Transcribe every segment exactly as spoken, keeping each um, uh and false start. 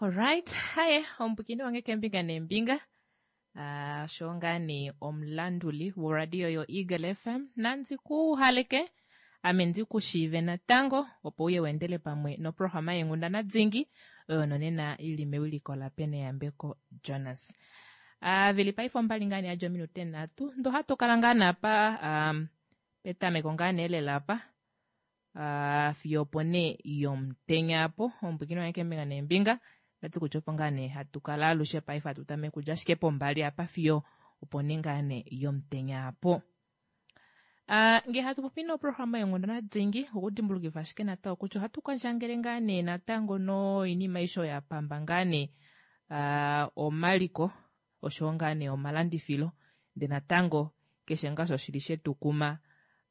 Alright, haye omupwiikini wange keembinga neembinga uh, sho ngaa nee omulanduli woradio yo Eagle F M nandi ku haleke ame ndi ku shiive natango opo uye weendele pamwe noprograma yeenghundana dingi oyo nonena ili mewiliko laPeneyambeko Jonas. Uh, veli paife ombali ngaa nee yadja ominute nhatu ndo hatu kala ngaa naapa um, petameko ngaa nee lela apa uh, fiyo opo nee yomutenya apo omupwiikini wange keembinga neembinga ndati kutya opo ngaa nee hatu kala alushe paife hatu tameke kudja ashike pombali apa fiyo opo nee ngaa nee yomutenya apo. Uh, nge hatu popi noprograma yeenghundana dingi okudimbulukifa ashike natango kutya ohatu kondjangele ngaa nee natango noinima aishe oyo ya pamba ngaa nee uh, omaliko oshowo ngaa nee omalandifilo ndee natango keshe ngaa osho shili shetukuma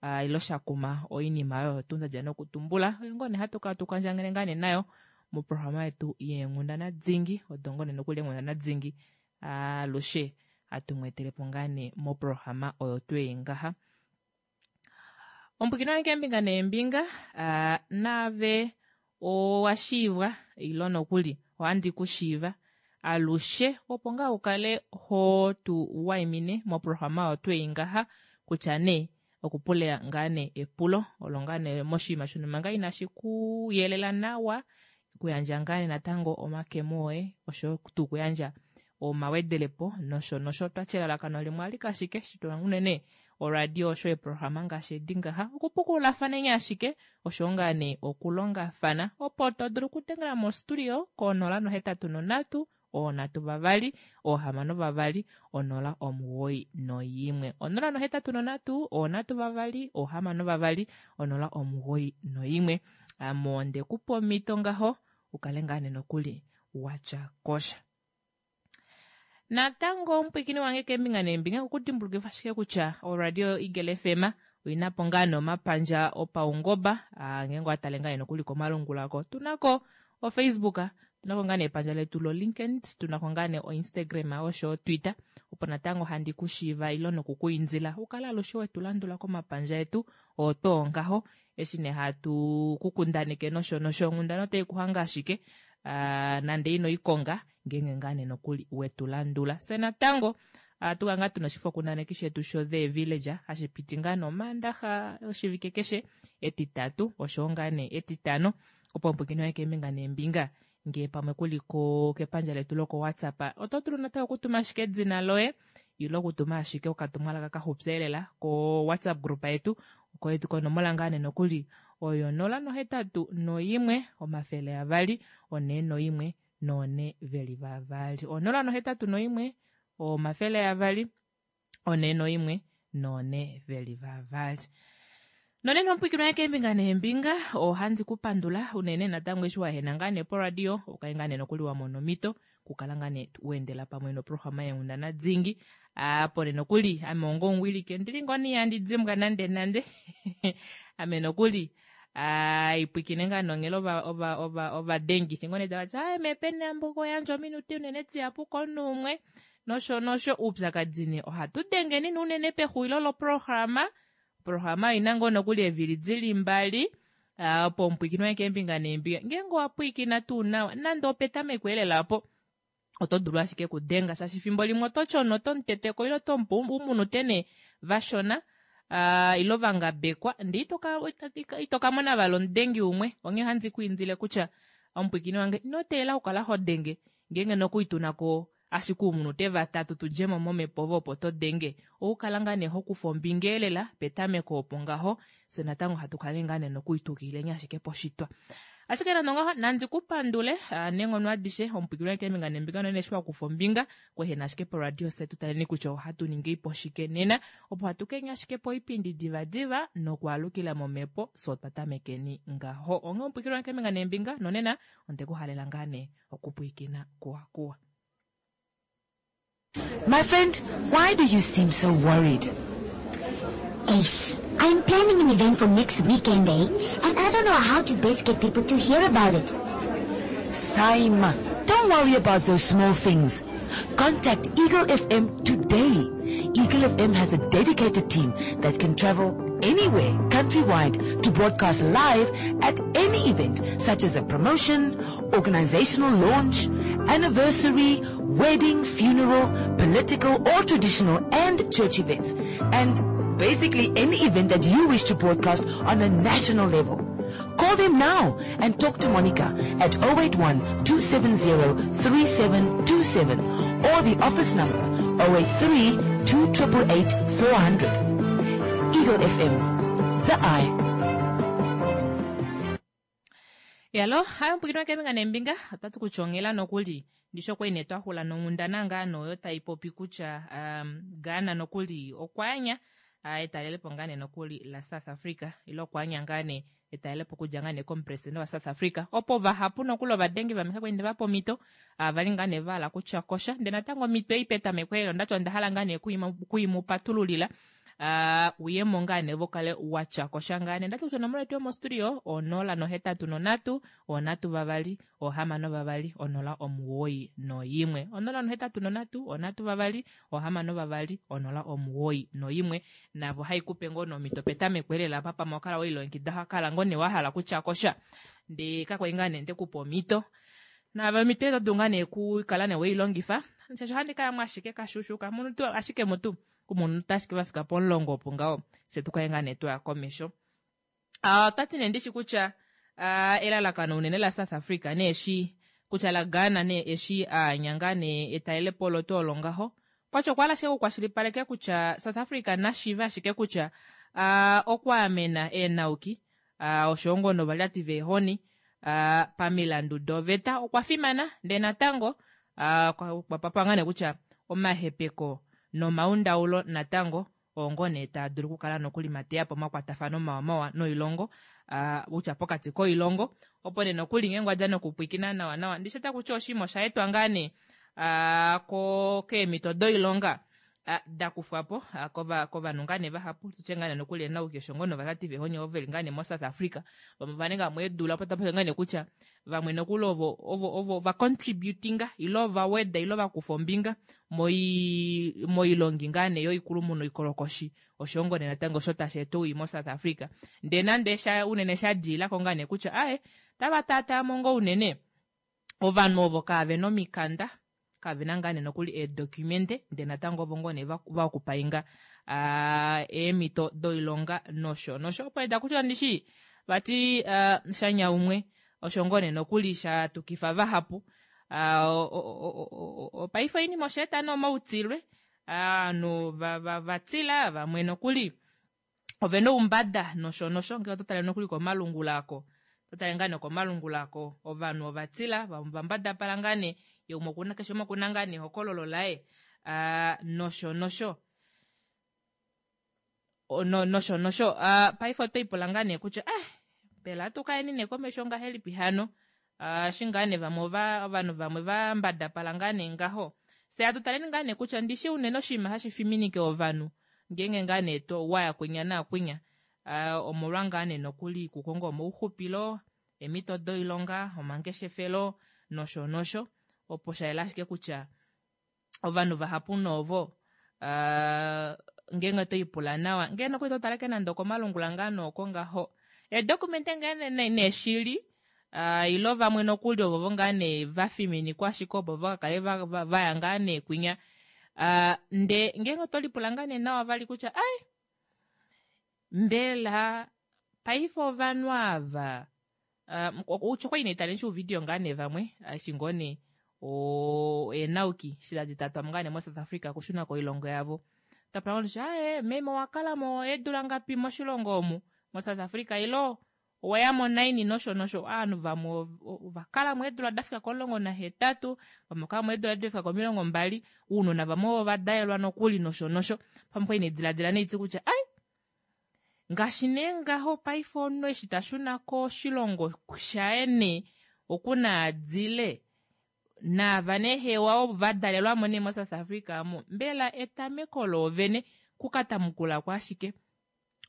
uh, ilo shakuma oinima oyo tuu ndadja nokutumbula oyo ngoo nee hatu kala tukandjangele ngaa nee nayo moprograma yetu yeenghundana dingi odo ngoo nee nokuli eenghundana dingi alushe hatu mweetelepo ngaa nee moprograma oyo tuu ei ngaha. Omupwiikini wange keembinga neembinga uh, naave owa shiivwa ilo nokuli ohandi ku shiiva alushe opo ngaa ukale ho tu waimine moprograma oyo tuu ei ngaha kutya nee okupula ngaa nee epulo olo ngaa nee moshinima shonhumba ngaa inashi ku yelela nawa okuyandja ngaa nee natango omakemo oye oshoyo tuu okuyandja omawedelepo nosho nosho twati elalakano limwe alike ashike shitula unene oradio osho eeprograma ngaashi edi ngaha okupukululathaneni ashike oshowo ngaa nee okulongafana opo to dulu okudengela mostudio konola nohetatu nonhatu oonhatu vavali oohamano vavali onola omugoyi noyimwe onola nohetatu nonhatu oonhatu vavali oohamano vavali onola omugoyi noyimwe ame onde kupa omhito ngaho ukale ngaa nee nokuli watya kosha. Natango omupwiikini wange keembinga neembinga okudimbulukifa ashike kutya oradio Eagle F M oina po ngaa nee omapandja opaungoba ngeenge owatale ngaa nee nokuli komalungula ko tunako oFacebook tunako ngaa nee epandja letu loLinkedIn tunako ngaa nee oInstagram osho Twitter opo natango handi kushiiva ilo nokukuindila ukale alushe wetu landula komapandja etu oto ngaho eshi nee hatu kukundaneke nosho nosho onghundana otai kuhange ashike uh, nande ino ikonga ngeenge ngaa nee nokuli wetu landula. Fye natango ohatu kala ngaa tuna oshifokundaneki shetu sho The Village hashi piti ngaa nomaandaxa oshivike keshe etitatu oshowo ngaa nee etitano opo omupwiikini woye keembinga neembinga ngee pamwe kuli ko kepandja letu loko WhatsApp oto dulu natango okutuma ashike edina loye ilo okutuma ashike okatumwalaka kaxupi elela ko WhatsApp group yetu koyetu konomola ngaa nee nokuli oyo nola nohetatu noyimwe omafele avali onee noyimwe noone veli vavali onola nohetatu noyimwe omafele avali onee noyimwe noone veli vavali. Nonena omupwiikini wange keembinga neembinga ohandi kupandula unene natango eshi wahena ngaa nee poradio ukale ngaa nee nokuli wamona omhito okukala ngaa nee weendela pamwe noprograma yeenghundana dingi apo nee nokuli ame onga omuwiliki ondili ngoo nee ihandi dimbwa nande nande ame nokuli ipwikine ngaa nonghela ovadengi eshi ngoo nee tavati aaye meepeneyambo yandja ominute unene dihapu komunhu umwe nosho nosho oupyakadi nee ohatu dengeni nee unene pexulilo loprograma oprograma oina ngoo nokuli eevili dili mbali opo omupwiikini wange keembinga neembinga ngeenge owapwiikina tuu nawa nande opetameko elela opo oto dulu ashike okudenga shaashi efimbo limwe oto tyono oto muteteko ile oto mupe umunute nee vashona uh, ilo vangabekwa ndee ito ka mona vali omudengi umwe onghee ohandi ku indile kutya omupwiikini wange ino teelela okukala ho denge ngeenge nokuli tunako ashike uumunute vatatu tudjemo momhepo ove opo to denge oukala ngaa nee hokufa ombinga elela petameko opo ngaho fye natango hatu kala ngaa nee nokuli tuukilileni ashike poshitwa. Ashike nande ongaho nandi kupandule neenghono adishe omupwiikini wange keembinga neembinga nonene eshi wakufa ombinga kwehena ashike poradio fye tutaleni kutya ohatu ningi po shike nena opo hatu kenya ashike poipindi divadiva nokwaalukila momhepo fye otwa tamekeni ngaho. Onghee omupwiikini wange keembinga neembinga nonena ondekuhalela ngaa nee okupwiikina kuwakuwa. My friend, why do you seem so worried? Ace, I'm planning an event for next weekend, eh? And I don't know how to best get people to hear about it. Saima, don't worry about those small things. Contact Eagle F M today. Eagle F M has a dedicated team that can travel anywhere countrywide to broadcast live at any event such as a promotion, organizational launch, anniversary, wedding, funeral, political or traditional and church events, and basically any event that you wish to broadcast on a national level. Call them now and talk to Monica at oh eight one, two seven zero, three seven two seven or the office number oh eight three, two triple eight, four hundred. Eagle F M, the eye. Yalo, hayo mpukino keminga nembinga, otatu kuchongela nokuli. Ndisho kwa ine twahula nongundana ngano oyo taipopi kutya, um, Ghana nokuli okwanya, ah, etalelepo ngane nokuli la South Africa, ilo okwanya ngane etalelepo kudja ngane komupresidente wa South Africa. Opo vahapu nokuli ovadengi vameka kwende vapo mito, ah, vali ngane vala kutya kosha. Nde natango mitwe ipeta mekwelo, ndacho ndahala ngane kuimupatululila. Ah, uyemo ngane vokale wacha kosha ngane. Ndacho kutya onomola yetu yomostudio, onola nohetatu nonatu, onatu vavali, ohamano vavali, onola omuwoi noyimwe. Onola nohetatu nonatu, onatu vavali, ohamano vavali, onola omuwoi noyimwe. Navo haikupe ngono omito petameko elela papa mokala oilongekida hakala ngone wahala kutya kosha. Nde kakwa ngane nde kupa omito. Navo omito eto dunga ne ku kala ne weilongifa. Shasho handi kaya mwashike kashushuka, munu tu ashike mutu. Kumunhu tashike vafika pomulongo opo ngaho, se tukaye ngaa nee twaya komesho. Ah, otati nee ndishi kutya, ah, elalakano unene la South Africa nee eshi kutya la Ghana nee eshi aanya ngaa nee etalelepo olo tuu olo ngaho. Kwatya okwa hala ashike okukwashilipaleka kutya South Africa nashiive ashike kutya, ah, okwaamena eenauki, ah, osho ngoo novalyati veehoni, ah, pamilandu doveta okwa fimana, ndee natango, ah, kwa-, kwa papwa ngaa nee kutya omahepeko nomaundaulo natango ongo nee taa dulu okukala nokuli mateya po omakwatafano mawamawa noilongo, ah, kutya pokati koilongo, opo nee nokuli ngeenge wadja nokupwikina nawa nawa. Ndishi ota kutya oshima osha etwa ngaa nee, ah, ko-, keemhito doilonga, ah, da kufwa po, ah, kova-, kovanhu ngaa nee vahapu, tutye ngaa nee nokuli enauki osho ngoo novatati vehonye ovo veli ngaa nee moSouth Africa. Vamwe ova ninga mo eedula, opo tapopi ngaa nee kutya vamwe nokuli ovo, ovo, ovo va contributinga, ilo va weda, ilo va kufa ombinga moi-, moilongi ngaa nee yoikulumuno ikolokoshi, osho ngoo nee natango osho tashi eta owii moSouth Africa. Ndee nande sha, unene sha diila ko ngaa nee kutya, ae, tava taataa mo ngoo unene ovanhu ovo kave na omikanda, kave na ngaa nee nokuli eedocumente, ndee natango ovo ngoo nee va-, va okupainga, ah, eemhito doilonga nosho nosho. Opo eda kutya ndishi vati, ah, shanya umwe osho ngoo nee nokuli sha tukifa vahapu. Ah, o-, o-, o-, o-, o-, paife oinima osha eta nomautilwe, ah, ovanhu va-, va-, va tila, vamwe nokuli ove na oumbada nosho nosho. Ngee oto tale nokuli komalungula ako, oto tale ngaa nee komalungula ako, ovanhu ova tila, vamwe ova mbadapala ngaa nee, ye umwe okuna, keshe umwe okuna ngaa nee ehokololo laye, ah, nosho nosho. O, no, nosho nosho. Ah, paife otwe ipula ngaa nee kutya, ah, mbela atu kaeni nee komesho ngahelipi hano? Ah, eshi ngaa nee vamwe ova, ovanhu vamwe va mbadapala ngaa nee ngaho. Se atu taleni ngaa nee kutya ndishi unene oshinima hashi fiminike ovanhu ngeenge ngaa nee to waya kwinya naakwinya. Ah, omolwa ngaa nee nokuli kukonga omauxupilo, eemhito doilonga, omangeshefelo, nosho nosho. Opo sha yela ashike kutya ovanhu vahapu novo, ah, ngeenge oto ipula nawa, ngeenge nokuli to tale ke nande okomalungula ngaa nooko ngaho. Eedokumente ngaa ne-, ne-, neeshili, ah, ilo vamwe nokuli ovo ngaa nee va fiminikwa ashike opo va kale va-, va-, va ya ngaa nee kwinya. Ah, nde ngeenge oto lipula ngaa nee nawa vali kutya, ai, mbela paife ovanhu ava, ah, utya okwa ine tale nshi uvideo ngaa nee vamwe, ah, eshi ngoo nee, o, eenauki, shi tadi tatwa ngaa nee moSouth Africa okushuna koilongo yavo. Tapula ngoo kutya, ae, meme owa kala mo eedula ngapi moshilongo omu, moSouth Africa, ilo owa mo naini nosho nosho. Ovanhu vamwe ov-, ova kala mo eedula da fika komulongo nahetatu, vamwe kala mo eedula da fika komilongo mbali, ounona vamwe ovo va dalelwa nokuli nosho nosho. Pamwe kwa ine diladila neitsi kutya, ai, ngaashi nee ngaho paife omunhu eshi ta shuna koshilongo shaye nee, okuna adile, naava nee hewa ovo va dalelwa mo nee moSouth Africa mo, mbela etameko loovene kukatamukula ko ashike,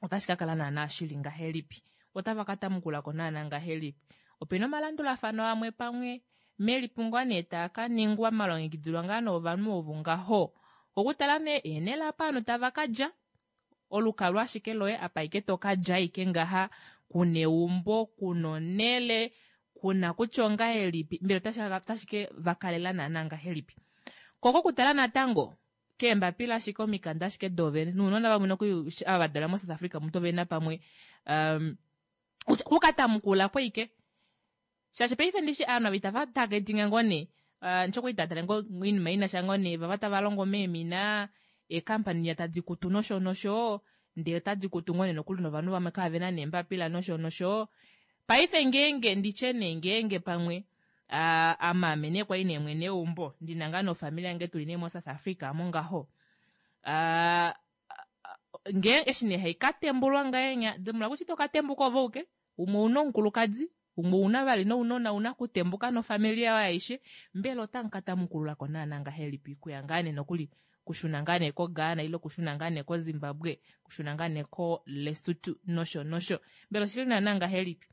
otashi ka kala naana shili ngahelipi? Otava ka tamukula ko naana ngahelipi? Opena omalandulafano amwe pamwe melipungo nee taa ka ningwa malongekidilwa ngaa novanhu ovo ngaho. Okutala nee eenhele apa ovanhu tava ka dja, Olukalwa ashike loye apa ike tokadja ike ngaha, kuna eumbo, kuna onele, kuna kutya ongahelipi, mbela otashi ke vakalela naana ngahelipi. Ko kokutala natango keembapila ashike omikanda ashike doovene nounona vamwe nokuli ava vadalelwa mo South Africa mutu ovena pamwe um, kukatamukula kweike shaashi paife ndishi ovanhu ava itava targetinga ngoo nee uh, ndishi okwali tatale ngoo oinima inasha ngoo nee vava tava longo meemina eekampani tadi kutu nosho nosho ndee otadi kutu ngoo nee nokuli novanhu vamwe kavena neembapila nosho nosho. Paife ngeenge nditye nee ngeenge pamwe uh, amaame nee kwali nee mwene weumbo ndina ngaa nofamili yange tuli nee mo South Africa mo ngaho uh, ngee eshi nee haikatembulwa ngahenya dimbuluka kutya ito katembuka ove uke umwe ouna omukulukadi umwe ouna vali nounona ouna kutembuka nofamili yayo aishe mbela otamu katamukululako naana ngahelipi kuya ngaa nee nokuli kushuna ngaa nee ko Ghana ile kushuna ngaa nee ko Zimbabwe kushuna ngaa nee ko Lesotho nosho nosho mbela oshili naana ngahelipi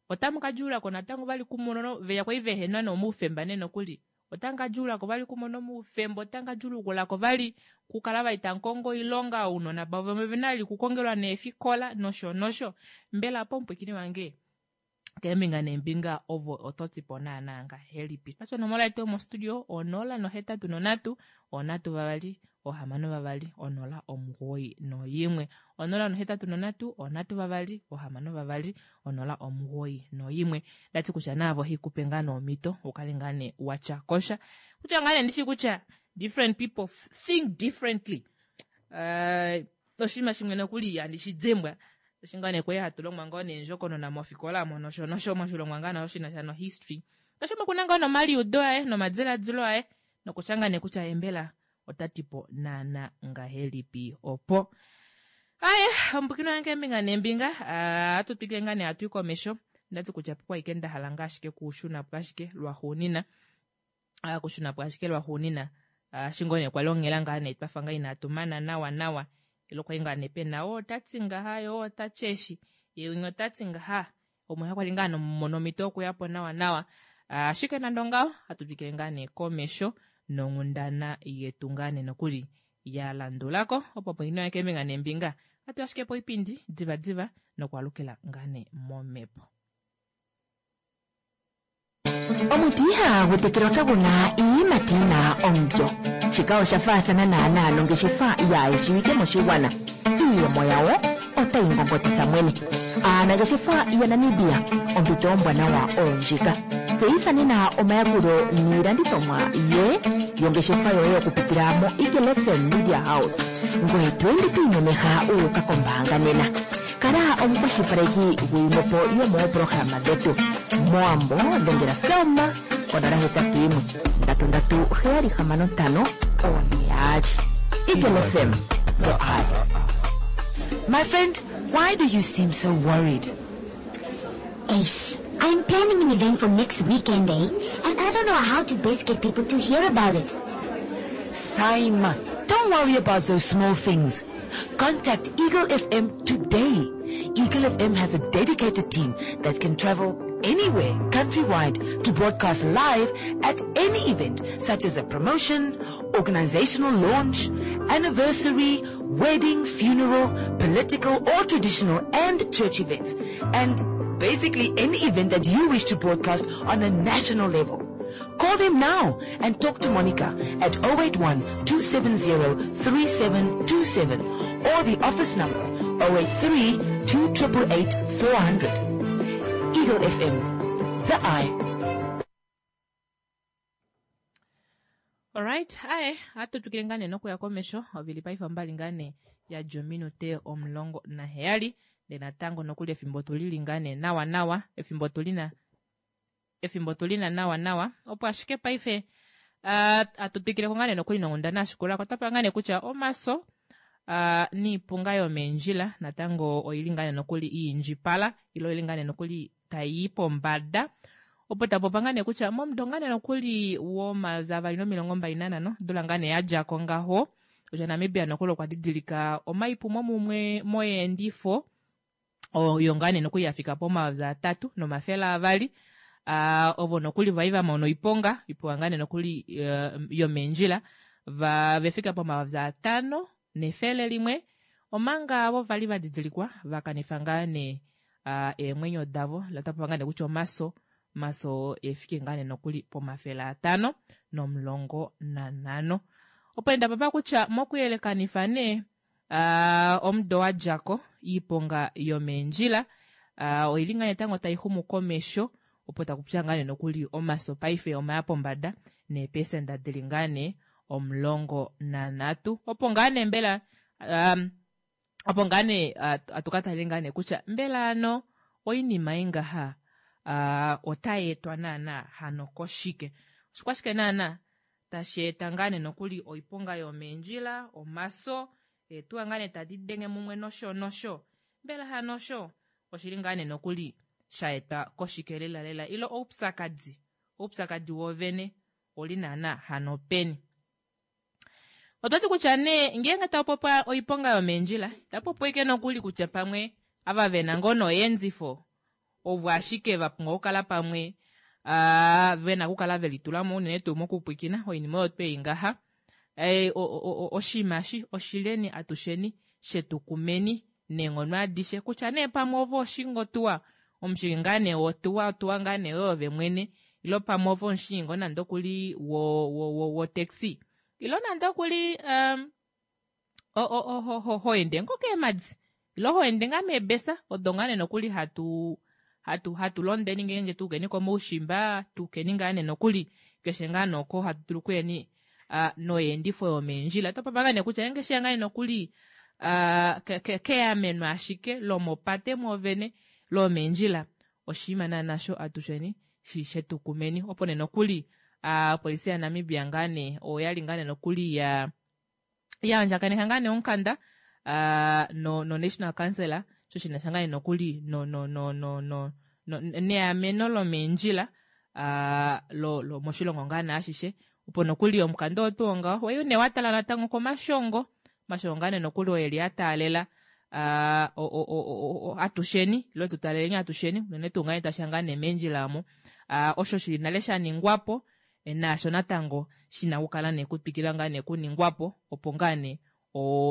otamu kadjuulako natango vali kumono veya kwali vehena nomaufemba nee nokuli otamu kadjuulako vali kumona omaufemba otamu kadjuulukulako vali kukala vali tamukongo oilonga ounona vavo vena vali kukongelwa neefikola nosho nosho mbela opo omupwiikini wange keembinga neembinga ovo ototipo naana ngahelipi. Paife onomola yetu yomostudio onola nohetatu nonhatu onhatu vavali ohamano vavali onola omugoyi noyimwe onola nohetatu nonhatu onhatu vavali ohamano vavali onola omugoyi noyimwe. Ndati kutya naavo hikupe ngaa neemhito ukale ngaa nee watya kosha kutya ngaa nee ndishi kutya different people think differently. Uh, oshinima shimwe nokuli handi shi dimbwa eshi ngaa nee kwali hatu longwa ngoo neendjokonona mofikola mo nosho nosho moshilongwa ngaa nasho shinasha no history keshe umwe okuna ngaa nomaliudo aye nomadiladilo aye nokutya ngaa nee kutya ye mbela otatipo naana ngahelipi opo. Aye omupwiikini wange keembinga neembinga ohatu twikile ngaa nee hatu i komesho ndati kutya pokwa nda hala ngaa ashike kushuna po ashike lwaxuunina kushuna po ashike lwaxuunina eshi ngoo nee kwali onghela ngaa nee twafa ngaa inatu mana nawa nawa ile kwali ngaa nee pena oo otati ngaha yoo otati eshi ye umwe otati ngaha umwe kwali ngaa mono omhito yokuyapo nawa nawa ashike nande ongaho hatu twikile ngaa nee komesho nonghundana yetu ngaa nee nokuli ya landulako opo pwiinino keembinga neembinga hatu ashike poipindi diva diva nokwaalukila ngaa nee momhepo. Omuti ihagu tekelwa kaguna iiyimati yina omulyo. Shika osha faathana naanaa nongeshefa yaayeshiwike moshigwana. Iiyemo yawo otayi ngongotitha mwene. Aanangeshefa yaNamibia ompito ombwanawa oyo ndjika. Tseyitha nena omayakulo niilandithomwa ye yongeshefa yoye okupitila mo Eagle F M Media House. Ngoye to ende to imemeha u uka kombaanga nena. Kala omukwashilipaleki gwiimwepo yomoopolohalama dhetu. Moambo dhengela Selma konola hetatu yimwe ndatu ndatu heyali hamano ntano one yaali. Eagle F M, the eye. My friend, why do you seem so worried? Ace, I'm planning an event for next weekend, eh? And I don't know how to best get people to hear about it. Saima, don't worry about those small things. Contact Eagle F M today. Eagle F M has a dedicated team that can travel anywhere countrywide to broadcast live at any event such as a promotion, organizational launch, anniversary, wedding, funeral, political or traditional and church events. And basically any event that you wish to broadcast on a national level. Call them now and talk to Monica at oh eight one two seven zero three seven two seven or the office number oh eight three two eight eight four hundred. Eagle F M, the eye. Alright, aye, hatu twikile ngaa nee nokuya komesho ovili paife ombali ngaa nee yadja ominute omulongo naheyali ndee natango nokuli efimbo tulili ngaa nee nawa nawa efimbo tulina efimbo tulina nawa nawa opo ashike paife atu twikileko ngaa nee nokuli nonghundana yashikulako otapa ngaa nee kutya omaso uh, niipunga yomeendjila natango oili ngaa nee nokuli iindjipala ile oili ngaa nee nokuli tayi pombada opo tapopa ngaa nee kutya momudo ngaa nee nokuli womayovi avali nomilongo mbali nanhano odula ngaa nee yadjako ngaho kutya Namibia nokuli okwa didilika omaipumo mumwe moyeendifo oyo ngaa nee nokuli yafika pomayovi atatu nomafele avali uh, ovo nokuli vai vamona oiponga iponga ngaa nee nokuli uh, yomeendjila va vefika pomayovi atano nefele limwe Omanga avo vali vadidilikwa vakanifa ngaa nee eemwenyo davo otapa ngaa nee kutya omaso omaso efike ngaa nee nokuli pomafele atano nomulongo nanhano. Opo ndapapa kutya mokuyelekanifa nee omudo wadjako oiponga yomeendjila oili ngaa natango taixumu komesho opo takupitiwa ngaa nee nokuli omaso paife omaya pombada neepecenta dili ngaa nee omulongo nanhatu. Opo ngaa nee mbela opo ngaa nee atukataleni ngaa nee kutya mbela hano oinima ei ngaha otayeetwa naana hano koshike, oshikwashike naana tashi eta ngaa nee nokuli oiponga yomeendjila, omaso, eetuwa ngaa nee tadiidenge mumwe nosho nosho, mbela hano osho oshili ngaa nee nokuli shaetwa koshike lela lela ile oupyakadi, oupyakadi woovene ouli naana hano peni. Otwati kutya nee ngeenge takupopiwa oiponga yomeendjila itapupopiwa ashike nokuli kutya pamwe ava vena ngoo noyeendifo ovo ashike vapumbwa okukala pamwe vena okukala velitulamo unene tuu mokupwiikina oinima oyo twei ngaha oshinima eshi oshileni atusheni shetukumeni neenghono adishe kutya nee pamwe ove ohoshingi otuwa omushingi ngaa nee wotuwa otuwa ngaa nee yoye ove mwene ile pamwe ove omushingi ngoo nande okuli wo taxi ile nande okuli hoende ngoo keemadi ile hoende ngaa meebesa odo ngaa nee nokuli hatu hatu hatu londeni ngeenge tuukeni komaushimba tuukeni ngaa nee nokuli keshe ngaa nee oko hatu dulu okuyeni noyeendifo yomeendjila. Otopopi ngaa nee kutya ngeenge osheya ngaa nee nokuli keameno ashike lomopate mwoovene lomeendjila oshinima naana osho atusheni shetukumeni. Opo nee nokuli opolisi ya Namibia ngaa nee oyali ngaa nee nokuli ya yaandjakaneka ngaa nee omukanda no national council osho shinasha ngaa nee nokuli no no no no neameno lomeendjila lo moshilongo ngaa nee ashishe opo nokuli omukanda oo tuu ngaho wali nee watala natango komashongo omashongo ngaa nee nokuli oo eli ataalela atusheni ile tutaaleleni atusheni unene tuu ngaa tashiya ngaa nee meendjila omo osho shili nale shaningwapo naasho natango shina okukala nee kutwikila ngaa nee okuningwapo opo ngaa nee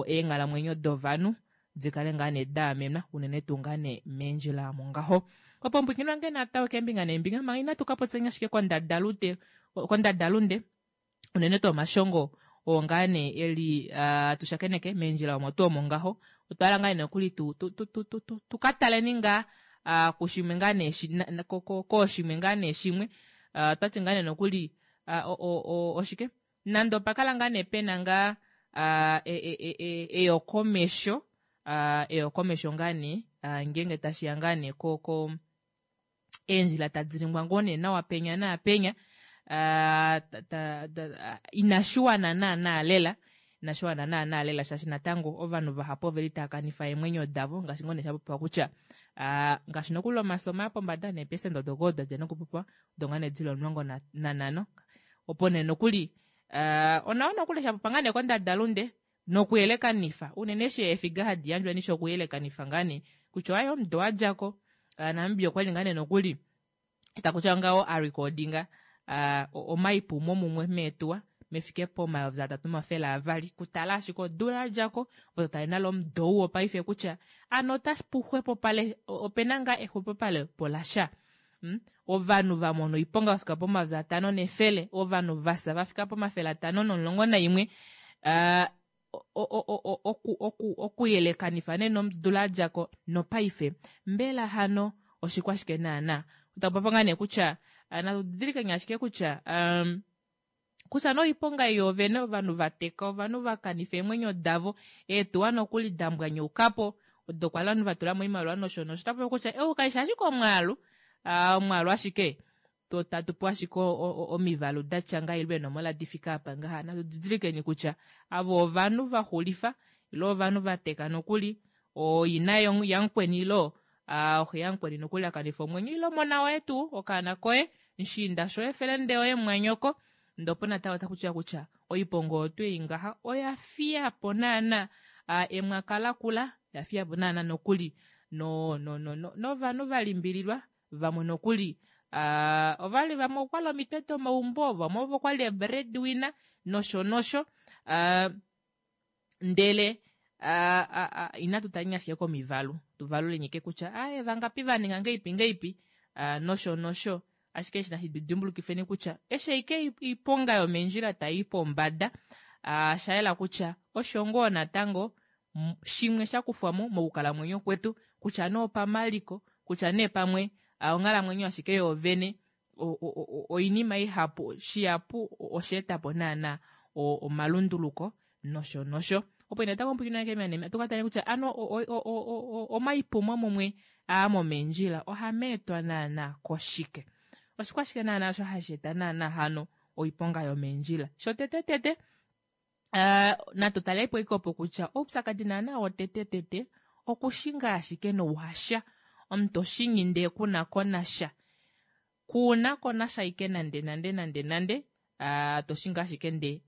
eenghalamwenyo dovanhu dikale ngaa nee daamenwa unene tuu ngaa nee meendjila omo ngaho. Opo omupwiikini wange natango keembinga neembinga manga inatu kapopyeni ashike kondadalunde kondadalunde unene tuu omashongo oo ngaa nee eli tushakeneke meendjila omo tuu omo ngaho otwahala ngaa nee nokuli tukataleni ngaa kushimwe ngaa nee kooshimwe ngaa nee shimwe otwati ngaa nee nokuli oshike nande opakala ngaa nee pena ngaa eyokomesho eyokomesho ngaa nee ngeenge tashiya ngaa nee ko eendjila tadi ningwa ngoo nee nawa penya naapenya inashiwana naana lela inashiwana naana lela shaashi natango ovanhu vahapu oveli taakanifa eemwenyo davo ngaashi ngoo nee shapopiwa kutya ngaashi nokuli omaso omaya pombada neepecent odo ngoo dadja nokupopiwa odo ngaa nee dili omulongo nanhano opo nee nokuli onawa nokuli shapopiwa ngaa nee kondadalunde nokuyelekanifa unene eshi eefiga hadi yandjwa nishi okuyelekanifa ngaa nee kutya aaye omudo wadjako Namibia okwali ngaa nee nokuli takutiwa ngaho arecordinga omaipumo mumwe meetuwa mefike pomayovi atatu nomafele avali kutala ashike odula yadjako ove totale nale omudo ou wopaife kutya ano otapu xwepopale opena ngaa exwepopalepo lasha ovanhu vamona oiponga vafika pomayovi atano nefele ovanhu vafya vafika pomafele atano nomulongo naimwe okuyelekanifa nee nodula yadjako nopaife mbela hano oshikwashike naana otakupopiwa ngaa nee kutya natu didilikeni ashike kutya kutya noiponga yoovene ovanhu vateka ovanhu vakanifa eemwenyo davo eetuwa nokuli dambwanyaukapo odo kwali ovanhu vatulamo oimaliwa nosho nosho otapopiwa kutya ou kaifi ashike omwaalu omwaalu ashike tatupewa ashike omivalu datya ngaha ile eenomola difike apa ngaha natu didilikeni kutya avo ovanhu vaxulifa ile ovanhu vateka nokuli ooina yamukweni ile oxe yamukweni nokuli akanifa omwenyo ile omona woye tuu okaana koye mushiinda shoye felende yoye mumwanyoko ndee opo natango takutiwa kutya oiponga oyo tuu ei ngaha oya fiyapo naana emwaka lakula yafiyapo naana nokuli no no no novanhu valimbililwa vamwe nokuli ovali vamwe okwali omitwe domaumbo vamwe ovo kwali breadwinner nosho nosho ndele Uh, inatu taleni ashike komivalu, tuvaluleni ike kutya aaye vangapi vaninga ngeipi ngeipi nosho nosho, ashike eshi nashi dimbulukifeni kutya eshi ashike oiponga yomeendjila tai pombada, oshayela kutya osho ngoo natango shimwe shakufwamo mokukalamwenyo kwetu, kutya nee opamaliko, kutya nee pamwe onghalamwenyo ashike yoovene, oinima ihapu shihapu osheetapo naana omalunduluko nosho nosho. Opo natango pwilikina keemina tukatale kutya ano omaipumo mumwe aa momeendjila ohameetwa naana koshike, oshikwashike naana osho hashi eta naana hano oiponga yomeendjila. Shotete tete natu talepo ike opo kutya oupyakadi naana wotete tete okushinga ashike nouhasha, omuntu toshingi ndee kuna konasha, kuna konasha ike nande nande nande nande, toshingi ashike ndee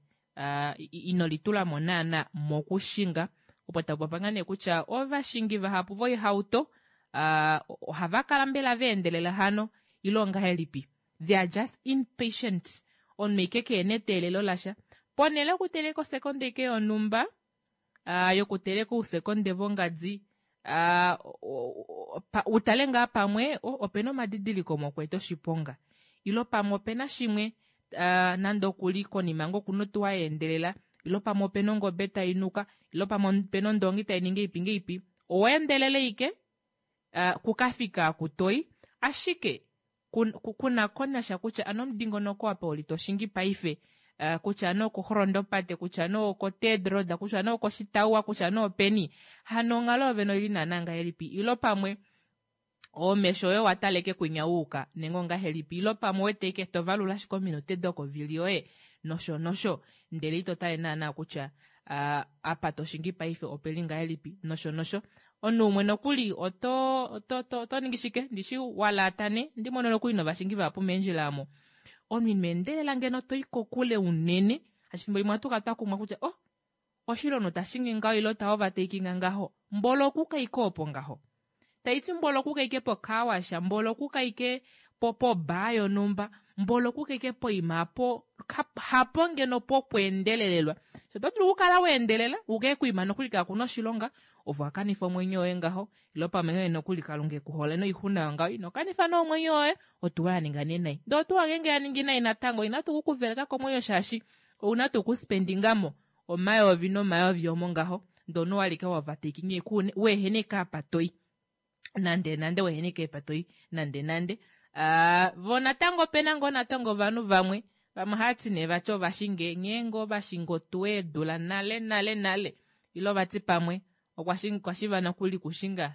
ino litulamo naana mokushinga. Opo tapopi ngaa nee kutya ovashingi vahapu voihauto ohava kala mbela vaendelela hano ile ongahelipi, they are just impatient, omunhu ike kehena eteelelo lasha, ponele yokuteleka osekonde ike yonhumba, yokuteleka ousekonde vongadi, utale ngaa pamwe opena omadidiliko mokweeta oshiponga, ile pamwe opena shimwe nande okuli konima ngoo okuna otuwa yaendelela, ile pamwe opena ongobe tainuka, ile pamwe opena ondongi tainingi ngeipi ngeipi, owaendelele ike kukafika oku toyi, ashike kuna konasha kutya ano omudingonoko apa uli toshingi paife, kutya nee okoxolondo pate, kutya nee oko third road, kutya nee okoshitauwa, kutya nee openi, hano onghalo yoovene oili naana ngahelipi, ile pamwe omesho oye owatala ike kwinya wuuka nenge ongahelipi, ile pamwe ouwete ike tovalula ashike ominute dokovili yoye nosho nosho, ndele ito tale naana kutya apa toshingi paife opeli ngahelipi nosho nosho. Omunhu umwe nokuli oto oto oto ningi shike ndishi walaata nee ndimono nokuli novashingi vahapu meendjila omo, omunhu ino endelela ngeno toyi kokule unene, shaashi efimbo limwe ohatu kala twakumwa kutya oh oshili omunhu tashingi ngaho ile ta overtakinga ngaho, mboli okuuka ike opo ngaho, taiti mboli okuuka ike po carwash, mboli okuuka ike po bar yonhumba, mboli okuuka ike poima aapo hapo ngeno pokweendelelelwa, oto dulu okukala waendelela uke koima nokuli kakuna oshilonga, ove owakanifa omwenyo woye ngaho, ile pamwe ngenge nokuli kalunga ekuhole noixuna yongaho ino kanifa nee omwenyo woye, otuwa yaninga nee nai, ndee otuwa ngeenge yaningi nai natango inatu kukuveleka komwenyo shaashi ouna tuu okuspendingamo omayovi nomayovi omo ngaho, ndee omunhu owali ike wa overtakinga weehena ike apa toyi nande nande, weehena ike apa toyi nande nande. Voo natango opena ngoo natango ovanhu vamwe, vamwe ohaati nee vati ovashinge nghee ngoo vashinga otuwa eedula nale nale nale, ile vati pamwe okwashiva nokuli kushinga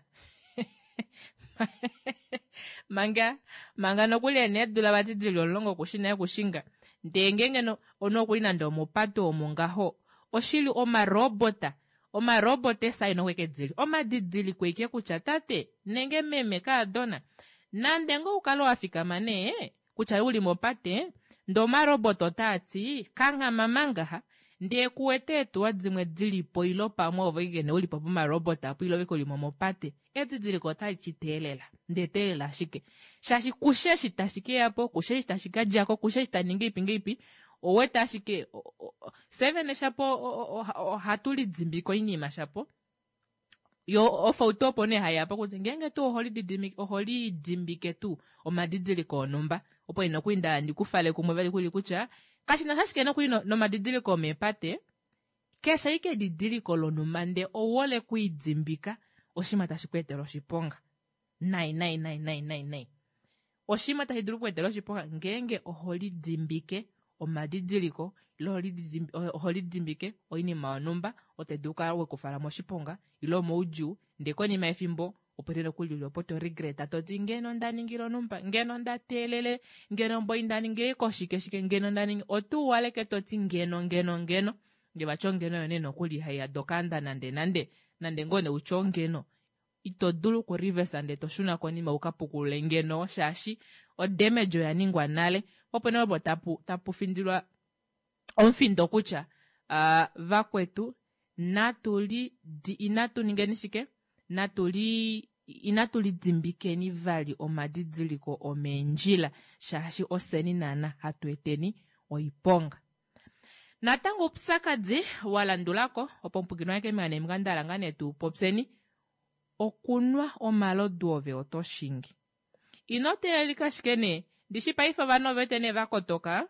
manga manga nokuli ena eedula vati dili omulongo okushi nale okushinga, ndee ngeenge omunhu okuli nande omopate omo ngaho, oshili omarobota, omarobota eesaina okweke dili omadidiliko ike kutya tate nenge meme kaadona, nande ngoo ukale wafikama nee kutya uli mopate, ndee omarobota otaati kanghama manga ndee kuwete eetuwa dimwe dilipo ile pamwe ove ike nee ulipo pomarobota apo ile ove ike ulimo mopate, edidiliko otaliti teelela, ndee teelela ashike, shaashi kushe eshi tashi keyapo, kushe eshi tashi kadjako, kushe eshi taningi ngeipi ngeipi, ouwete ashike fyee vene shapo ohatu lidimbike oinima shapo, yo ofauto opo nee haiyapo kutya ngeenge tuu oholidimbike tuu omadidiliko onhumba, opo ina nokuli ndahala ndikufale kumwe vali kuli kutya kashinasha ashike nokuli nomadidiliko omeepate, keshe ashike edidiliko lonhumba ndee ouhole okwiidimbika oshinima tashi kweetele oshiponga nai nai nai nai nai nai, oshinima tashi dulu okukweetela oshiponga ngeenge oholidimbike omadidiliko ile oholidimbike oinima yonhumba oyo tayi dulu okukala yekufala moshiponga ile moudjuu, ndee konima yefimbo opo nee nokuli uli opo to regret toti ngeno ndaningile onhumba, ngeno nda teelele, ngeno mboli ndaningile koshike shike, ngeno ndaningi, otuuwaleke toti ngeno ngeno ngeno, ndee vati ongeno oyo nee nokuli haiyada okaanda nande nande, nande ngoo nee utye ongeno, ito dulu oku reverse ndee toshuna konima ukapukulule ngeno shaashi odamage oya ningwa nale. Opo nee opo tapu tapu findilwa omufindo kutya vakwetu natu li inatu ningeni shike, natuli inatu lidimbikeni vali omadidiliko omeendjila shaashi ofyeni naana hatu eteni oiponga. Natango oupyakadi wa landulako opo omupwikinwa wange keembinga neembinga ndahala ngaa nee tupopyeni, okunwa omalodu ove oto shingi. Ino teelelika ashike nee, ndishi paife ovanhu ovewete nee vakotoka,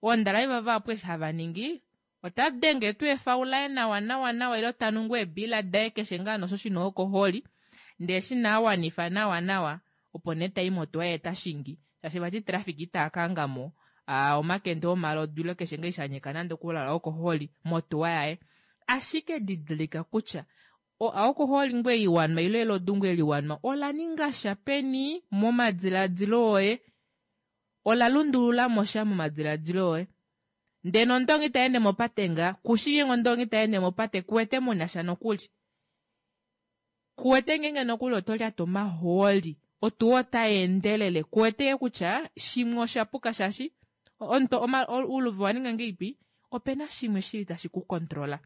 oondraiva vahapu eshi hava ningi, ota denge tuu efaula nawa nawa nawa ile tanu ngoo eebiila daye keshe ngaa nosho shina alcoholi, ndee eshi nee awanifa nawa nawa opo nee tayi motuwa yee tashingi, shaashi vati traffic ita kahangamo omakende omalodu ile keshe ngoo eshi shanyika nande okuli alcoholi motuwa yaye. Ashike didilika kutya oalcoholi ngoo ei wanwa ile elodu ngoo eli wanwa ola ningasha peni momadilaadilo oye, ola lundululamo sha momadilaadilo oye. Ndee nondongi tayeende mopate ngaa, kushi ngeenge ondongi tayeende mopate kuwete munasha nokuli. Kuwete ngeenge nokuli oto lyata omahooli, otuwa ota yeendelele kuwete kutya shimwe oshapuka shaashi ouluvi owaninga ngahelipi, opena shimwe shili tashi ku controla.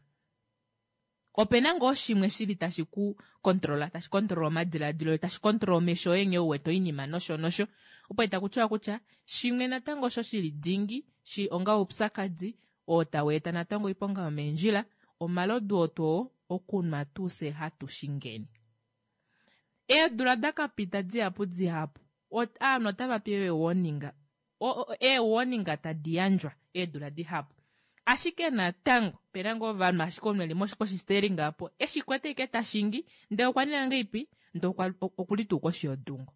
Opena ngoo shimwe shili tashi ku controla, tashi controla omadilaadilo oye, tashi controla omesho oye nghee uwete oinima nosho nosho. Opo takutiwa kutya shimwe natango osho shili dingi shi onga oupyakadi oo taweeta natango oiponga yomeendjila, omalodu oo twoo okunwa tuu fye hatu shingeni. Eedula dakapita dihapu dihapu, ovanhu otava pewa ee-warning, ee-warning tadi yandjwa eedula dihapu. Ashike natango opena ngoo ovanhu ashike omunhu eli koshi steering aapo eshi kwete ashike tashingi ndee okwa ninga ngahelipi ndee okuli tuu koshi yodungo.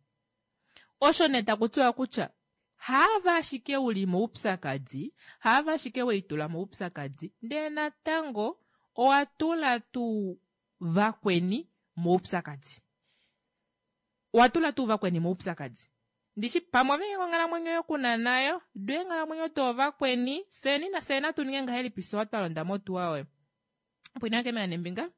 Osho nee takutiwa kutya haave ashike uli moupyakadi, haave ashike weitula moupyakadi, ndee natango owa tula tuu vakweni moupyakadi. Owa tula tuu vakweni moupyakadi. Ndishi pamwe ove onghalamwenyo yoye kuna nayo, doo eenghalamwenyo doovakweni, fyeni nafye natu ninge ngahelipi fye twa londa motuwa oyo. Pwina keembinga neembinga.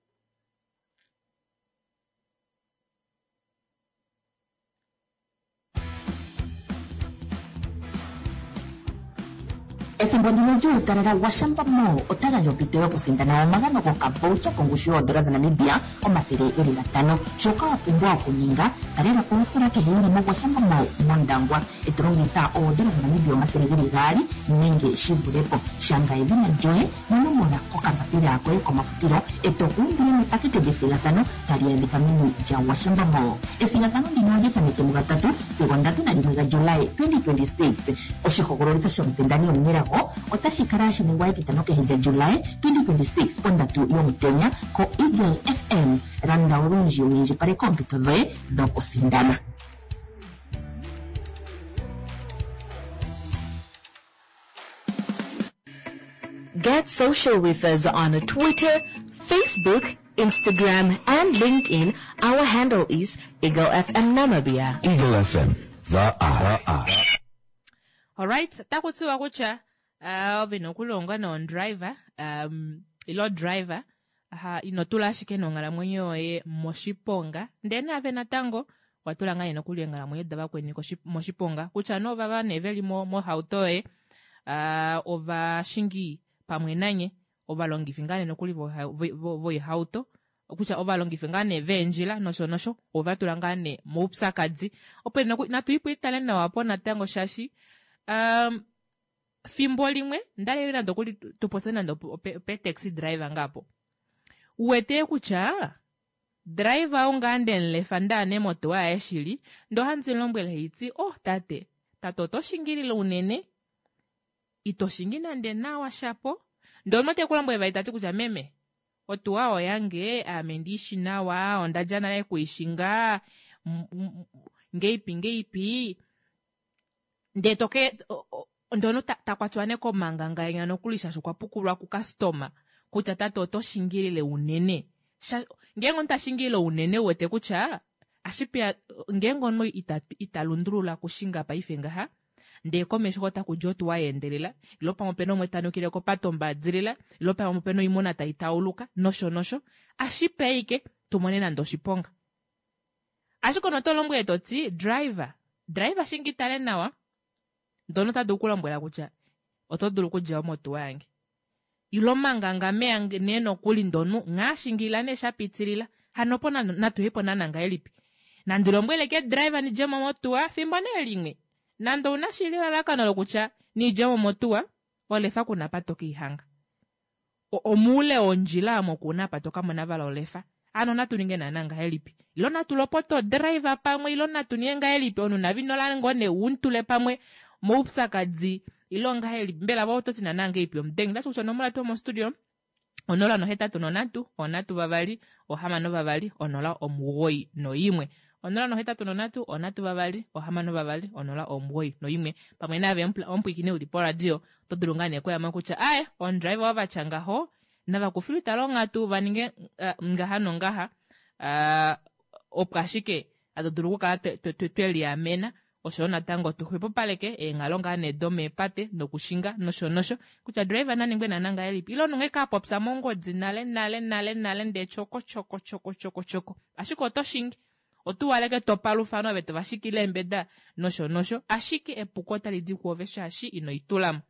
Ethimbo ndino lyuutalala Gwashamba Mall ota gandja ompito yokusindana omagano gokavoucher kongushu yoodola dhaNamibia omathele geli gatano. Shoka wa pumbwa okuninga, talela po ositola kehe yili moGwashamba Mall mOndangwa e to longitha oodola dhaNamibia omathele geli gaali nenge shi vule po. Shanga edhina lyoye nonomola kokambapila koye komafutilo e to kuumbile mepakete lyethigathano tali adhika meni lyaGwashamba Mall. Ethigathano ndino olya tameke mugatatu sigo ndatu nalimwe gaJulayi twenty twenty six. Oshihogololitho shomusindani omunelago otashi kala hashi ningwa etitano kehe lyaJulayi twenty twenty six pondatu yomutenya koEagle F M. Landa olundji wu indjipaleke oompito dhoye dhokusindana. Get social with us on Twitter, Facebook, Instagram, and LinkedIn. Our handle is Eagle F M Namibia. Eagle F M, the eye. Alright, takutiwa kutya uh, ove nokulongwa nondriver, um, ilo driver, ha, ino tula ashike nonghalamwenyo yoye moshiponga, ndee naave natango watula ngaa nokuli eenghalamwenyo davakweni moshiponga, kutya nee ovava nee veli mohauto yoye, uh, ovashingi pamwe nanye, ovalongifi ngaa nee nokuli voihauto, kutya ovalongifi ngaa nee veendjila nosho nosho, ova tula ngaa nee moupyakadi. Opo natu ipo itale nawa po natango shaashi, um, fimbo limwe ndali nande okuli tupotse nande ope taxi driver ngapo. Uwete kutya driver ou ngaa ndemulefa ndaane motuwa yaye shili, ndee ohandi mulombwele haiti, oh tate, tate oto shingilile unene, ito shingi nande nawa shapo. Ndee omunhu te kulombwele vali tati kutya meme, otuwa oyange, ame ndiishi nawa, ondadja nale kuishinga, ngeipi ngeipi, ndee toke, ndee omunhu takwatiwa nee komanganga enya nokuli shaashi okwa pukulwa kukastoma kutya tate oto shingilile unene. Ngeenge omunhu tashingilile unene uwete kutya ashipeya ngeenge omunhu ita, ita lundulula kushinga paife ngaha, ndee komesho otaku di otuwa yeendelela, ilo pamwe opena umwe tanukile kopate ombadilila, ilo pamwe opena oimuna tai tauluka, nosho nosho, ashipeya ashike tumone nande oshiponga. Ashike ono to lombwele toti, driver, driver shingi tale nawa, ndono ota dulu okulombwela kutya oto dulu okudja motuwa yange. Ilo manganga meya nee nokuli ndonu nghaashingilila nee shapitilila, hano opo natuhepo naana ngahelipi. Nandi lombwele ke driver nidjemo motuwa fimbo nee limwe. Nande ouna shili elalakano lokutya nidjemo motuwa, olefa kuna apa tokeihanga. Omoule wondjila omo kuna apa tokamona vali olefa. Hano natu ninge naana ngahelipi? Ilo natu lopote odriver pamwe ilo natu ninge ngahelipi? Omunhu nave ino ngoo nee umutule pamwe moupyakadi ilo ngahelipi? Mbela ove ototi naana ngahelipi omudengi? Otashi kutya onomola yetu yomostudio onola nohetatu nonhatu onhatu vavali ohamano vavali onola omugoyi noimwe. Onola nohetatu nonhatu onhatu vavali ohamano vavali onola omugoyi noimwe. Pamwe naave omupwiikini uli poradio oto dulu ngaa nee okuyamo kutya aye omudriver wavatya ngaho navakufilwe itala onghatu vaninge uh, ngaha nongaha uh, opo ashike hatu dulu okukala tweliamena oshoyo natango tuxwepopaleke eenghalo ngaa nee domeepate nokushinga nosho nosho kutya driver naningwe naana ngahelipi ile omunhu ka popya mongodi nale nale nale nale ndee tyoko tyoko tyoko tyoko tyoko ashike oto shingi otuwaleke topalufano ove tovashikile eembeda nosho nosho ashike epuko otali di kuove shaashi ino itulamo.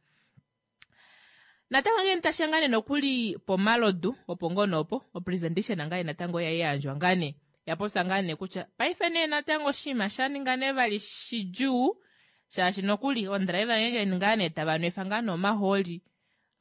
Natango ngee tashiya ngaa nee nokuli pomalodu opo ngoo noopo opresentation ngaa natango oya yandjwa ngaa nee yapopya ngaa nee kutya paife nee natango oshinima sha ninga nee vali shidjuu shaashi nokuli odriver ngeenge ngaa nee tava nwefa ngaa nee omahooli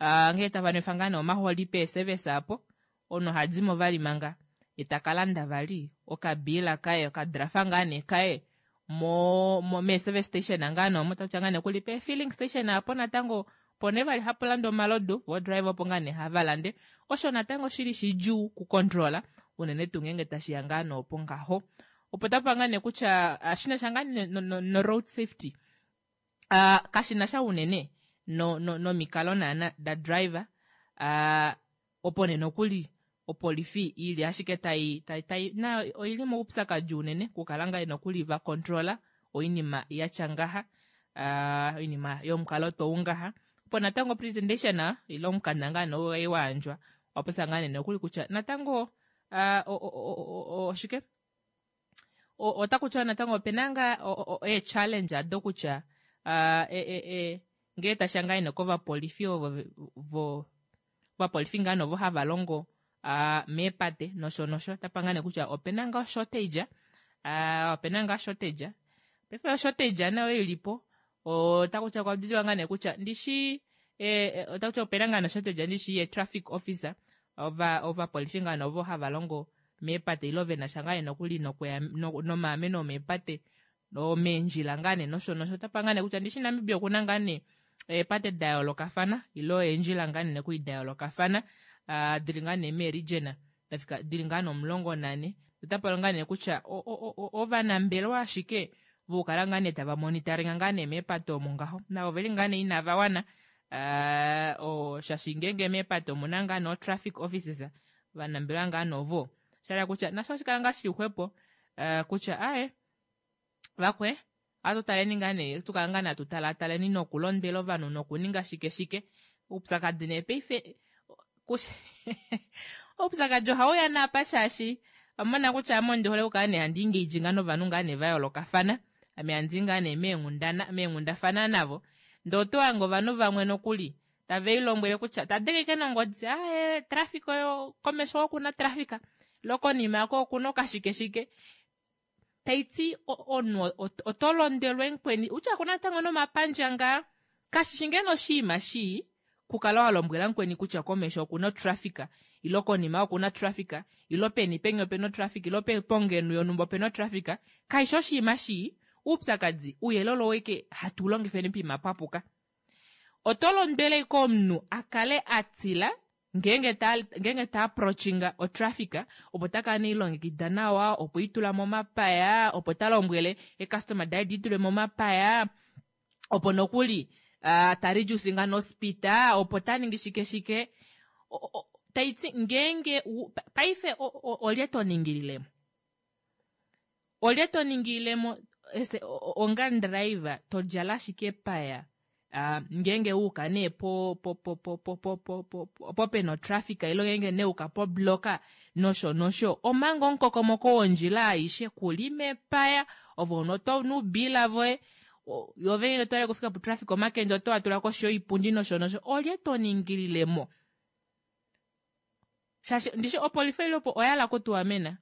uh, ngee tava nwefa ngaa nee omahooli peeservice apo omunhu ohadimo vali manga ye taka landa vali okabiila kaye okadrafa ngaa nee kaye mo, mo mee-service station ngaa nee omo takutya ngaa nee kuli pee-filling station apo natango opo nee vali hapu landwa omalodu vo driver opo ngaa nee hava lande osho natango shili shidjuu kucontrola unene tuu ngeenge tashiya ngaa noopo ngaho opo tapa ngaa nee kutya shinasha ngaa no, no, no road safety uh, kashina sha unene no, no, nomikalo naana da driver uh, opo nee nokuli opolifi ili ashike tai tai tai na oili moupyakadi unene kukala ngaa nokuli va controla oinima yatya ngaha uh, oinima yomukalo tou ngaha opo natango presentation ile omukanda ngaa nee wayandjwa wapopya ngaa nee nokuli kutya natango uh, oshike otaku tiwa natango opena ngaa ee-challenge ado kutya uh, e, e, e, ngee tashiya ngaa nee kovapolifi ovo vo ovapolifi ngaa novo hava longo uh, meepate nosho nosho tapa ngaa nee kutya opena ngaa shortage uh, opena ngaa shortage paife shortage nayo ilipo otaku tiwa kwa ngaa nee kutya ndishi eh, otaku tiwa opena ngaa shortage ndishi ye traffic officer ova ovapolifi ngaa novo hava longo meepate ilo vena sha ngaa nokuli nokuya nomaameno omeepate omeendjila ngaa nee nosho nosho tapa ngaa nee kutya ndishi Namibia okuna ngaa nee eepate da yoolokafana ilo eendjila ngaa nee nokuli da yoolokafana uh, dili ngaa nee meeregion dafika dili ngaa nee omulongo nane otapa ngaa nee kutya ovanambelewa ashike vokukala ngaa nee tava monitoringa ngaa nee meepate omo ngaho navo oveli ngaa nee inava wana uh, shaashi ngeenge meepate omuna ngaa nee traffic officers vanambelewa ngaa novo shala kutya nasho oshikala ngaa shili xwepo uh, kutya aye vakwe atutaleni ngaa nee tukala ngaa nee atutalataleni nokulondwela ovanhu nokuninga shike shike oupyakadi nee paife oupyakadi ohauya naapa shaashi omona kutya ame ondi hole okukala nee handi engage ngaa novanhu ngaa nee va yoolokafana ame handi ngaa nee meenghundana meenghundafana navo ndee oto hange ovanhu vamwe nokuli tave ilombwele kutya tadengeke nongodi aye traffic oyo komesho okuna traffic lokonima yako okuna okashike shike taiti omunhu oto londelwe mukweni utya kuna natango nomapandja ngaa kashishi ngeno oshinima shii kukala wa lombwela mukweni kutya komesho okuna otraffic ilo konima okuna traffic ilo peni peni opena otraffic ilo pongenu yonumba opena otraffic kaishi oshinima shii oupyakadi uuyelele oweke hatu ulongifeni poima papuka oto londwele komunhu akale atila ngeenge ta ngeenge ta approachinga otraffic opo takala neilongekida nawa opo itula momapaya opo ta lombwele ecustomer daye diitule momapaya opo nokuli uh, ta reducinga nospeed opo ta ningi shike shike taiti ngeenge paife olye to ningililemo olye to ningililemo onga driver to djala ashike epaya uh, ngeenge wuuka nee po po po po po po po po po pena otraffic ilo ngeenge nee wuuka pobloka nosho nosho omanga omukokomoko wondjila aishe kuli mepaya ove oto nuubila voye yove ngeenge toyale kufika potraffic omakende oto watula koshi yoipundi nosho nosho olye to ningililemo shaashi ndishi opolifi oilipo oyahala okutuamena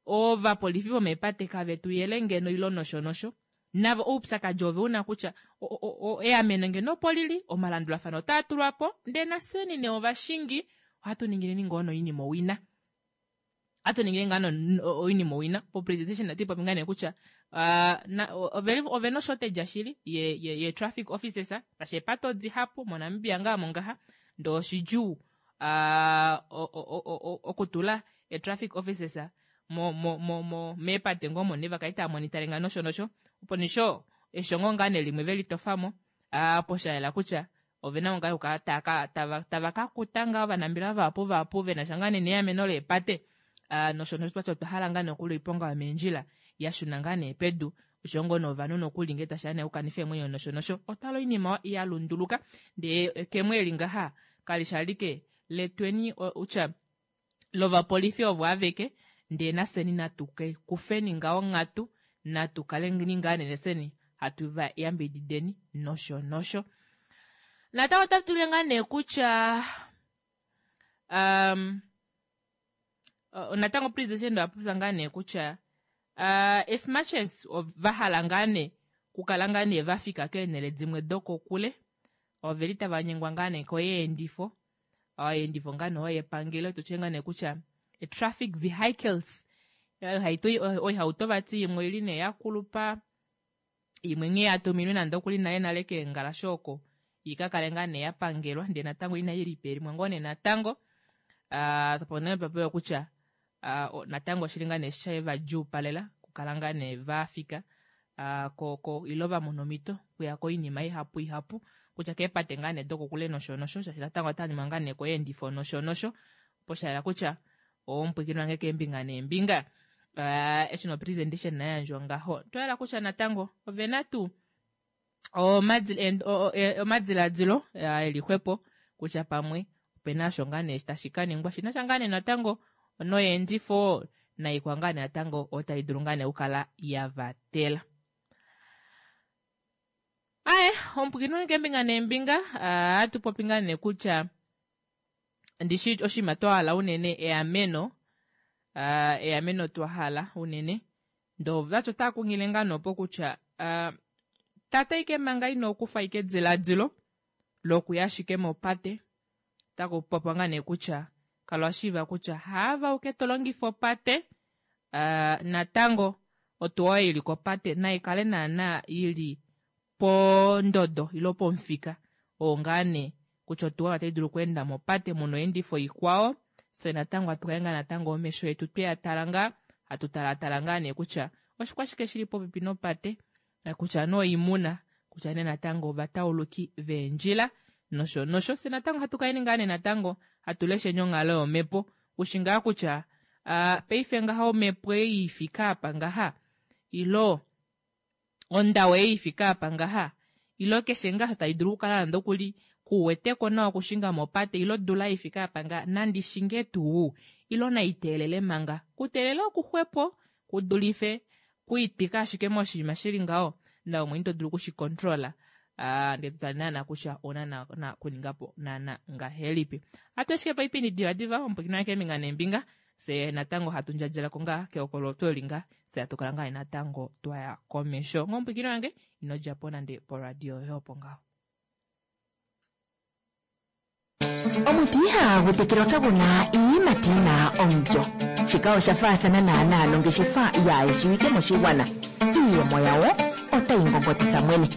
ovapolifi vomeepate kave tu yele ngeno ilo nosho nosho navo oupyakadi ove una kutya eameno ngeno opo lili omalandulafano otaa tulwa po ndee nafyeni nee ovashingi Ohatu ningileni ngoo noinima owina. Ohatu ningile ngaa oinima owina. Po-presentation otayi popi ngaa nee kutya ovena oshortage shili ye, ye, ye traffic officers tashi eepate odihapu moNamibia ngaa mongaha ndee oshidjuu okutula e-traffic officers mo, mo, mo, mo meepate ngoo omo nee vakale taamonitale nga nosho nosho. Opo nisho eshongo ngaa nee limwe velitofamo opo shayela kutya ovena ngaa okukala tava, tava kakuta ngaa ovanambelewa vahapu vahapu venasha ngaa nee neameno leepate nosho nosho twati otwa hala ngaa nee okuli oiponga yomeendjila yashuna ngaa nee pedu oshoyo ngoo novanhu nokuli ngee tashiya nee okukanifa eemwenyo nosho nosho. Otwala oinima yalunduluka ndee ekemo eli ngaha kalishi alike letweni kutya lovapolifi ovo aveke ndee nafyeni natu kufeni ngaho onghatu natu kaleni ngaa nee nafyeni hatu va yambidideni nosho nosho. Natango otatu tile ngaa nee kutya um, natango president owa popya ngaa nee kutya uh, as much as vahala ngaa nee kukala ngaa nee vafika keenhele dimwe dokokule oveli tava nyengwa ngaa nee koyeendifo oyeendifo ngaa nee oyo yepangelo tutye ngaa nee kutya traffic vehicles oihauto vati imwe oili nee yakulupa imwe nghee yatuminwe nande okuli nale nale keengalashe oko ikakale ngaa nee yapangelwa ndee natango inayi lipelimwa ngoo nee natango uh, papewa kutya uh, natango oshili ngaa nee shevadjuupalela kukala ngaa nee vafika uh, ko, ko ilo vamona omhito okuya koinima ihapu ihapu kutya keepate ngaa nee dokokule nosho nosho shaashi natango otanyuma ngaa nee koyeendifo nosho nosho opo shayela kutya omupwiikini wange keembinga neembinga uh, eshi no presentation nayandjwa ngaho twayela kutya natango ovena tuu omadiladilo eli xwepo kutya pamwe opena osho ngaa nee tashi kaningwa shinasha ngaa nee natango noyeendifo naikwa ngaa nee natango otai dulu ngaa nee okukala yavatela. Aye omupwiikini wange keembinga neembinga ohatu popi ngaa nee kutya ndishi oshinima twahala unene eameno uh, eameno twahala unene ndoo vati otaa kunghile ngaa nopo kutya uh, tata ike manga ino kufa ike ediladilo lokuya ashike mopate otaku popiwa ngaa nee kutya kala washiiva kutya haava uke tolongifa opate uh, natango otuwa oyo ili kopate naikale naana ili pondodo ilo pomufika oo ngaa nee kutya otuwa otai dulu okweenda mopate muna oyeendifo ikwao fye natango hatu kale ngaa natango omesho etu tweyatala ngaa hatu talatala ngaa nee kutya oshikwashike shili popepi nopate kutya nee oimuna kutya nee natango ovatauluki veendjila nosho nosho. Fye natango hatu kaleni ngaa nee natango hatu lesheni onghalo yomhepo ushi ngaa kutya uh, paife ngaha omhepo ei ifika apa ngaha ilo ondawo ei ifika apa ngaha ilo keshe ngaa tai dulu okukala nande okuli kuweteko nawa okushinga mopate ilo odula ifika apa ngaha nandi shinge tuu ilo naiteelele manga kuteelela okuxwepo kudulife kuitwika ashike moshinima shili ngaho nawe mwene ito dulu okushikontrola uh, ndee totale naana kutya ouna na, na kuningapo naana ngahelipi. Hatu ashike paipindi divadiva omupwiikini wange keembinga neembinga fye natango hatu ndjadjalako ngaa keokolo eli ngaa fye hatu kala ngaa natango twaya komesho. Ngomupwiikini wange ino djapo nande poradio yoye opo ngaho. Omuti ihagu tekelwa kaguna iiyimati yina omulyo. Shika osha faathana naanaa nongeshefa yaayeshiwike moshigwana. Iiyemo yawo otayi ngongotitha mwene.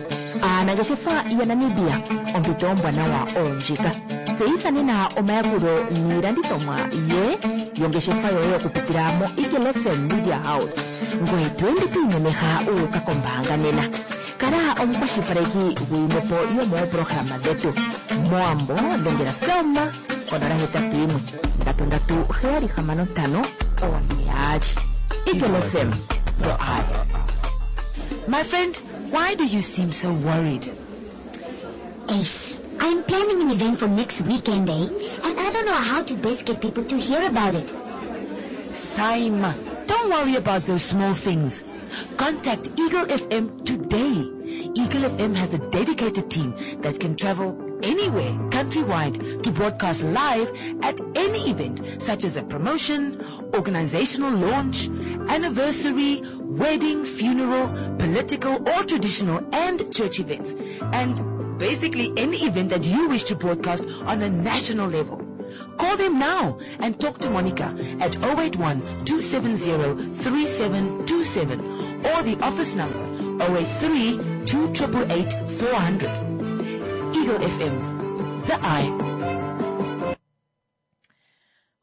Aanangeshefa yaNamibia ompito ombwanawa oyo ndjika. Tseyitha nena omayakulo niilandithomwa ye yongeshefa yoye okupitila mo Eagle F M Media House. Ngoye to ende to imemeha uuka kombaanga nena. Kala omukwashilipaleki gwiimwepo yomoopolohalama dhetu. Moambo dhengela Selma konola hetatu yimwe ndatu ndatu heyali hamano ntano one yaali. Eagle F M, the eye. My friend, why do you seem so worried? Ace, I'm planning an event for next weekend, eh? And I don't know how to best get people to hear about it. Saima, don't worry about those small things. Contact Eagle F M today. Eagle F M has a dedicated team that can travel anywhere countrywide to broadcast live at any event such as a promotion, organizational launch, anniversary, wedding, funeral, political or traditional and church events. And basically any event that you wish to broadcast on a national level. Call them now and talk to Monica at oh eight one, two seven zero, three seven two seven or the office number oh eight three, two triple eight, four hundred. Eagle F M, the eye.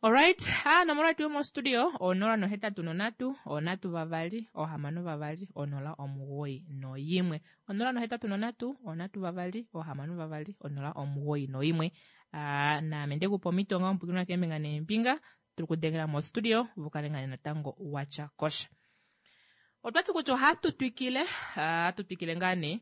Alright, ah, nomola yetu yomostudio onola nohetatu nonhatu, onhatu vavali, ohamano vavali, onola omugoyi noyimwe. Onola nohetatu nonhatu, onhatu vavali, ohamano vavali, onola omugoyi noyimwe. Ah, naame ndekupa omhito nga omupwikinwa keembinga neembinga, tuli kudengela mostudio, vukale ngane natango watya kosha. Otwati kutya ohatu twikile, ah, hatu twikile ngaa nee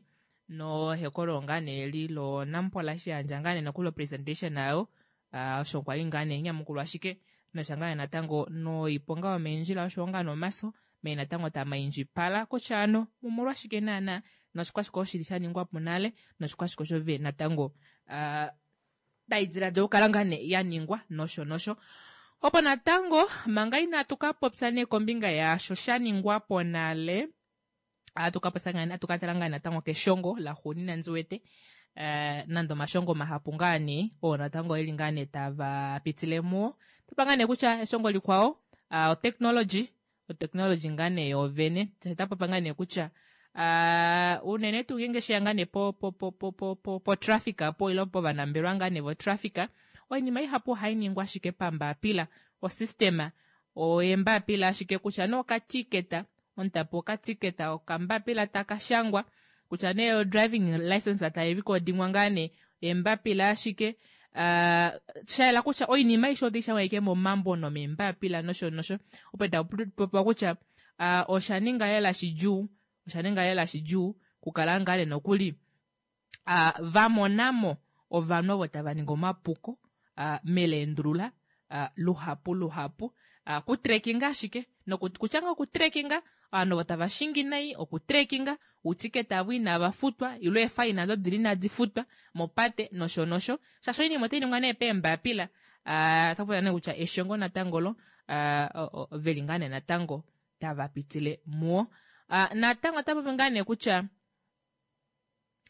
nohekolo ngaa nee eli lo Nampola shiyandja ngaa nee nokuli presentation ayo. Ah, osho kwali ngaa nee nyamukulwa ashike nosha ngaa natango noiponga yomeendjila osho ngaa nomaso mee natango tamaindjipala kutya ano omolwashike naana noshikwashike oshili sha ningwa po nale noshikwashike osho ve natango, ah, tai diladila okukala ngaa nee ya ningwa nosho nosho. Opo natango manga inatu ka popya nee kombinga yaasho sha ningwa po nale, atu ka popya ngaa nee, atu ka tala ngaa natango keshongo la xuunina ndi wete. Eh, nande omashongo mahapu ngaa nee, oo natango eli ngaa nee tava pitile muwo. Topa ngaa nee kutya eshongo likwao, ah, otechnology, otechnology ngaa nee yoovene. Ta popa ngaa nee kutya, ah, unene tuu ngeenge sheya ngaa nee po, po, po, po, po, po, po traffic apo, ilo po vanambelwa ngaa nee vo traffic, oinima ihapu ohai ningwa ashike pambapila. Osystema oyembapila ashike kutya nee okatiketa, omutapo okatiketa, okambapila taka shangwa, kutya nee o driving license tai recordingwa ngaa nee, embapila ashike, ah, sha yela kutya oinima aishe otai shangwa ashike momambo nomembapila nosho nosho. Opo ta popiwa kutya, ah, osha ninga lela shidjuu, osha ninga lela shidjuu kukala ngaa nee nokuli, ah, va monamo ovanhu ovo tava ningi omapuko, ah, meleendulula, ah, luhapu luhapu. Ah, kutrekinga ashike, noku, kutya ngaa okutrekinga, ovanhu ovo tava shingi nai, okutrekinga, uutiketa avo inava futwa, ilo eefaina ado dili inadi futwa, mopate, nosho nosho. Shaashi oinima otai ningwa nee peembapila, ah, ota popya nee kutya eshongo natango lo, ah, o, o, veli ngaa nee natango tava pitile muwo. Ah, natango ota popi ngaa nee kutya,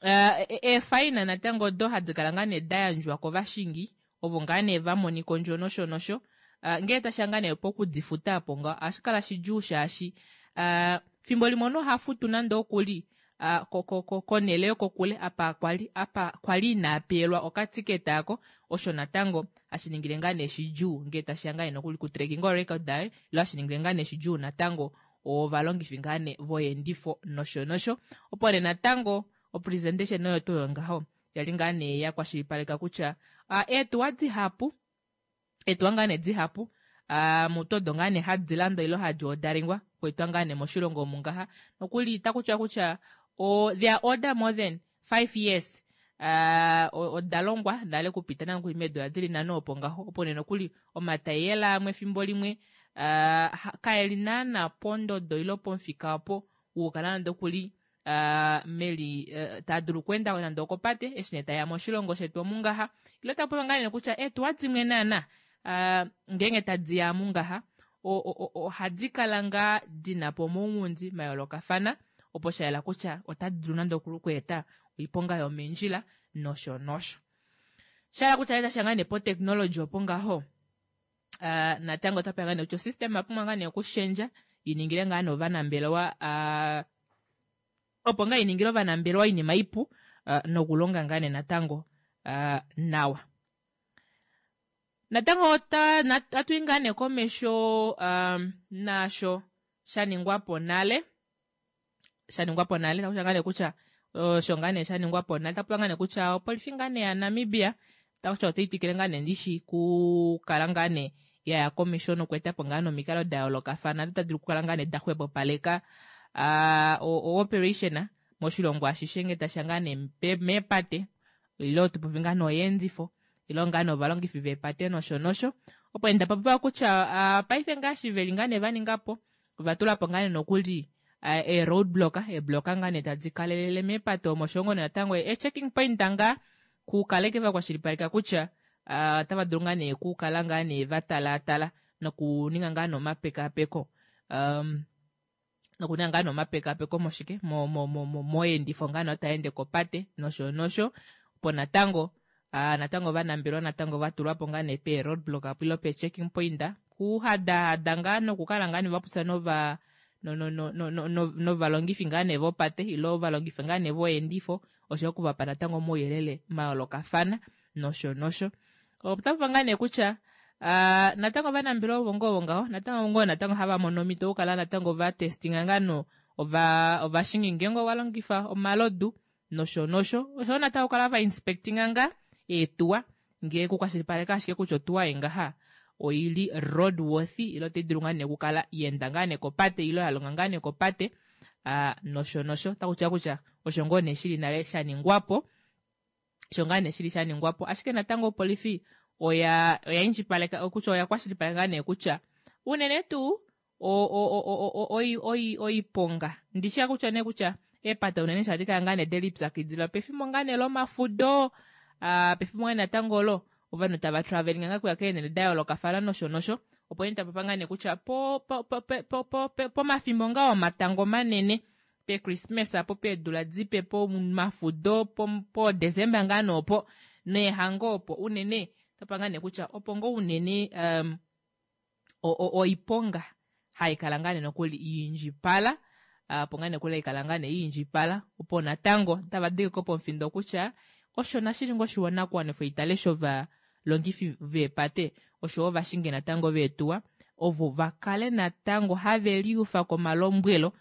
ah, e-, eefaina natango odo hadi kala ngaa nee da yandjwa kovashingi, ovo ngaa nee va monika ondjo nosho nosho. Ah, ngee tasha ngaa nee pokudifuta apo nga, ohashi kala shidjuu shaashi, ah, fimbo limwe omunhu oha futu nande okuli, ah, ko-, ko-, ko-, konhele yokokule, apa kwali, apa kwali ina peelwa okatiketa ako, osho natango hashi ningile ngaa nee shidjuu ngee tasha ngaa nee nokuli kutrekinga orecord daye, ilo hashi ningile ngaa nee shidjuu natango ovalongifi ngaa nee voyeendifo nosho nosho. Opo nee natango opresentation oyo tuu ngaho yali ngaa nee ya kwashilipaleka kutya, ah, eetuwa dihapu, eetuwa ngaa nee dihapu, ah, mutodo ngaa nee hadi landwa ilo hadi odaringwa kuetwa ngaa nee moshilongo omu ngaha. Nokuli itaku tiwa kutya, o, they are order more than five years. Ah, o-, oda longwa nale kupita nokuli meedola dili nhano opo ngaho. Opo nee nokuli omatayiyela amwe efimbo limwe, ah, ha-, kaeli naana pondodo ilo pomufika opo wukala nande okuli, ah, meli, eh, taa dulu okuenda nande okopate, eshi nee taeya moshilongo shetu omu ngaha. Ilo taku popiwa ngaa nee kutya eetuwa dimwe naana, ah, ngeenge tadi ya mungaha, o-, o-, o-, ohadi kala ngaa dina po omaunghundi ma yoolokafana, opo sha yela kutya otadi dulu nande okweeta oiponga yomeendjila nosho nosho. Sha yela kutya ita ngaa nee po technology opo ngaho. Ah, natango ota pewa ngaa nee kutya osystem ya pumbwa ngaa nee okushendja, i ningile ngaa nee ovanambelewa, ah, opo ngaa i ningile ovanambelewa oinima ipu, ah, nokulonga ngaa nee natango, ah, nawa. Natango ota, nat-, atu i ngaa nee komesho, um, naasho sha ningwa po nale. Sha ningwa po nale, taku ngaa nee kutya, osho ngaa nee sha ningwa po nale. Taku ngaa nee kutya opolifi ngaa nee ya Namibia, taku kutya otai twikile ngaa nee ndishi kukala ngaa nee ya ya komesho nokweeta po ngaa nomikalo da yoolokafana, tadi dulu okukala ngaa nee da xwepopaleka, ah, o-, o operation moshilongo ashishe ngee tasha ngaa nee pe-, meepate, ilo tupopi ngaa noyeendifo, ilo ngaa novalongifi veepate nosho nosho. Opo enda popiwa kutya, ah, paife ngaashi veli ngaa nee va ninga po, ova tula po ngaa nee nokuli, ah, e roadblock, e block ngaa nee tadi kalelele meepate omo osho natango e checking point ngaa kukaleke va kwashilipaleka kutya, ah, otava dulu ngaa nee kukala ngaa nee va talaatala nokuninga ngaa nomapekapeko. Um, nokuninga ngaa nomapekapeko moshike, mo, mo, mo, mo, moyendifo ngaa nee taende kopate nosho nosho. Opo natango, Aa natango ovanambelewa natango vatulwapo ngaa nee pee roadblock apo ile pee checking point kuhadahada ngaa nokukala ngaa nee vapopya nova novalongifi ngaa nee vopate ile ovalongifi ngaa nee voyeendifo oshoyo okuvapa natango omauyelele mayoolokafana nosho nosho. Otapopi ngaa nee kutya natango ovanambelewa ovo ngoo ngaho natango ngoo natango hava mono omito okukala natango vatestinga ngaa no ovashingi ngeenge ovalongifa omalodu nosho nosho oshoyo natango okukala vainspectinga ngaa eetuwa ngee kukwashilipaleka ashike kutya otuwa ei ngaha oili road worthy ile otaidulu ngaa nee okukala yaenda ngaa nee kopate ile yalonga ngaa nee kopate nosho nosho. Otakutiwa kutya osho ngoo nee shili nale shaningwapo osho ngaa nee shili shaningwapo ashike natango opolifi oya oya indjipaleka kutya oya kwashilipaleka ngaa nee kutya unene tuu oiponga ndishiya kutya nee kutya eepate unene shadi kala ngaa nee delipyakidila pefimbo ngaa nee lomafudo pefimbo ngaa natango olo ovanhu tava traveling ngaa kuya keenele da yoolokafana nosho nosho opo nee tapopa ngaa nee kutya pomafimbo ngaa omatango manene pechristmas apo peedula dipe pomafudo podecember ngaa noopo neehango opo unene otapa ngaa nee kutya opo ngoo unene oiponga haikala ngaa nee nokuli yiindjipala opo ngaa nee nokuli haikala ngaa nee yiindjipala opo natango tava dengeko pomufindo kutya osho nashili ngoo oshinakuwanifwa itale shovalongifi veepate oshoyo ovashingi natango veetuwa ovo vakale natango have liufa komalombwelo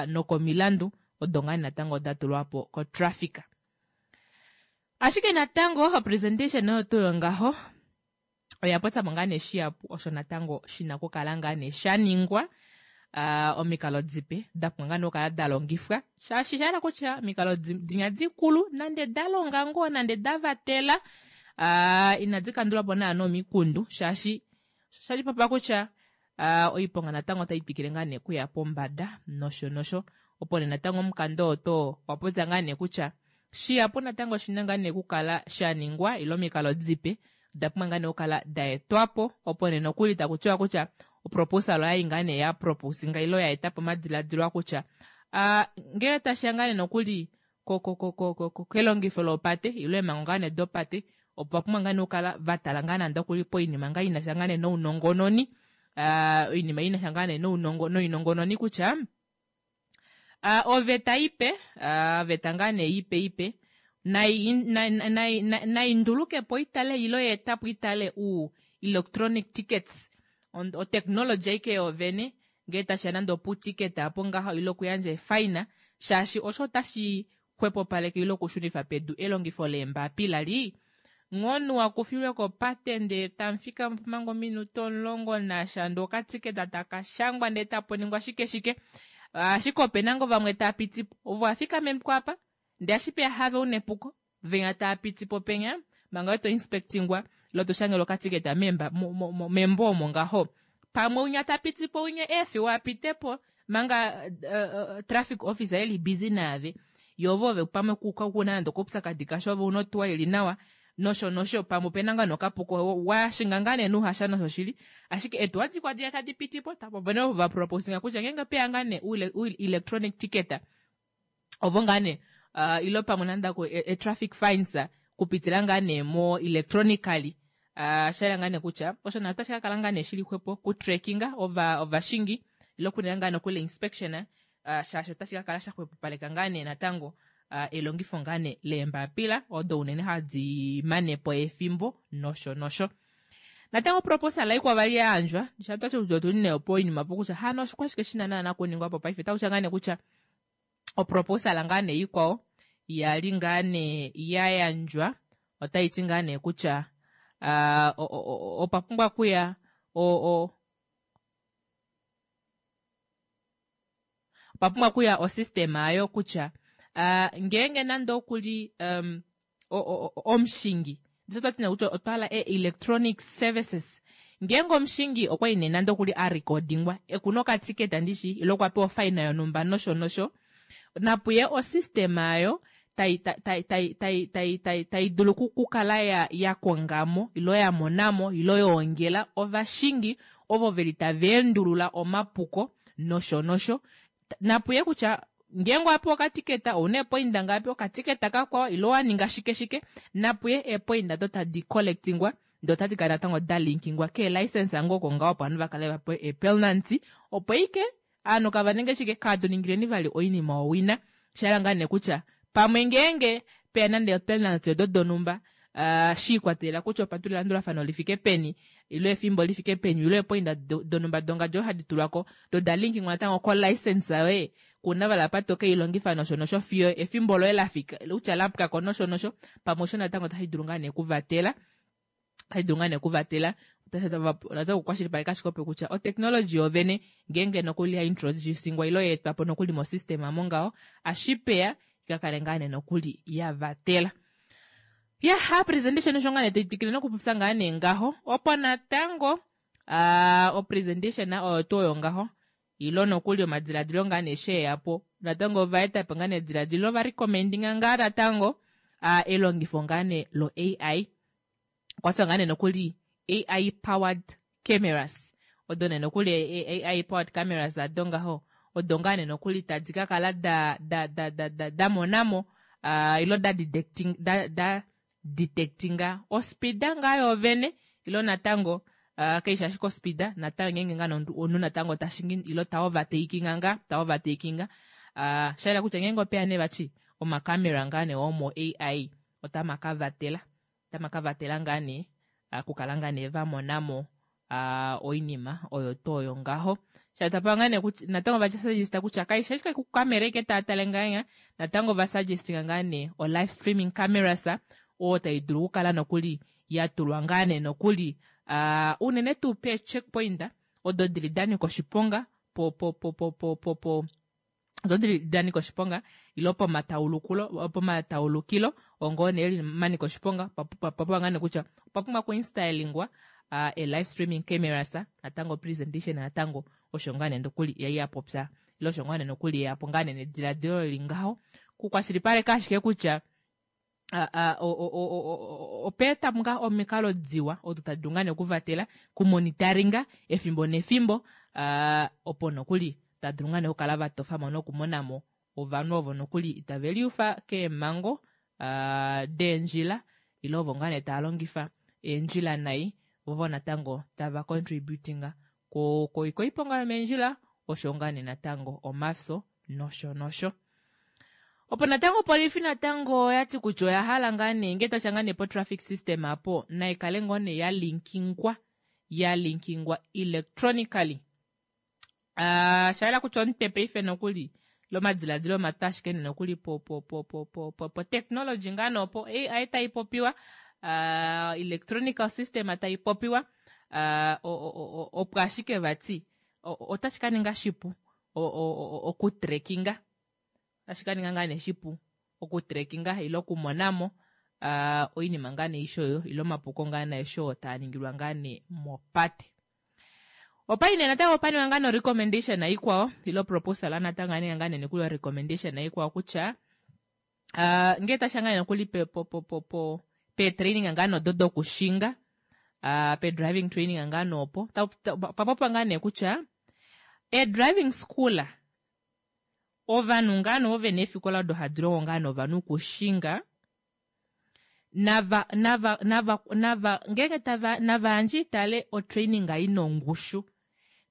nokomilandu odo ngaa natango datulwapo kotraffic. Ashike natango opresentation oyo tuu yongaho oya popyamo ngaa nee shihapu osho natango shina okukala ngaa nee shaningwa omikalo dipe dapumbwa ngaa nee okukala dalongifwa shaashi shahala kutya omikalo dinya dikulu nande dalonga ngoo nande davatela inadi kandulapo naana omikundu shaashi shali kutya oiponga natango otai twikile ngaa nee okuya pombada nosho nosho opo nee natango omukanda oo too wapopya ngaa nee kutya shihapu natango oshina ngaa nee okukala shaningwa ile omikalo dipe odapumbwa ngaa nee okukala daetwapo opo nee nokuli takutiwa kutya oproposal oyayi ngaa nee yaproposinga ile yaetapo omadiladilo kutya ngele tashiya ngaa nee nokuli kelongifo lopate ile eemhango ngaa nee dopate opo vapumbwa ngaa nee okukala vatala ngaa nande okuli poinima ngaa inasha ngaa nee nounongononi oinima inasha ngaa nee noinongononi kutya oveta ipe oveta ngaa nee ipe ipe naindulukepo itale ile yeetapo itale u electronic tickets otechnology aike yoovene ngee tashiya nande oputicket apo ngaho ile okuyandja efine shaashi osho otashi xwepopaleke ile okushunifa pedu elongifo leembapila lii nghoonu wakufilwe kopate ndee tamufika manga ominute omulongo nasha ndee okatiketa takashangwa ndee tapuningwa shike shike ashike opena ngoo vamwe tapitipo ovo vafikamenipo apa ndee ashipeya have una epuko venya taapitipo penya manga to inspectingwa ile toshangelwa okatiketa membo omo ngaho pamwe unya tapitipo unya eefiwa apitepo manga traffic officer eli busy naave yoo ove pamwe kuna nande okoupyakadi kasha ove una otuwa ili nawa nosho nosho pamwe opena ngaa nokapuko washinga ngaa nee nuhasha nosho shili ashike eetuwa dikwao diya tadi pitipo opena ovo vaproposinga kutya ngeenge opeya ngaa nee electronic ticket ovo ngaa nee ile pamwe nande e-traffic fines kupitila ngaa nee mo electronically shayela ngaa nee kutya osho nayo otashi kakala ngaa nee shili xwepo kutrackinga ovashingi ile okuninga ngaa nokuli inspection shaashi otashi kakala shaxwepopaleka ngaa nee natango elongifo ngaa nee leembapila odo unene hadi manepo efimbo nosho nosho. Natango proposal ikwao vali yayandjwa shatwati kutya otuli nee poinima po kutya hano oshikwashike shina naana kuningwapo paife otakutya ngaa nee kutya oproposal ngaa nee ikwao yali ngaa nee yayandjwa otaiti ngaa nee kutya opa pumbwa kuya opa pumbwa kuya osystem ayo kutya ngeenge nande okuli omushingi ndisho kutya otwahala electronic services ngeenge omushingi okwali nee nande okuli arecordingwa ekuna okatiketa ndishi ile okwapewa ofine yonumba nosho nosho napuye osystem ayo tai dulu okukala yakongamo ile yamonamo ile yoongela ovashingi ovo veli tava endulula omapuko nosho nosho napuye kutya Ngeenge owapewa okatiketa ouna eepoinda ngapi, okatiketa kakwao ile owaninga shike shike, napuye eepoinda odo tadi collectingwa ndee otadi kala natango dalinkingwa keelicense ngoo oko ngaho opo ovanhu vakale vapewa eepenalty opo ike ovanhu kava ninge shike kaatuningileni vali oinima owina. Shahala ngaa nee kutya pamwe ngeenge peya nande eepenalty odo donhumba uh, shiikwatelela kutya opatula elandulafano lifike peni ile efimbo lifike peni ile eepoinda donhumba dongadi odo hadi tulwako do dalinkingwa natango kolicense yoye kuna vala apa tokeilongifa nosho nosho fiyo efimbo loye lafika kutya lapwako nosho nosho pamwe osho natango otashi dulu ngaa nee okuvatela otashi dulu ngaa nee okuvatela natango okukwashilipaleka ashike opo kutya otechnology yovene ngeenge nokuli ya introducingwa ile yaetwapo nokuli mosystem amo ngaho ashipeya ikakale ngaa nee nokuli yavatela. Ya presentation osho ngaa nee taitwikile nokupopya ngaa nee ngaho opo natango uh, opresentation oyo tuu oyo ngaho ilo nokuli omadiladilo ngaa nee sheeyapo natango ovaetapo ngaa nee ediladilo varecommendinga ngaa natango uh, elongifo ngaa nee lo A I okwatiwa ngaa nee nokuli A I powered cameras odo nee nokuli A I powered cameras ado ngaho odo ngaa nee nokuli tadi kakala da da da da da damonamo uh, ilo da detecting da, da detectinga ospida ngaa yoovene ilo natango uh, kaishi ashike ospida natango ngeenge ngaa omunhu natango tashingi ilo ta overtakinga ngaa ta overtakinga uh, shayela kutya ngeenge opeya nee vati omakamera ngaa nee omo A I otama kavatela otama kavatela ngaa nee uh, okukala ngaa nee vamonamo uh, oinima oyo tuu oyo ngaho shatapa ngaa nee natango vasuggesta kutya kaishi ashike kukamera ike taatale ngaa natango vasuggestinga ngaa nee o live streaming cameras oyo tai dulu okukala nokuli yatulwa ngaa nee nokuli uh, unene tuu pee checkpoint odo dili danika oshiponga po po po po po po po odo dili danika oshiponga ilo pomataulukulo pomataulukilo ongoo nee manika oshiponga papumbwa ngaa nee kutya opwa pumbwa okuinstallingwa uh, e live streaming cameras natango presentation natango osho ngaa nee nokuli yai yapopya ile osho ngaa nee nokuli yapo ngaa nee nediladilo lili ngaho kukwashilipaleka ashike kutya opeeta ngaa omikalo diwa odo tadi dulu ngaa nee okuvatela kumonitaringa efimbo nefimbo opo nokuli tadulu ngaa nee okukala vatofamo nokumonamo ovanhu ovo nokuli itave liufa keemhango deendjila ile ovo ngaa nee tava longifa eendjila nai vovo natango tava contributinga koiponga yomeendjila osho ngaa nee natango omafyo nosho nosho. Opo natango opolifi natango oyati kutya oya hala ngaa nee ngee tasha ngaa nee po traffic system apo naikale ngoo nee yalinkingwa yalinkingwa electronically uh, shayela kutya omutwe paife nokuli lomadiladilo mata ashike nee nokuli po po po po po po po technology ngaa nee opo A I tai popiwa uh, electronical system tai popiwa uh, opo ashike vati otashi ka ninga shipu okutrackinga otashi ka ninga ngaa nee shipu okutrackinga ile okumonamo uh, oinima ngaa nee isho oyo ile omapuko ngaa nee isho taa ningilwa ngaa nee mopate. Opai nee natango opaniwa ngaa no recommendation ikwao ilo proposal natango aninga ngaa nee nokuli recommendation ikwao kutya uh, ngee tasha ngaa nee nokuli pe po po po po pe training ngaa nodo dokushinga uh, pe driving training ngaa noopo papopiwa ngaa nee kutya e driving school ovanhu ngaa nee ove neefikola odo hadi longo ngaa novanhu okushinga nava nava nava nava ngeenge tava nava yandje itale otraining ina ongushu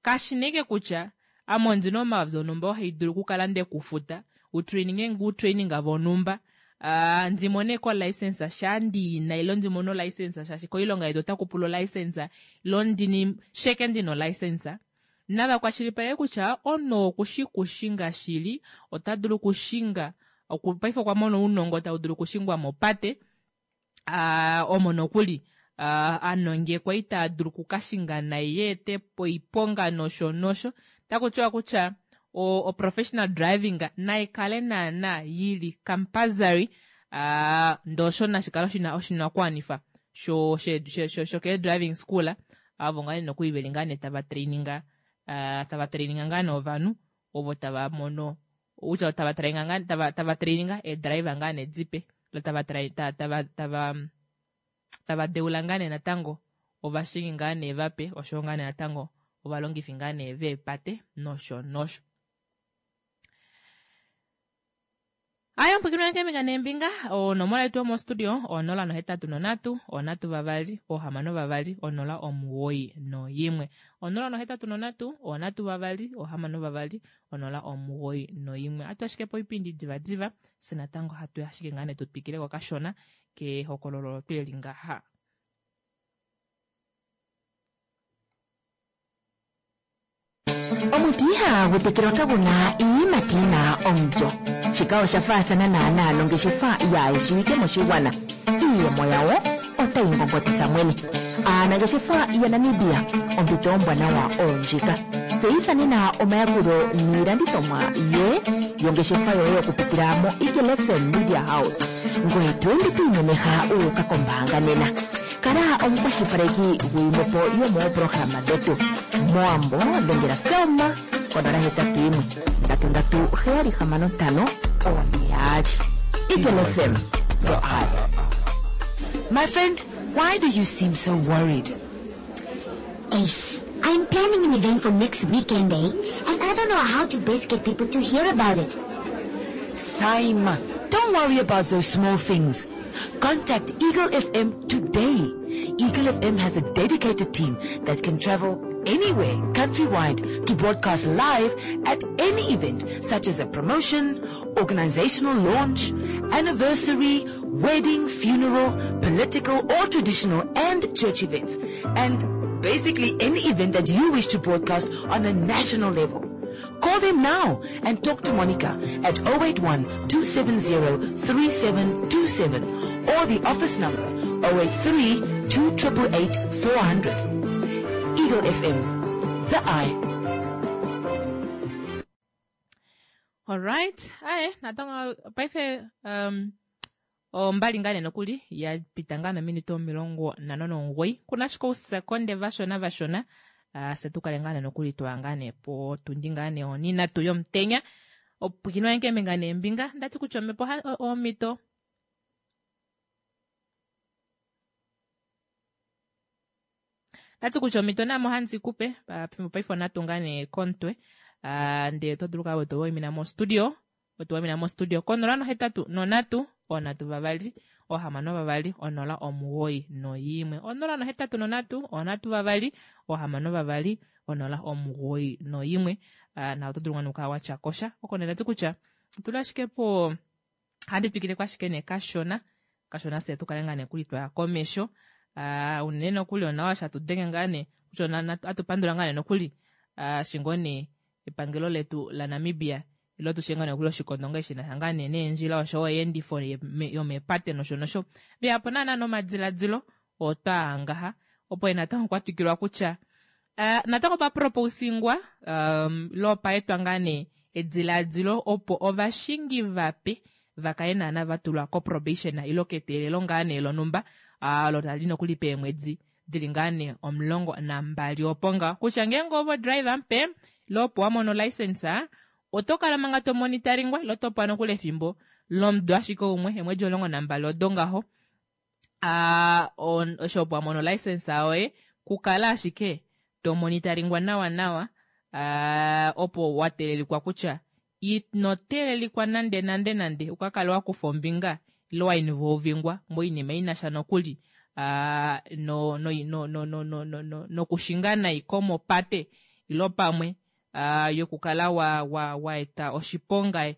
kashineke kutya ame ondina omayovi onumba oo haidulu okukala ndekufuta utraininge nge utraining vonhumba uh, ndimone ko license shaa ndiina ilo ndimone olicense shaashi koilonga yetu otaku pula olicense ilo ndini sheke ndina olicense nava kwashilipaleke kutya omunhu okushi kushinga shili ota dulu okushinga paife okwa mona ounongo tau dulu okushingwa mopate uh, omo nokuli uh, anongekwa ita dulu okukashinga nai yeete oiponga nosho nosho taku tiwa kutya o, o professional driving naikale naana yili compulsory uh, ndoo nashikale oshina oshinakuwanifa sho sho sho sho ke driving school avo ngaa nokuli veli ngaa nee tava traininga uh, tava traininga ngaa nee ovanhu ovo tava mono kutya tava traininga ngaa tava tava traininga eedriver ngaa nee dipe lo tava tava tava tava tava deula ngaa nee natango ovashingi ngaa nee vape oshowo ngaa nee natango ovalongifi ngaa nee veepate nosho nosho. Aya mpwikinwa keembinga neembinga onomola yetu yomostudio onola nohetatu nonhatu onhatu vavali ohamano vavali onola omuwoi noyimwe onola nohetatu nonhatu onhatu vavali ohamano vavali onola omuwoi noyimwe atu ashike poipindi divadiva fye natango hatu ashike ngaa nee tutwikileko kashona kehokololo olo tweli ngaha. Omuti ihaagu tekelwa kagu na iiyimati yi na omulyo. Shika osha faathana naanaa nongeshefa yaayishiwike moshigwana. Iiyemo yawo otayi ngongotitha mwene. Aanangeshefa yaNamibia, ompito ombwanawa oyo ndjika. Tseyitha nena omayakulo niilandithomwa ye yongeshefa yoye okupitila moEagle F M Media House. Ngoye to ende to imemeha wu uka kombaanga nena. Kala omukwashilipaleki guyimwe po yomoopolohalama dhetu. Mowambo dhengela Selma konola hetatu yimwe ndatu ndatu heyali hamano ntano oone yaali. Eagle F M, the eye. My friend, why do you seem so worried? Ace, I'm planning an event for next weekend, eh? And I don't know how to best get people to hear about it. Saima, don't worry about those small things. Contact Eagle F M today. Eagle F M has a dedicated team that can travel anywhere countrywide to broadcast live at any event such as a promotion, organizational launch, anniversary, wedding, funeral, political or traditional and church events. And basically any event that you wish to broadcast on a national level. Call them now and talk to Monica at oh eight one two seven zero three seven two seven or the office number oh eight three two eight eight four hundred. Eagle F M, the eye. Alright, aye natango paife um, ombali ngaa nee nokuli ya pita ngaa nominute omilongo nhano nomugoyi kuna ashike ousekonde vashona vashona uh, se tukale ngaa nee nokuli twaya ngaa nee potundi ngaa nee oninatu yomutenya opwikinwa keembinga neembinga ndati kutya omhepo omhito ndati kutya omhito namo handi kupe pefimbo paife onhatu ngaa nee komutwe uh, ndee oto dulu kala wetu mostudio wetu waimina mostudio konola nohetatu nonhatu onhatu vavali ohamano vavali onola omugoyi noyimwe onola nohetatu nonhatu onhatu vavali ohamano vavali onola omugoyi noyimwe uh, na oto dulu ngoo okukala watya kosha oko nee ndati kutya otuli ashike po handi twikileko ashike nee kashona kashona fye tukale ngaa nee kuli twaya komesho uh, unene nokuli onawa shatu denge ngaa nee kutya atu pandula ngaa nee nokuli uh, shingo nee epangelo letu laNamibia ilo tushe ngaa nokuli oshikondo ngaa shina sha ngaa nee neendjila oshowo oyeendifo yomepate nosho nosho veyapo naana nomadiladilo otwaa ngaha opo natango kwa twikilwa kutya uh, natango paproposingwa um, lo paetwa ngaa nee ediladilo opo ovashingi vape vakale naana vatulwa ko probation ilo keteelelo ngaa nee lonumba uh, lo tali nokuli peemwedi dili ngaa nee omulongo nambali opo ngaho kutya ngeenge ovo driver mupe ilo opo wamono license oto kala manga to monitoringwa ilo topewa nokuli efimbo lomudo ashike umwe eemwedi omulongo nambali odo ngaho uh, osho opo wamono license yoye kukala ashike to monitoringwa nawa nawa uh, opo wateelelikwa kutya ino teelelikwa nande nande nande ukakale wakufa ombinga ilo wainvolvingwa moinima inasha nokuli uh, no, no, no, no, no, no, no, no, nokushinga nai komopate ilo pamwe uh, yokukala wa, wa, wa eta oshiponga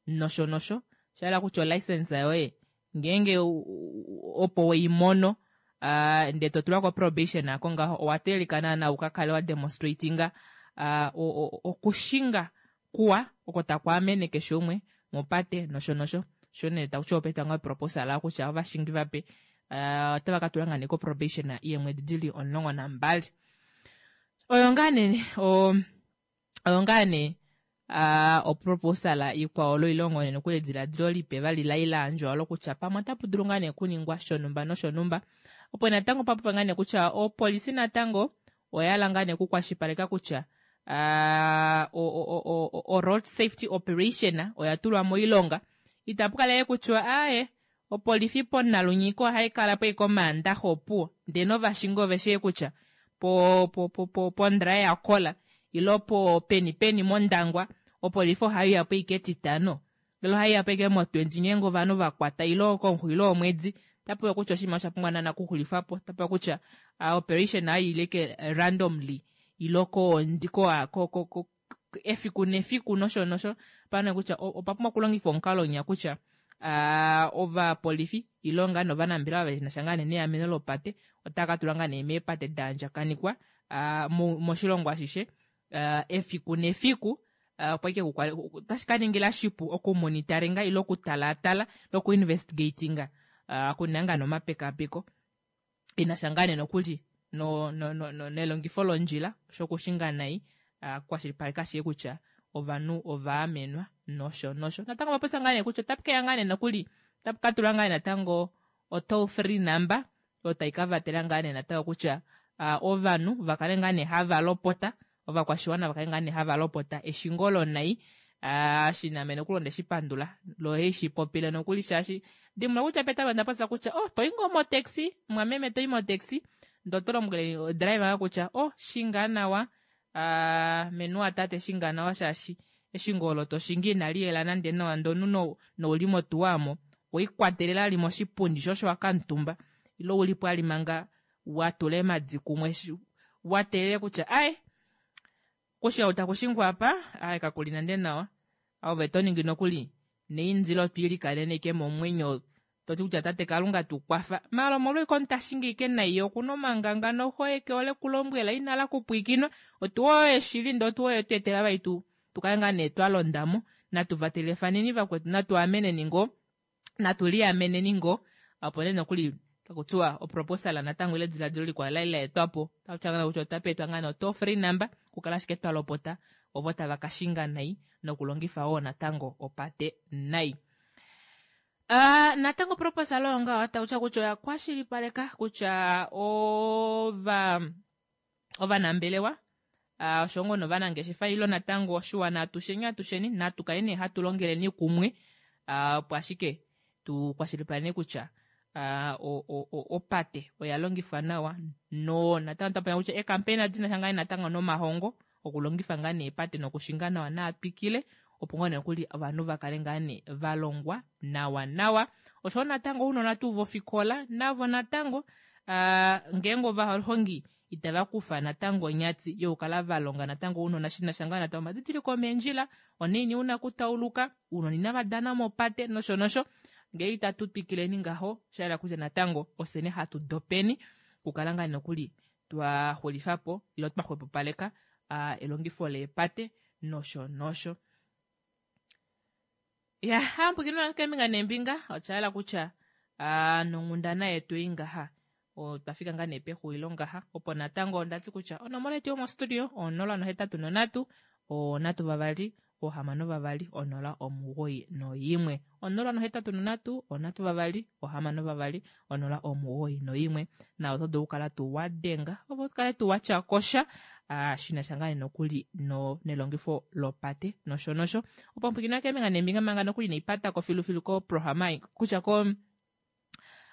nosho nosho shahala kutya olicense yoye ngeenge opo weimono uh, ndee totulwa ko probation ako ngaho owa teelelika naana ukakale wa demonstratinga uh, okushinga kuwa oko taku amene keshe umwe mopate nosho nosho sho nee takuti opeta nga proposal kutya ovashingi vape uh, otava ka tula ngaa nee ko probation yeemwedi dili omulongo nambali oyo ngaa nee oyo ngaa nee uh, oproposal ikwao loilongo nee nokuli ediladilo lipe vali layilandjwa olo kutya pamwe otapu dulu ngaa nee kuningwa shonumba noshonumba opo natango papopa ngaa nee kutya opolisi natango oyahala ngaa nee okukwashilipaleka kutya uh, o, o, o, o road safety operation oya tulwa moilonga itapu kala kutya aye opolifi ponalunyiko ohayi kala po ikomaandaxa opuwo ndee novashingi ove shii kutya po po po po pondraye yakola ilo po peni peni mOndangwa opolifi ohaiya po ike etitano Ndele ohaiya po ashike mo twenty ngeenge ovanhu vakwata ile komunghulo womwedi. Otapewa kutya oshinima osha pumbwa naana okuxulifwapo. Otapewa kutya operation hayi ike randomly ile ko ko ko efiku nefiku nosho nosho. Opana kutya opa pumbwa okulongifwa omukalo winya kutya ovapolifi ile ngaa novanambelewa venasha ngaa nee neameno lopate otava katulwa ngaa nee meepate daandjakanikwa moshilongo ashishe efiku nefiku opo ashike otashi kaningila shipu okumonitaringa ile okutalaatala nokuinvestigatinga okuninga ngaa nee omapekapeko enasha ngaa nee nokuli no no no nelongifo londjila osho okushinga nai kukwashilipaleka ashike kutya ovanhu ovaamenwa nosho nosho. Natango opapopya ngaa nee kutya otapu keya ngaa nee nokuli otapu katulwa ngaa nee natango o toll free number oyo tai kavatela ngaa nee natango kutya ovanhu vakale ngaa nee hava lopota ovakwashiwana vakale ngaa nee hava lopota eshingo lonai shiname nokuli ondeshipandula lo haishipopile nokuli shaashi dimbuluka kutya petameko ondapopya kutya oh toyi ngoo motaxi mwameme toyi motaxi ndee oto lombwele driver kutya oh shinga nawa menuwa tate shinga nawa shaashi eshingo olo toshingi inali yela nande nawa ndee omunhu nouli motuwa aamo weikwatelela ali moshipundi sho osho wakamutumba ile ulipo ali manga watula eemadi kumwe wateelela kutya ai kushinga takushingwa apa ai kakuli nande nawa ove toningi nokuli neindilo twiilikanene ashike momwenyo toti kutya tate kalunga tukwafa maala omolwa omuntu tashingi ashike nai okuna omanganga noho ye kehole kulombwela inala kupwiikinwa otuwa oyo shili ndee otuwa oyo tweetela vali tu tukale ngaa nee twalondamo natu vatelefaneni vakwetu natu ameneni ngoo natu liameneni ngoo opo nee nokuli takutiwa oproposal natango ile ediladilo likwao lali laetwapo takutya kutya otapa etwa ngaa nee o toll free number okukala ashike twalopota ovo tava kashinga nai nokulongifa wo natango opate nai. Uh, natango proposal oyo ngaho takutya kutya oya kwashilipaleka kutya ova ovanambelewa uh, osho ngoo novanangeshefa ile natango oshiwana atusheni atusheni natu kale nee hatu longeleni kumwe uh, opo ashike tu kwashilipaleke kutya uh, opate oya longifwa nawa no natango tapanya kutya eekampeni dinasha ngaa natango nomahongo okulongifa ngaa nee epate nokushinga nawa naatwikile opo ngoo nokuli ovanhu vakale ngaa nee valongwa nawa nawa oshowo natango ounona tuu vofikola navo natango uh, ngeenge ovahongi itava kufa natango onyati yokukala valonga natango ounona shinasha ngaa natango omadidiliko omeendjila onaini una okutauluka ounona inava dana mopate nosho nosho ngee itatu twikileni ngaho shayela kutya natango ofyene hatu dopeni okukala ngaa nokuli twaxulifapo ile twaxwepopaleka uh, elongifo leepate nosho nosho. Ya hampukino keembinga neembinga oshayela kutya uh, nonghundana yetu ei ngaha otwafika ngaa nee pexulilo ngaha opo natango ondati kutya onomola yetu yomostudio onola nohetatu nonhatu onhatu vavali ohamano vavali onola omugoyi noyimwe onola nohetatu nonhatu onhatu vavali ohamano vavali onola omugoyi noyimwe na oto dulu okukala tuu wadenga opo ukale tuu watyakosha uh, shinasha ngaa nokuli no nelongifo lopate nosho nosho opo mpwikina keembinga neembinga manga nokuli inaipatako filufilu koprograma kutya ko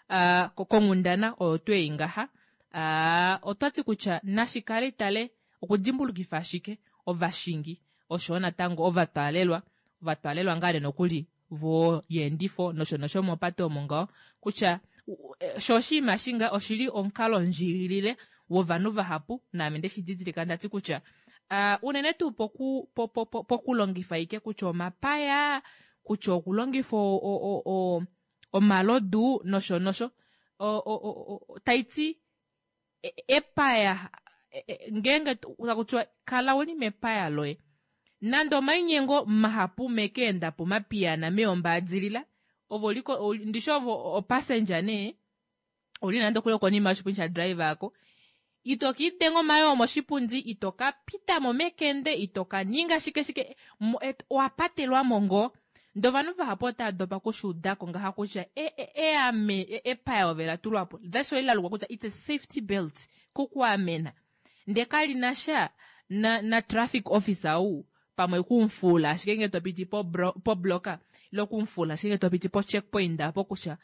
uh, konghundana oyo twei ngaha uh, otwati kutya nashikale itale okudimbulukifa ashike ovashingi oshowo natango ovatwaalelwa ovatwaalelwa ngaa nee nokuli voyeendifo nosho nosho mopate omo ngaho kutya sho oshinima shinga oshili omukalo ndjiilile wovanhu vahapu naame ndeshi didilika ndati kutya uh, unene tuu poku, po, po, po, pokulongifa ike kutya omapaya kutya okulongifa omalodu nosho nosho taiti epaya ngeenge takutiwa kala uli mepaya loye nande omainyengo mahapu mekeendapo mapiyana meombaadilila ove oliko ndishi ove opassenger nee uli nande okuli konima yoshipundi sha driver ako ito kiidenga omayoo moshipundi ito ka pitamo mekende ito ka ninga shike shike owapatelwamo ngoo ndee ovanhu vahapu otava dopa okushuudako ngaha kutya eame epaya ove latulwapo that's why lalukwa kutya it's a safety belt kukuamena ndee kalinasha na, na traffic officer ou pamwe kumufula ashike ngee topiti pobloka ile okumufula ashike ngee topiti po checkpoint apo kutya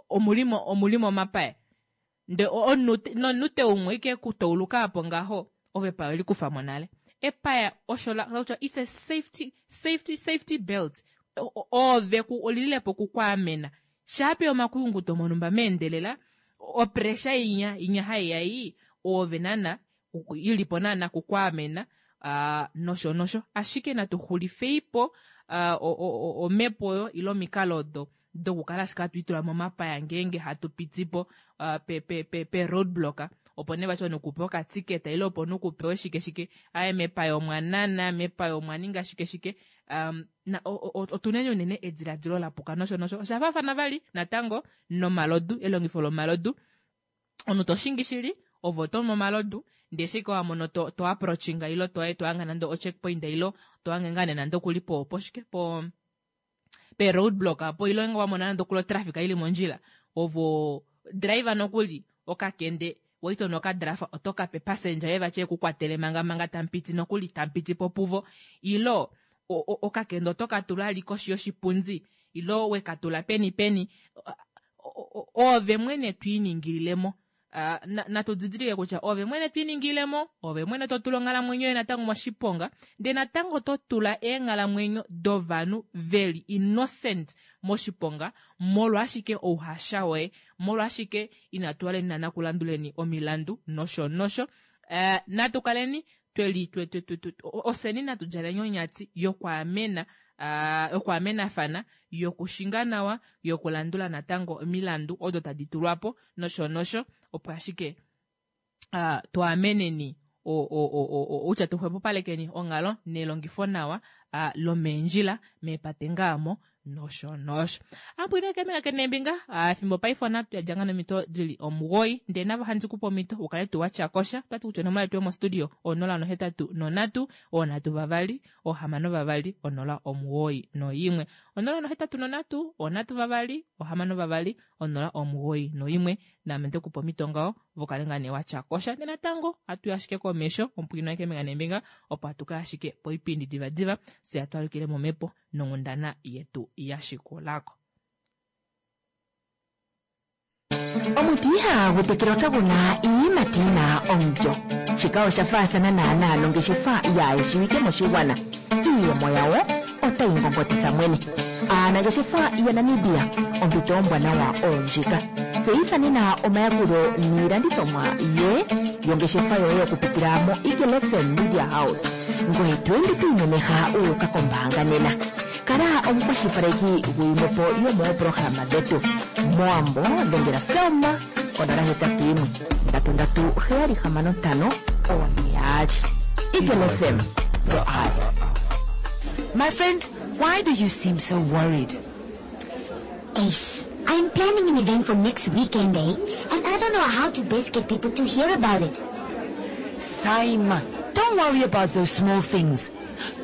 omulimo omulimo omapaya nde nomunute umwe ike kutauluka apo ngaho ove epaya olikufamo nale epaya osho la kutya it's a safety safety safety belt Oove olililepo okukwaamena shaape omakuyunguto monumba meendelela, opressure inya inya haiya ii oove naana ilipo naana kukwaamena nosho nosho. Ashike natu xulifeipo omhepo oyo ile omikalo odo dokukala ashike hatu itula momapaya ngeenge hatu pitipo pe pe pe pe roadblock, opo nee vati omunhu kupe okatiketa ile opo omunhu kupewe shike shike, aaye mepaya omwa nana, mepaya omwa ninga shike shike. Otuneni unene ediladilo lapuka nosho nosho. Osha faafana vali natango nomalodu, elongifo lomalodu. Omunhu toshingi shili ove otomu omalodu, ndee shike wamono to, to approachinga ile to to hanga nande o checkpoint ile to hange ngaa nee nande okuli po poshike po pe roadblock apo, ile nge wamona nande okuli otraffic ili mondjila, ovo driver nokuli okakende waito nokadrafa oto kape passenger ye vati ekukwatele manga manga tampiti nokuli tampiti po puvo, ilo okakende oto katula ali koshi yoshipundi ilo wekatula peni peni, ove mwene twiiningililemo. Natu didilike kutya ove mwene twiiningilemo, ove mwene totula onghalamwenyo yoye natango moshiponga, ndee natango totula eenghalamwenyo dovanhu veli innocent moshiponga molwaashike ouhasha woye, molwaashike inatu waleni naana kulanduleni omilandu nosho nosho. Natu kaleni tweli oseni natu djaleni onyati yokwaamena yokwaamenafana, yokushinga nawa, yokulandula natango omilandu odo tadi tulwapo nosho nosho, opo ashike twaameneni outya tuxwepopalekeni onghalo nelongifo nawa lomeendjila meepate ngaamo nosho nosho. Ampwine kemina kenembinga fimbo paife onatu yadjanga nomito dili omugoyi, ndee navo handi kupa omito ukale tu watyakosha. Otwati kutya onomola yetu yomostudio onola nohetatu nonhatu onhatu vavali ohamano vavali onola omugoyi noimwe, onola nohetatu nonhatu onhatu vavali ohamano vavali onola omugoyi noimwe. Naame ndekupa omito ngaho vokale ngaa nee watyakosha. Ndee natango hatu ashike komesho omupwino kembinga nembinga, opo hatuka ashike poipindi divadiva fye hatwalukile momhepo nonghundana yetu yashikulako. Omuti ihagu tekelwa kaguna iiyimati yina omulyo. Shika osha faathana naanaa nongeshefa yaayeshiwike moshigwana. Iiyemo yawo otayi ngongotitha mwene. Aanangeshefa yaNamibia, ompito ombwanawa oyo ndjika. Tseyitha nena omayakulo niilandithomwa ye yongeshefa yoye okupitila mo Eagle F M Media House. Ngoye to ende to imemeha uuka kombaanga nena. Kala omukwashilipaleki gwiimwepo yomooprograma dhetu. Moambo dhengela Selma onola hetatu yimwe ndatu ndatu heyali hamano ntano one yaali. Eagle F M, the eye. My friend, why do you seem so worried? Ace, I'm planning an event for next weekend, eh? And I don't know how to best get people to hear about it. Simon, don't worry about those small things.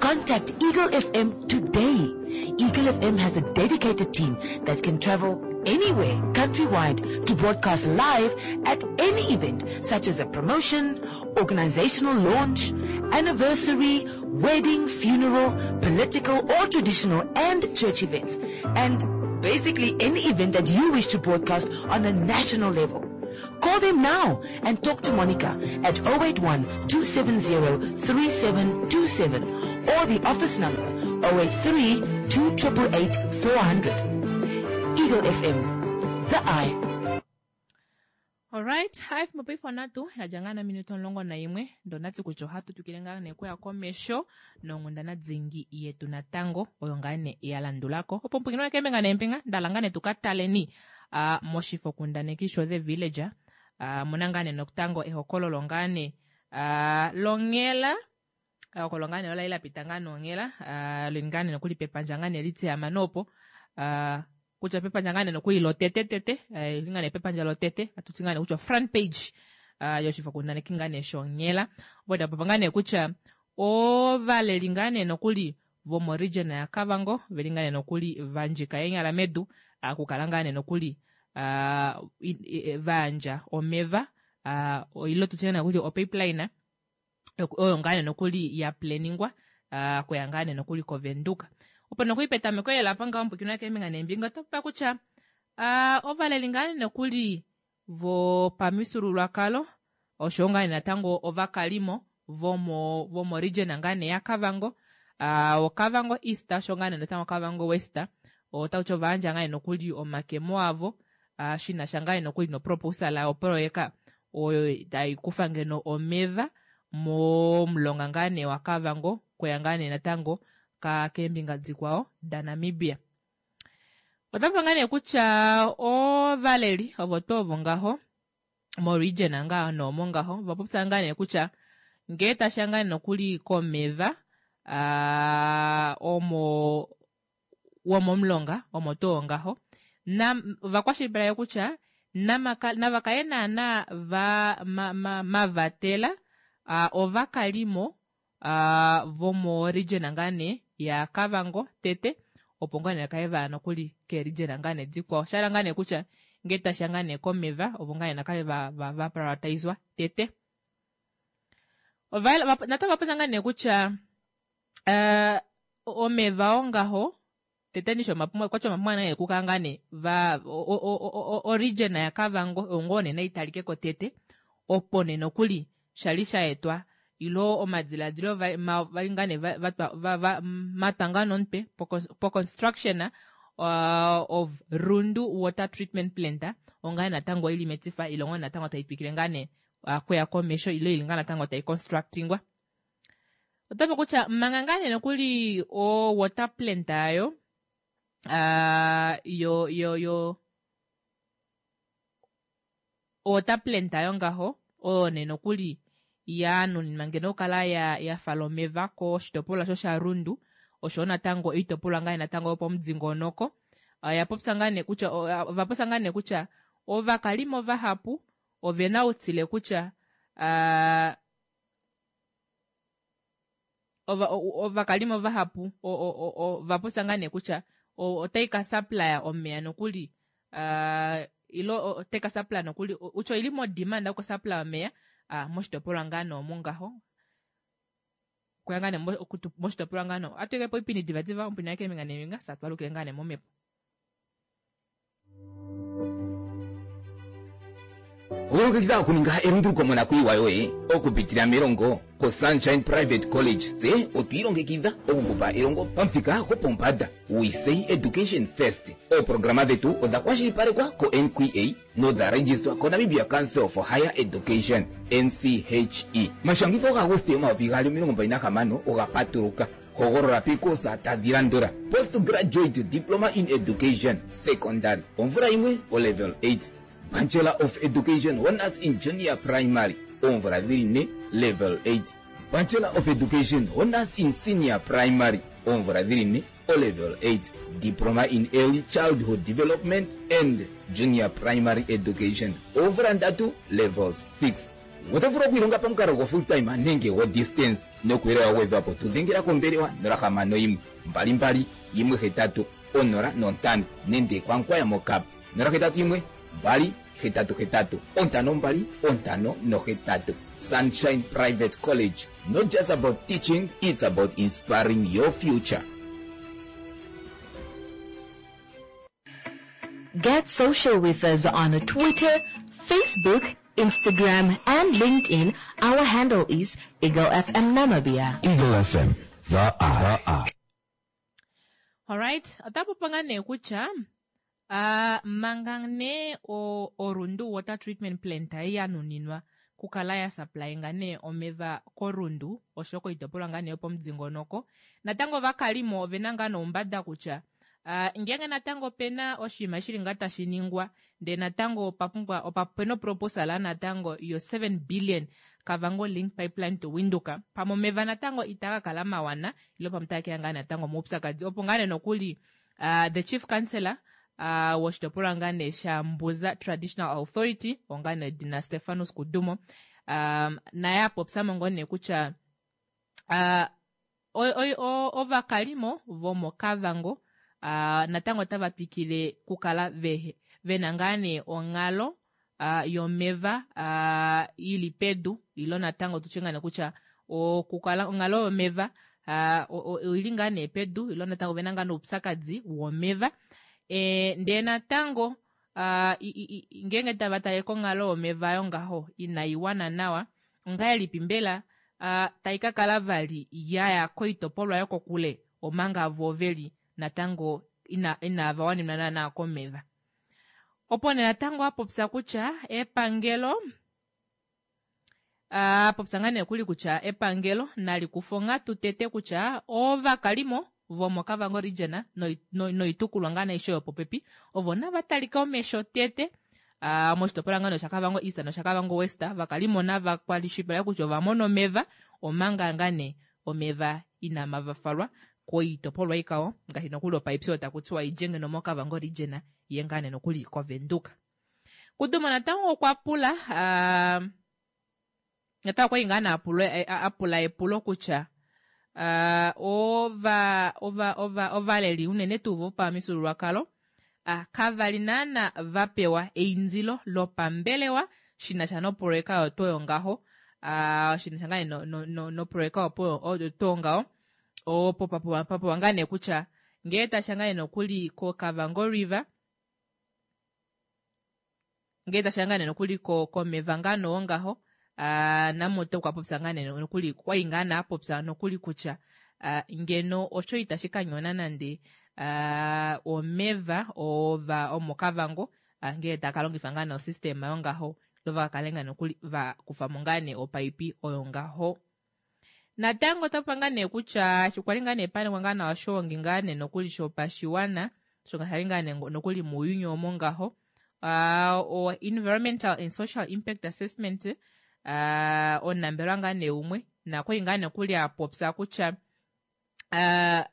Contact Eagle F M today. Eagle F M has a dedicated team that can travel anywhere countrywide to broadcast live at any event, such as a promotion, organizational launch, anniversary, wedding, funeral, political or traditional and church events, and basically any event that you wish to broadcast on a national level. Call them now and talk to Monica at oh eight one, two seven zero, three seven two seven or the office number oh eight three, two triple eight, four hundred. Eagle F M, the eye. All right, hai fimbo paife onatu yadja ngaa nominute omulongo naimwe, ndonati kutya ohatu twikile ngaa nee okuya komesho nonghundana dingi yetu natango oyo ngaa nee ya landulako. Opo mpwikino weke mbinga neembinga ndala ngaa nee tukataleni moshifo kundaneki sho The Village. Muna ngaa nee nokutango ehokololo ngaa nee longhela, ehokololo ngaa nee ola li la pita ngaa nonghela, lili ngaa nee nokuli pepandja ngaa nee litiyama nopo, kutya pepandja ngaa nee nokuli lotete tete, li ngaa nee pepandja lotete, atuti ngaa nee kutya front page yoshifo kundaneki ngaa nee shonghela. Opo ndapopa ngaa nee kutya ovaleli ngaa nee nokuli vomo region ya Kavango veli ngaa nee nokuli vandjika eenyala medu, okukala ngaa nee nokuli vaandja omeva, oilo tutye nee kutya opipeline oyo ngaa nee nokuli ya planingwa kuya ngaa nee nokuli koVenduka. Opo nokuli petameko lela apa ngaho mpwikino keembinga neembinga oto popa kutya ovaleli ngaa nee nokuli vopamifyuululwakalo oshowo ngaa nee natango ovakalimo vomo, vomo region ngaa nee yaKavango, uh, Okavango East osho ngaa nee natango Okavango West otauti ovayandja ngaa nee nokuli omakemo avo uh, shinasha ngaa nee nokuli noproposal yoproyeka oyo tai kufa ngeno omeva momulonga ngaa nee waKavango kuya ngaa nee natango ka keembinga dikwao daNamibia. Otapa ngaa nee kutya ovaleli ovo tuu ovo ngaho moregion ngaa noomo ngaho vapopya ngaa nee kutya ngee tasha ngaa nokuli komeva aa, omo womomulonga omo tuu ngaho na vakwashilipaleke kutya namaka- navakale naana va ma, ma, mavatela uh, ovakalimo uh, vomoregion ngaa nee yaKavango tete opo ngaa nee vakale vaya nokuli keeregion ngaa nee dikwao shahala ngaa nee kutya ngee tashiya ngaa nee komeva ovo ngaa nee nakale va, va, va prioritizwa tete. Ova- va- natango vapopya ngaa nee kutya uh, omeva ongaho tete nisho omapumbwa okwati omapumbwa nee kukala ngaa nee va o- o- o- o- o region yaKavango ongo nee naitalikeko tete opo nee nokuli shali shaetwa ilo omadiladilo va- ma- vali ngaa nee va- vatwa- va- va- matwa ngaa nomutwe po construction uh, of Rundu water treatment plant ongaa natango ili metifa ile ongo natango taitwikile ngaa nee uh, kuya komesho ile ili ngaa natango tai constructingwa. Otapo kutya manga ngaa nee nokuli o water plant ayo uh, yo yo yo water plant ayo ngaho oyo nee nokuli yanuninwa ngeno okukala ya, ya fala omeva koshitopolwa sho shaRundu oshowo natango oitopolwa ngaa natango yopomudingonoko. Oya popya ngaa nee kutya ova popya ngaa nee kutya ovakalimo vahapu ovena outile kutya uh, ova, ovakalimo vahapu ova popya ngaa nee kutya otai ka supplya omeya nokuli uh, ilo otai ka supplya nokuli utya oili mo demand yoku supply omeya uh, moshitopolwa ngaa noomu ngaho kuya ngaa nee moshitopolwa ngaa noo atuikepo oipindi divadiva omupindi wakeembinga neembinga sa twalukile ngaa nee momhepo. Okulongekidha okuninga elunduluko monakuyiwa yoye okupitila melongo koSunshine Private College tse otwiilongekidha okukupa elongo pamuthika gopombanda. We say education first. Ooprograma dhetu odha kwashilipalekwa ko-N Q A nodha registrwa koNamibia Council for Higher Education N C H E. Mashangitho gaAguste omayovi gaali omilongo mbali nahamano oga patuluka. Hogolola piikosa tadhi landula: Postgraduate Diploma in Education Secondary omvula yimwe o level eight, Bachelor of Education Honors in Junior Primary oomvula dhili ne level eight, Bachelor of Education Honors in Senior Primary oomvula dhili ne o level eight, Diploma in Early Childhood Development and Junior Primary Education oomvula ndatu level six. Oto vulu okwiilonga pamukalo go full time nenge go distance nokuyelela wa gwedhwapo tudhengela kombelewa nola hamano yimwe mbali mbali yimwe hetatu onola nontano nenge kwankwaya mokap nola hetatu yimwe mbali hetatu hetatu ontano mbali ontano nohetatu. Sunshine Private College, not just about teaching, it's about inspiring your future. Get social with us on Twitter, Facebook, Instagram, and LinkedIn. Our handle is Eagle F M Namibia. Eagle F M, the eye. All right, otapopanga nee kutya Uh, manga nee o, Orundu water treatment plant yanuninwa kukala ya supplyinga nee omeva koRundu osho koitopolwa ngaa nee yopomudingonoko. Natango vakalimo ovena ngaa noumbada kutya uh, ngenge natango pena oshinima shili ngaa tashi ningwa ndee natango opapumbwa opapena proposal natango yo seven billion Kavango link pipeline to Windhoek pamwe omeva natango itaga kala mawana ilo pamwe takeya ngaa natango moupyakadi opo ngaa nee nokuli uh, the chief councillor Uh, woshitopolwa ngaa nee shaMbuza Traditional Authority onga nee Dina Stefanus Kudumo um, naye apopya mo nee kutya uh, ovakalimo vomoKavango uh, natango otava twikile kukala ve, vena ngaa nee onghalo uh, yomeva uh, ili pedu ilo natango tutye ngaa nee kutya okukala onghalo yomeva uh, oili ngaa nee pedu ilo natango vena ngaa noupyakadi womeva. E, ndee natango uh, ngenge tava tale konghalo yomeva yongaho inaiwana nawa ongahelipi mbela uh, tai ka kala vali yaya koitopolwa yokokule omanga vo veli natango ina, inava wanenwa naana komeva. Opo nee natango apopya kutya epangelo apopya ngaa nee kuli kutya epangelo nali kufe onghatu tete kutya ovakalimo vomoKavango region noitukulwa ngaa aishe yopopepi ovo nava talike omesho tete uh, moshitopolwa ngaa shakavango East noshakavango West vakalimo nava kwalishipaleke kutya ova mona omeva omanga ngaa nee omeva inama falwa koitopolwa ikao ngaashi nokuli opaipyo taku tiwa idje ngeno moKavango region ye ngaa nee nokuli koVenduka. Kudumo natango okwa pula uh, natango okwali ngaa nee apula epulo kutya uh, ova ova ova ovaleli unene tuu vopamifyuululwakalo uh, kavali naana vapewa eindilo lopambelewa shinasha noproyeka oyo tuu yongaho uh, shinasha ngaa nee noproyeka oyo tuu ngaho opo papopiwa ngaa nee kutya ngee tasha ngaa nee nokuli koKavango River ngee tasha ngaa nee nokuli komeva ngaa nee ongaho uh, Namuta okwa popya ngaa nee nokuli okwali ngaa nee apopya nokuli kutya uh, ngeno osho itashi ka nyona nande uh, omeva ova omoKavango uh, ngee taka longifa ngaa nee osystema yongaho ilo vakakale ngaa nokuli vakufamo ngaa nee opaipi oyo ngaho. Natango otapa ngaa nee kutya eshi kwali ngaa nee paningwa ngaa nawa oshoongi ngaa nee nokuli shopashiwana shoka shali ngaa nee nokuli muuyuni omo ngaho uh, o environmental and social impact assessment uh, omunambelewa ngaa nee umwe nakwali ngaa nokuli apopya kutya uh,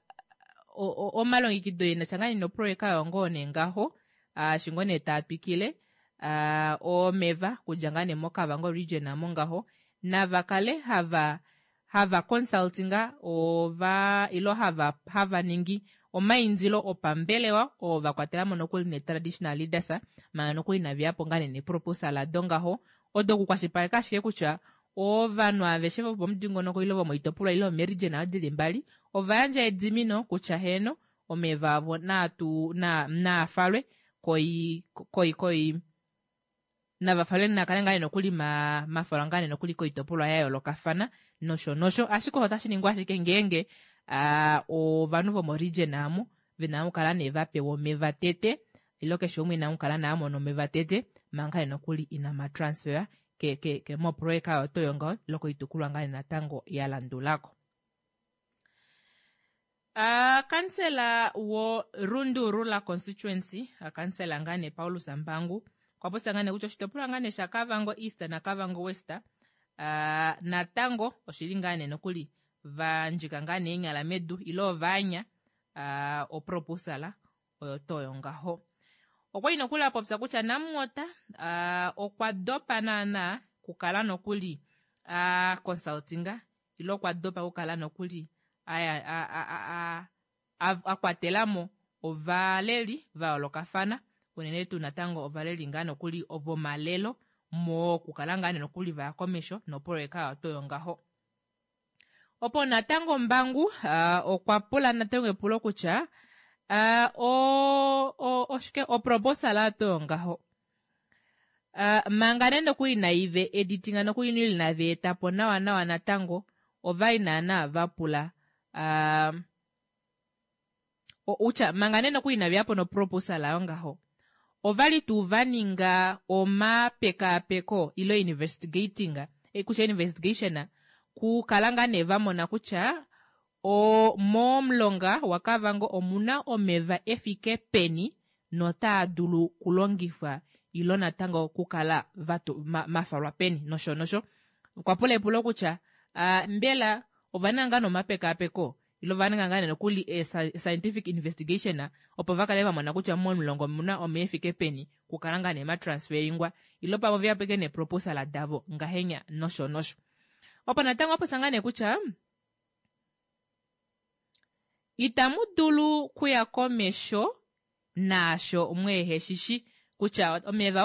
omalongekido enasha ngaa nee noproyeka oyo ngoo nee ngaho uh, shi ngoo nee taa twikile uh, omeva kudja ngaa nee moKavango region amo ngaho nava kale hava hava consultinga ova ilo hava hava ningi omaindilo opambelewa oo vakwatelamo nokuli ne traditional leaders manga nokuli inaveyapo ngaa nee neproposal ado ngaho odo okukwashilipaleka ashike kutya ovanhu aveshe vopomudingonoko ile vomoitopolwa ile vomeregion dili mbali ova yandja edimino kutya heeno omeva avo naatu naa falwe koi koi koi nava falwe nakale ngaa nee nokuli ma mafalwa ngaa nee nokuli koitopolwa ya yoolokafana nosho nosho ashike otashi ningwa ashike ngeenge uh, ovanhu vomoregion amo vena okukala nee vapewa omeva tete ilo keshe umwe ina okukala nee amona omeva tete manga nee nokuli ina matransfer ke, ke, ke moproyeka oyo tuu yongaho ilo koitukulwa ngaa nee natango ya landulako. Uh, kansela wo Rundu Rural Constituency kansela ngaa nee Paulus Mbangu okwa popya ngaa nee kutya oshitopolwa ngaa nee shaKavango East naKavango West uh, natango oshili ngaa nee nokuli vandjika ngaa nee eenyala medu ile ovaanya uh, oproposala oyo tuu yongaho. Okwali nokuli apopya kutya Namwater uh, okwa dopa naana kukala nokuli uh, consultinga ile okwa dopa kukala nokuli akwatelamo ovaleli vayoolokafana unene tuu natango ovaleli ngaa nokuli vomalelo mokukala ngaa nee nokuli vaya komesho noproyeka oyo tuu yongaho. Opo natango Mbangu uh, okwa pula natango epulo kutya uh, o, o, oshike oproposal oyo tuu yongaho uh, manga nande nokuli inaive editinga nokuli inava etapo nawa nawa natango ovali naana vapula uh, utya manga nee nokuli inaveyapo noproposal oyo ngaho ovali tuu vaninga omapekaapeko ilo investigating kutya investigation kukala ngaa nee vamona kutya o momulonga waKavango omuna omeva efike peni notaa dulu kulongifwa ilo natango kukala vatu ma, mafalwa peni nosho nosho. Okwa pula epulo kutya uh, mbela ova ninga ngaa nomapekaapeko ilo va ninga ngaa nee nokuli e, scientific investigation opo vakale vamona kutya momulonga omuna omeya efike peni kukala ngaa nee matransferingwa ilo pamwe veyapo ashike neproposal davo ngahenya nosho nosho. Opo natango apopya ngaa nee kutya itamu dulu kuya komesho naasho mweheshishi kutya omeva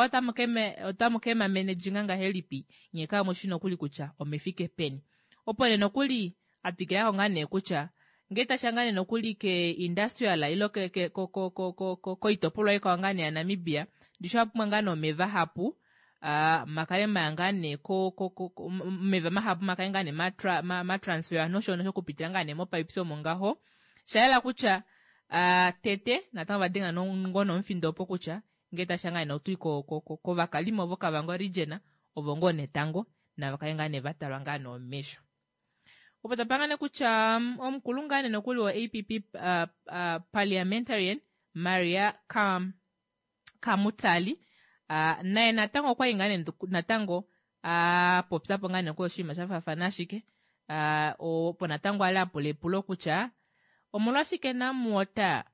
otamu ke mamenejinga ngahelipi nye kamushi nokuli kutya omefike peni. Opo nee nokuli atwikilako ngaa nee kutya ngee tashiya ngaa nee nokuli ke industrial ilo ke, ke, ko, ko, ko, ko, ko, koitopolwa ikwao ngaa nee yaNamibia ndishi owa pumbwa ngaa nee omeva hapu uh, makale maya ngaa nee ko, ko, ko, ko, omeva mahapu makale ngaa nee ma, ma, ma transfer nosho nosho okupitila ngaa nee mopipes omo ngaho. Shayela kutya uh, tete natango vadenga ngoo nomufindo opo kutya ngee tashiya ngaa nee otui kovakalimo voKavango region ovo ngoo netango navakale ngaa nee vatalwa ngaa nee omesho. Opo tapangane kutya omukulu ngaa nee nokuli wo A P P uh, uh, parliamentarian Maria Kam, Kamutali uh, naye natango okwali ngaa nee natango apopyapo uh, ngaa nee oshinima shafaafana ashike uh, opo natango ali apula epulo kutya omolwashike NamWater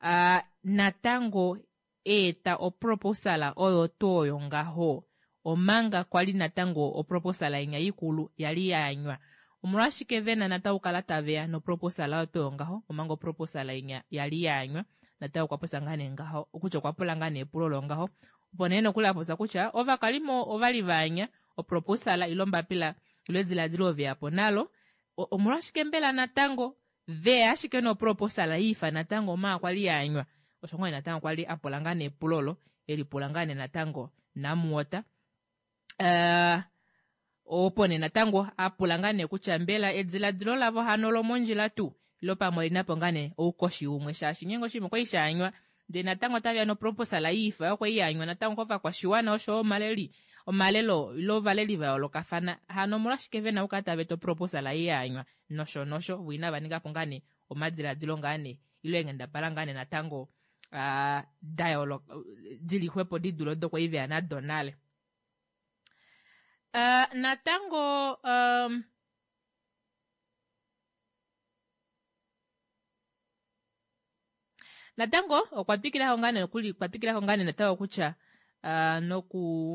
uh, natango eeta oproposal oyo tuu oyo ngaho omanga kwali natango oproposal inya ikulu yali yaanywa. Omolwashike vena natango kala taveya noproposal oyo tuu oyo ngaho omanga oproposal inya yali yaanywa? Natango okwa popya ngaa nee ngaho kutya okwa pula ngaa nee epulo longaho opo nee nokuli apopya kutya ovakalimo ovali vaanya oproposal ile ombapila ile ediladilo veyapo nalo, omolwashike mbela natango veya ashike noproposal yiifa natango omanga kwali yaanywa? Osho ngoo natango kwali apula ngaa nee epulo olo elipula ngaa nee natango NamWater. Uh, opo nee natango apula ngaa nee kutya mbela ediladilo lavo hano lomondjila tuu ilo pamwe olinapo ngaa nee oukoshi umwe, shaashi ngeenge oshinima okwali shaanywa ndee natango otaveya noproposal yiifa yokwali yaanywa natango kovakwashiwana oshoyo omaleli omalelo ilo ovaleli vayoolokafana, hano omolwashike vena okukala tava eta oproposal ei yaanywa nosho nosho vo inava ningapo ngaa nee omadiladilo ngaa nee ilo eenghendabala ngaa nee natango uh, dayooloka dili xwepo didule odo kwali veya nado nale. Uh, natango um, natango okwa twikilako ngaa nee nokuli okwa twikilako ngaa nee natango kutya uh, noku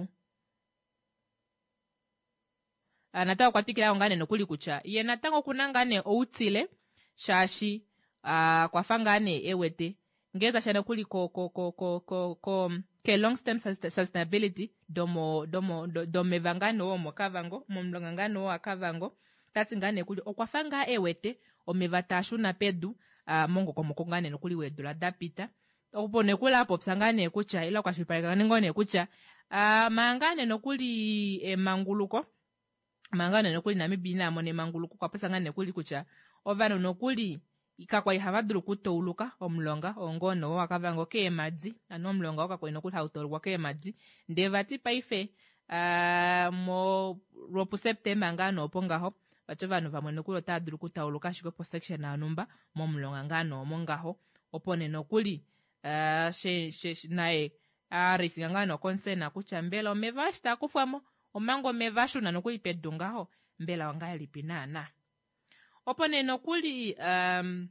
uh, natango okwa twikilako ngaa nee nokuli kutya ye natango okuna ngaa nee outile shaashi uh, kwafa ngaa nee ewete ngee tashiya nokuli ko ko ko ko ko ko ke long term sustainability domo domo domeva ngaa nee womoKavango momulonga ngaa nee waKavango, tati ngaa nee kuli okwafa ngaa ewete omeva taashuna pedu uh, mongokomoko ngaa nee nokuli weedula dapita. Opo nee kuli apopya ngaa nee kutya ile akwashilipaleka ngoo nee kutya uh, manga ngaa nee nokuli emanguluko manga nee nokuli Namibia ina mona emanguluko okwa popya ngaa nee nokuli kutya ovanhu nokuli kakwali hava dulu okutauluka omulonga oo nee waKavango keemadi, ano omulonga oo kakwali nokuli hau taulukwa keemadi, ndee vati paife uh, mo lwopuSeptemba ngaa nee opo ngaho vati ovanhu vamwe nokuli otava dulu okutauluka ashike posection yonhumba momulonga ngaa nee omo ngaho. Opo nee nokuli uh, she, she, naye aarisinga ngaa nee oconcern kutya mbela omeva eshi taa kufwamo omanga omeva ashuna nokuli pedu ngaho mbela ongahelipi naana. Opo nee nokuli um,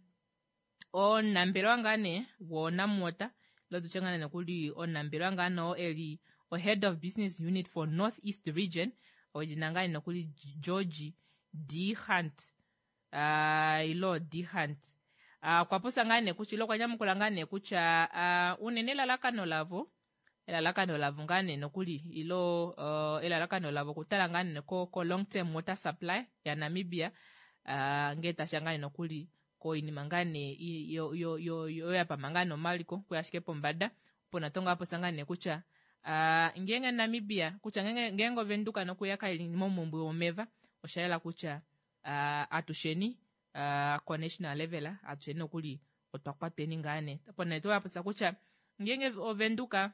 omunambelewa ngaa nee woNamWater ile tutye ngaa nee nokuli omunambelewa ngaa nee oo eli o head of business unit for North East region wedina ngaa nee nokuli George D Hunt uh, ilo D Hunt okwa uh, popya ngaa nee kutya ile okwa nyamukula ngaa nee kutya uh, unene elalakano lavo elalakano lavo ngaa nee nokuli ilo uh, elalakano lavo okutala ngaa nee ko, ko long term water supply ya Namibia uh, ngee tashiya ngaa nee nokuli koinima ngaa nee yo, yo, yo, yo yapama ngaa nee omaliko kuya ashike pombada. Opo natango apopya ngaa nee kutya uh, ngeenge Namibia kutya ngeenge Ovenduka nokuya kaili momumbwe womeva oshayela kutya uh, atusheni uh, ko national level atusheni nokuli otwa kwatweni ngaa nee. Opo nee apopya kutya ngeenge Ovenduka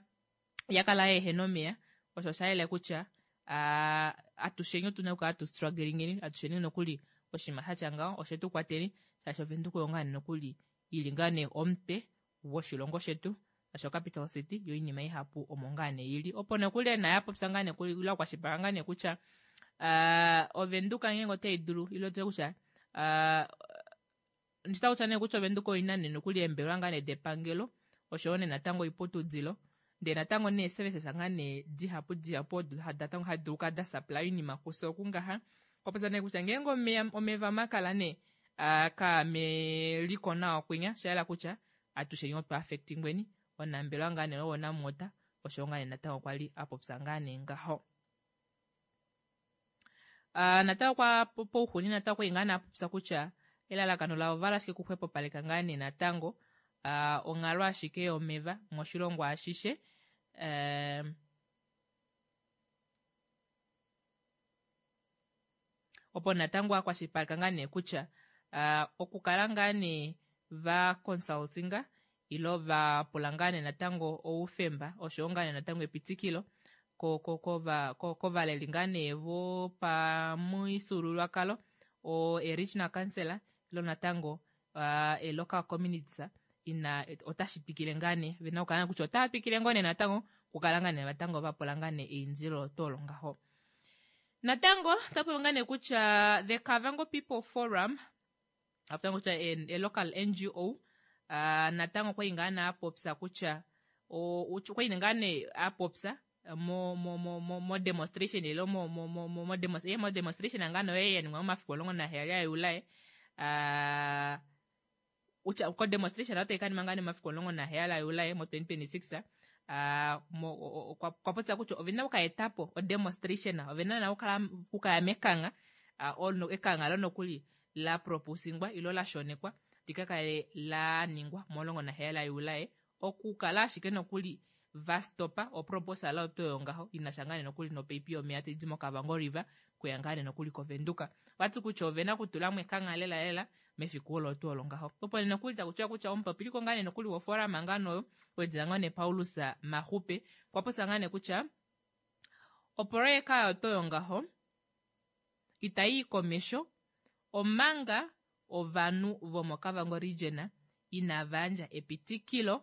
yakala yeehena omeya osho oshayela kutya uh, atusheni otuna okukala tu strugglingeni atusheni nokuli oshinima shatya ngaho oshetu kwateni shaashi Ovenduka oyo ngaa nee nokuli ili ngaa nee omutwe woshilongo shetu osho capital city yo iinima ihapu omo ngaa nee ili. Opo nokuli naye apopya ngaa nee ile akwashilipaleka ngaa nee kutya uh, Ovenduka ngeenge otai dulu ile tutye kutya uh, ndita kutya nee kutya Ovenduka oina nee nokuli eembelewa ngaa nee depangelo oshoyo nee natango oiputudilo ndee natango nee services ngaa nee dihapu dihapu odo natango hadi dulu okukala da supply oinima kufye okungaha. Okwa popya nee kutya ngeenge omeya omeva makala nee uh, kaameliko nawa kwinya shayela kutya atusheni otwa affectingweni. Omunambelewa ngaa nee woNamWater osho ngaa nee natango kwali apopya ngaa nee ngaho. Uh, natango kwa pouxuni natango kwali ngaa nee apopya kutya elalakano lavo ovahala ashike okuxwepopaleka ngaa nee natango uh, onghalo ashike yomeva moshilongo ashishe. Uh, Opo natango akwashilipaleka ngaa nee kutya uh, okukala ngaa nee va consultinga ilo va pula ngaa nee natango oufemba oshowo ngaa nee natango epitikilo kovaleli ngaa nee vopamufyuululwakalo o regional councillor ilo natango uh, e local communities ina otashi twikile ngaa nee vena okukala kutya otava twikile ngoo nee natango okukala ngaa nee natango vapula ngaa nee eindilo olo ngaho. Natango otapopi ngaa nee kutya the Kavango People Forum apopi kutya e local N G O uh, natango okwali ngaa nee apopya kutya okwali ngaa nee apopya mo mo mo mo mo demonstration ilo mo mo mo mo mo demonstration mo demonstration ngaa nee ya ningwa momafiku omulongo naheyali aJuli uh, kutya ko demonstration otayi ka ningwa ngaa nee momafiku omulongo naheyali aJuli mo twenty twenty-six uh, okwa popya kutya ovena okukaetapo o demonstration ovena na okukaya mekangha uh, ekangha lo nokuli la proposingwa ilo la shonekwa likakale la ningwa momulongo naheyali aJuli okukala ashike nokuli vastopa oproposal oyo oyo ngaho inasha ngaa nee nokuli nopaipi yomeya taidi moKavango River kuya ngaa nee nokuli koVenduka. Vati kutya ovena okutulamo ekangha lela lela mefiku olo tuu olo ngaho. Opo nee nokuli takutiwa kutya omupopiliko ngaa nee nokuli woforum ngaa noyo wedina ngaa nee Paulus Mahupe okwa popya ngaa nee kutya opoloyeka oyo tuu oyo ngaho itayi komesho omanga ovanhu vomoKavango region inava yandja epitikilo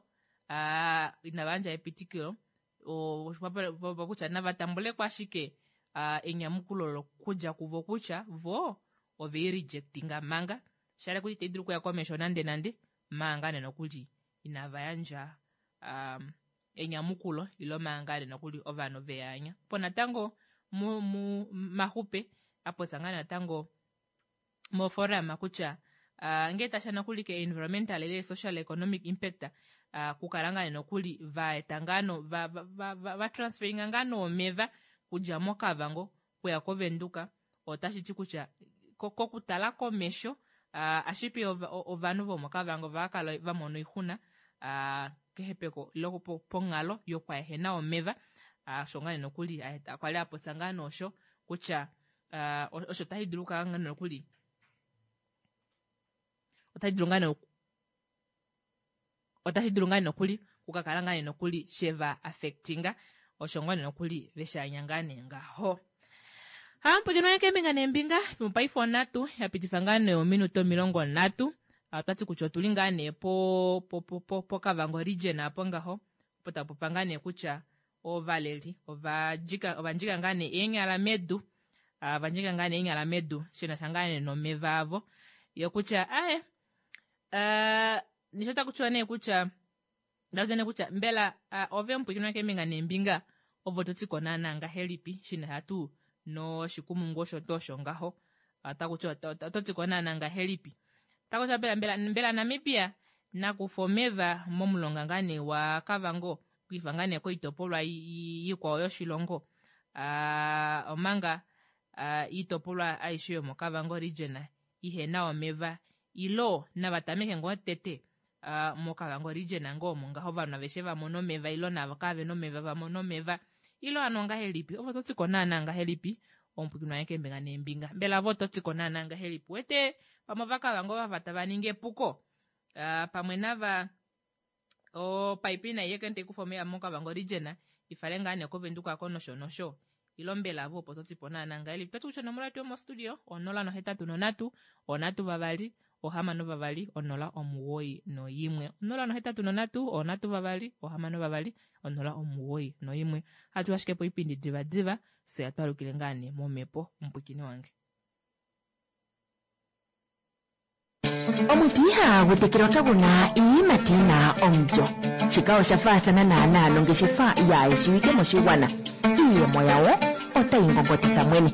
uh, inava yandja epitikilo kutya nava tambuleko ashike uh, enyamukulo lokudja kuvo kutya vo ovei rejectinga manga shale kuti itayi dulu okuya komesho nande nande manga nee nokuli inava yandja um, enyamukulo ilo manga nee nokuli ovanhu veyaanya. Po natango mu, mu Mahupe apopya ngaa natango moforum kutya uh, ngee tasha nokuli ke environmental ile social economic impact uh, kukala ngaa nokuli vaeta ngaa no va, va, va, va, va transferinga ngaa omeva kudja moKavango kuya koVenduka otashi ti kutya kokutala komesho uh, ashipi ovanhu vomoKavango vakala vamona oixuna uh, kehepeko ilo ponghalo yokwaehena omeva osho ngaa nokuli kwali apopya ngaa noosho kutya uh, osho tashi dulu okukala ngaa nokuli otashi dulu ngaa otashi dulu ngaa nokuli kukakala ngaa nokuli sheva affectinga osho ngaa nokuli veshanya ngaa nee ngaho. Hampwikinwa keembinga neembinga mopaife onhatu yapitifa ngaa nee ominute omilongo nhatu otwati kutya otuli ngaa nee po po po poKavango region apo ngaho opo tapopa ngaa nee kutya ovaleli ovadjika ovandjika ngaa nee eenyala medu ovandjika ngaa nee eenyala medu shinasha ngaa nee nomeva avo yo kutya aye uh, nisho takutiwa nee kutya ndakuti nee kutya mbela uh, ove omupwikinwa keembinga neembinga ovo totiko naana ngahelipi shinasha tuu noshikumungu osho tuu osho ngaho takuti ototiko naana ngahelipi takutya mbela mbela mbela Namibia nakufa omeva momulonga ngaa nee wa Kavango okwiifa ngaa nee koitopolwa ikwao yoshilongo uh, omanga uh, iitopolwa aishe yomoKavango region ihena omeva ilo nava tameke ngoo tete uh, moKavango region ngoo omo ngaho ovanhu aveshe vamona omeva ilo navo kavena omeva vamona omeva ilo ano ngahelipi ovo totiko naana ngahelipi omupwikinwa wange keembinga neembinga mbela vo ototiko naana ngahelipi wete pamwe ovakavango vava tava ningi epuko uh, pamwe nava opaipi nai yeke taikufa omeva moKavango region ifale ngaa nee koVenduka ko nosho nosho ilo mbela vo opo totipo naana ngahelipi toti kutya onomola yetu yomostudio onola nohetatu nonhatu onhatu vavali ohamano vavali onola omugoyi noyimwe onola nohetatu nonhatu onhatu vavali ohamano vavali onola omugoyi noyimwe hatu ashike po ipindi divadiva fye twalukile ngaa nee momhepo omupwikini wange. Omuti ihagu tekelwa kagu na iiyimati yi na omulyo. Shika osha faathana naanaa nongeshefa yaayeshiwike moshigwana. Iiyemo yawo otayi ngongotitha mwene.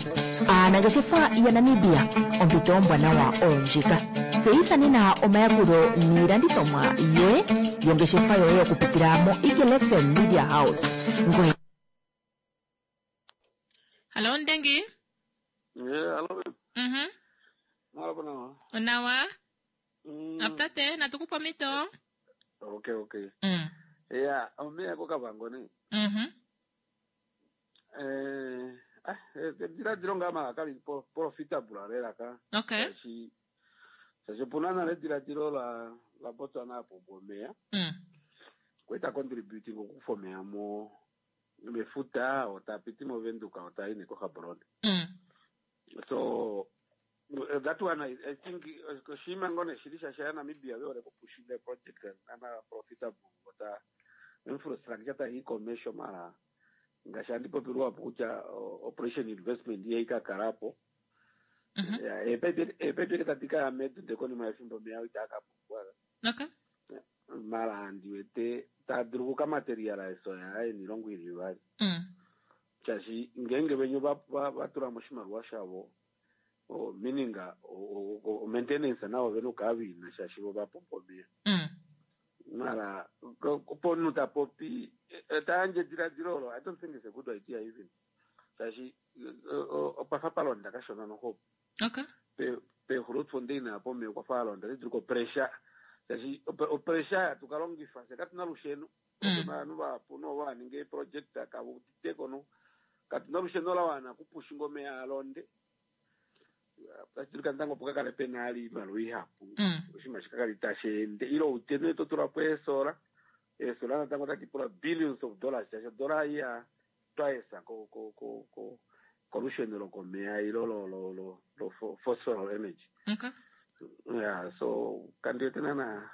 Aanangeshefa yaNamibia, ompito ombwanawa oyo ndjika. Tseyitha nena omayakulo niilandithomwa yoye yongeshefa yoye okupitila mo Eagle F M Media House. Ngoye Hallo Ndengi. Yeah, hello. Mhm. Malo nawa. Onawa. Mm. Aputate natukupa omhito. Okay, okay. Mm. Yeah, omeya koKavango ne. Mhm. Eh, Ah, ediladilo ngaa mala kali po- profitable lela ka. Okay. Shaashi shaashi opuna nale ediladilo la la Botswana apo omeya. Mm. Kweta contributing okukufa omeya mo mefuta otapiti moVenduka otayi nekoGaborone. Mm. So uh, that one I, I think uh, oshinima ngoo nee shili shasha yaNamibia ve hole kupushinga project ana profitable ota infrastructure tayi komesho mara ngaashi andi popilwapo kutya o- operation investment iye ikakalapo Mhm. Ya, eepipe eepipe tadi kaya medu ndee konima yefimbo omeya itaa ka pumbwa Okay. mara andi wete taa dulu kukamaterialize oya enilongo ili ivali Mm. shaashi ngeenge venye va- va- vatula mo oshimaliwa shavo o- meaning o- o- o- maintenance navo vena okukala vina shaashi vo vapumbwa omeya Mm. mara ko- ko- pomunhu tapopi eh, eh, tayandje ediladilo olo i don't think it's a good idea even shaashi eh, eh, opafa palonda kashona noho Okay. pegrootfontein apo omeya okwafa alonda tidulu kopressure shaashi ope- opressure yatukalongifa fye katuna lusheno Mm. ovanhu vahapu novaninga eeproject kavuditeko no katuna lusheno lawana kupushinga omeya alonde tashi dulika natango opo kakale pena ali iimaliwa ihapu Mm. oshinima shikakali tashi ende ile utene to tula po eesola eesola natango otadi pula billions of dollars shaashi odola iya twice ko ko ko ko kolusheno lokomeya ilo lo lo lo lo fo- fossil energy Okay. yeah so kandiwete nana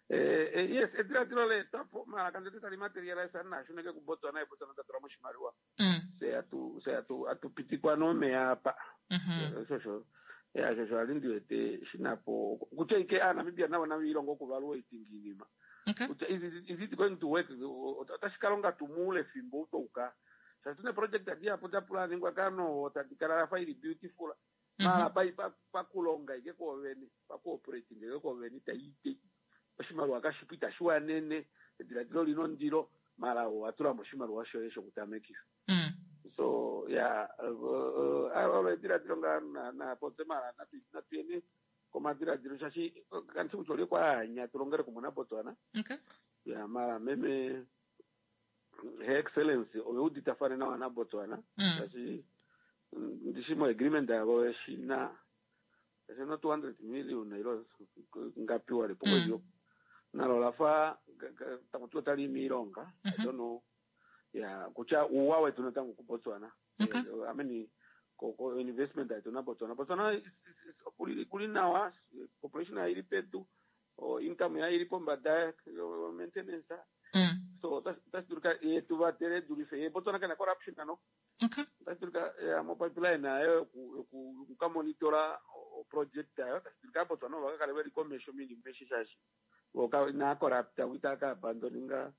eh, eh, yes ediladilo leetwapo mara kandiwete tali materialize nashuneke kubotswana ebotswana tatula moshimaliwa Mm. se atu se atu atupitikwa nomeya apa Mhm. shosho ya shosho ali ndiwete shinapo kutya ike aanamibia navo navo ilongo okuvalua itinga iinima Okay. kutya is it, is it going to work otashi kalonga tuu muule fimbo utouka shaashi tune project adihapu dapulaningwa kano tadi kala lafa ili beautiful mara pai pa- pakulonga ike koovene pakuoperating ike koovene itayiite oshimaliwa kashipu itashi wanene ediladilo lina ondilo mara owatulamo oshimaliwa shoye shokutamekitha Mm. so ya olo ediladilo ngaa na- napotse mara natu- natuyeni komadiladilo shaashi kanisi kutya olye kwaanya tulongele kumwe nabotswana Okay. ya mara meme her excellency oveuditafane nawa nabotswana Mm. shaashi mm, ndishi mo agreement yavo eshina eshina two hundred million ilo ngapiwa lipo Mm. mm. nalo lafa takuti otali miilonga i Mhm. don't know ya kutya uuwa wetu natango kubotswana Okay. Eh, I mean ko, ko investment yetu na botswana botswana is- is- is- kuli, kuli nawa population yaili pedu o income yaili pombada yo maintenance Mm. so otashi dulika yetu vatele dulife ye botswana kana corruption ano Okay. otashi dulika ya mo pipeline ayo yoku- yoku- yokukamonitora o- o project ayo tashi dulika botswana vakakale veli komesho minima eshi shashi voka inaa corrupta kuita abandoninga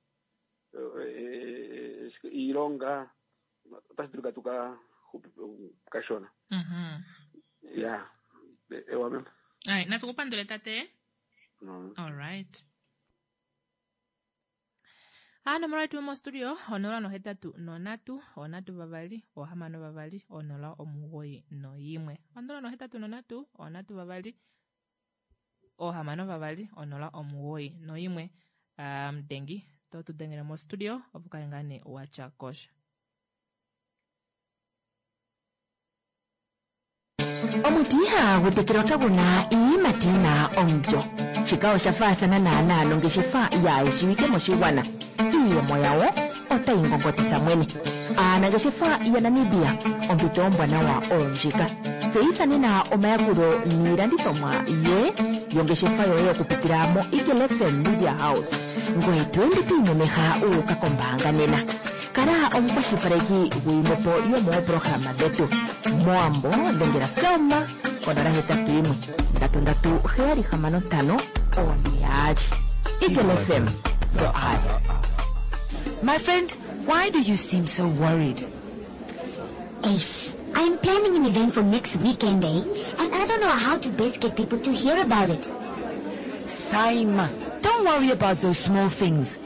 eh, eh, iilonga otashi dulika tuka kashona Mhm. ya ewa mema Alright, natukupandule tate. no. All right. Anomola yetu yomostudio onola nohetatu nonatu onatu vavali ohamano vavali onola omugoyi noyimwe onola nohetatu nonatu onatu vavali ohamano vavali onola omugoyi noyimwe um, dengi to tu dengele mostudio opo kale ngaa nee watya kosha Omuti ihagu tekelwa kagu na iiyimati yi na omulyo. Shika osha faathana naanaa nongeshefa yaayeshiwike moshigwana. Iiyemo yawo otayi ngongotitha mwene. Aanangeshefa yaNamibia, ompito ombwanawa oyo ndjika. Tseyitha nena omayakulo niilandithomwa yoye yongeshefa yoye okupitila mo Eagle FM Media House. Ngoye to ende to imemeha wu uka kombaanga nena. Kala omukwashilipaleki gwiimwepo yomoopolohalama dhetu. Moambo dhengela Selma konola hetatu yimwe ndatu ndatu heyali hamano ntano one yaali. Eagle FM, the eye. My friend, why do you seem so worried? Ace, I'm planning an event for next weekend, eh? And I don't know how to best get people to hear about it. Saima, don't worry about those small things.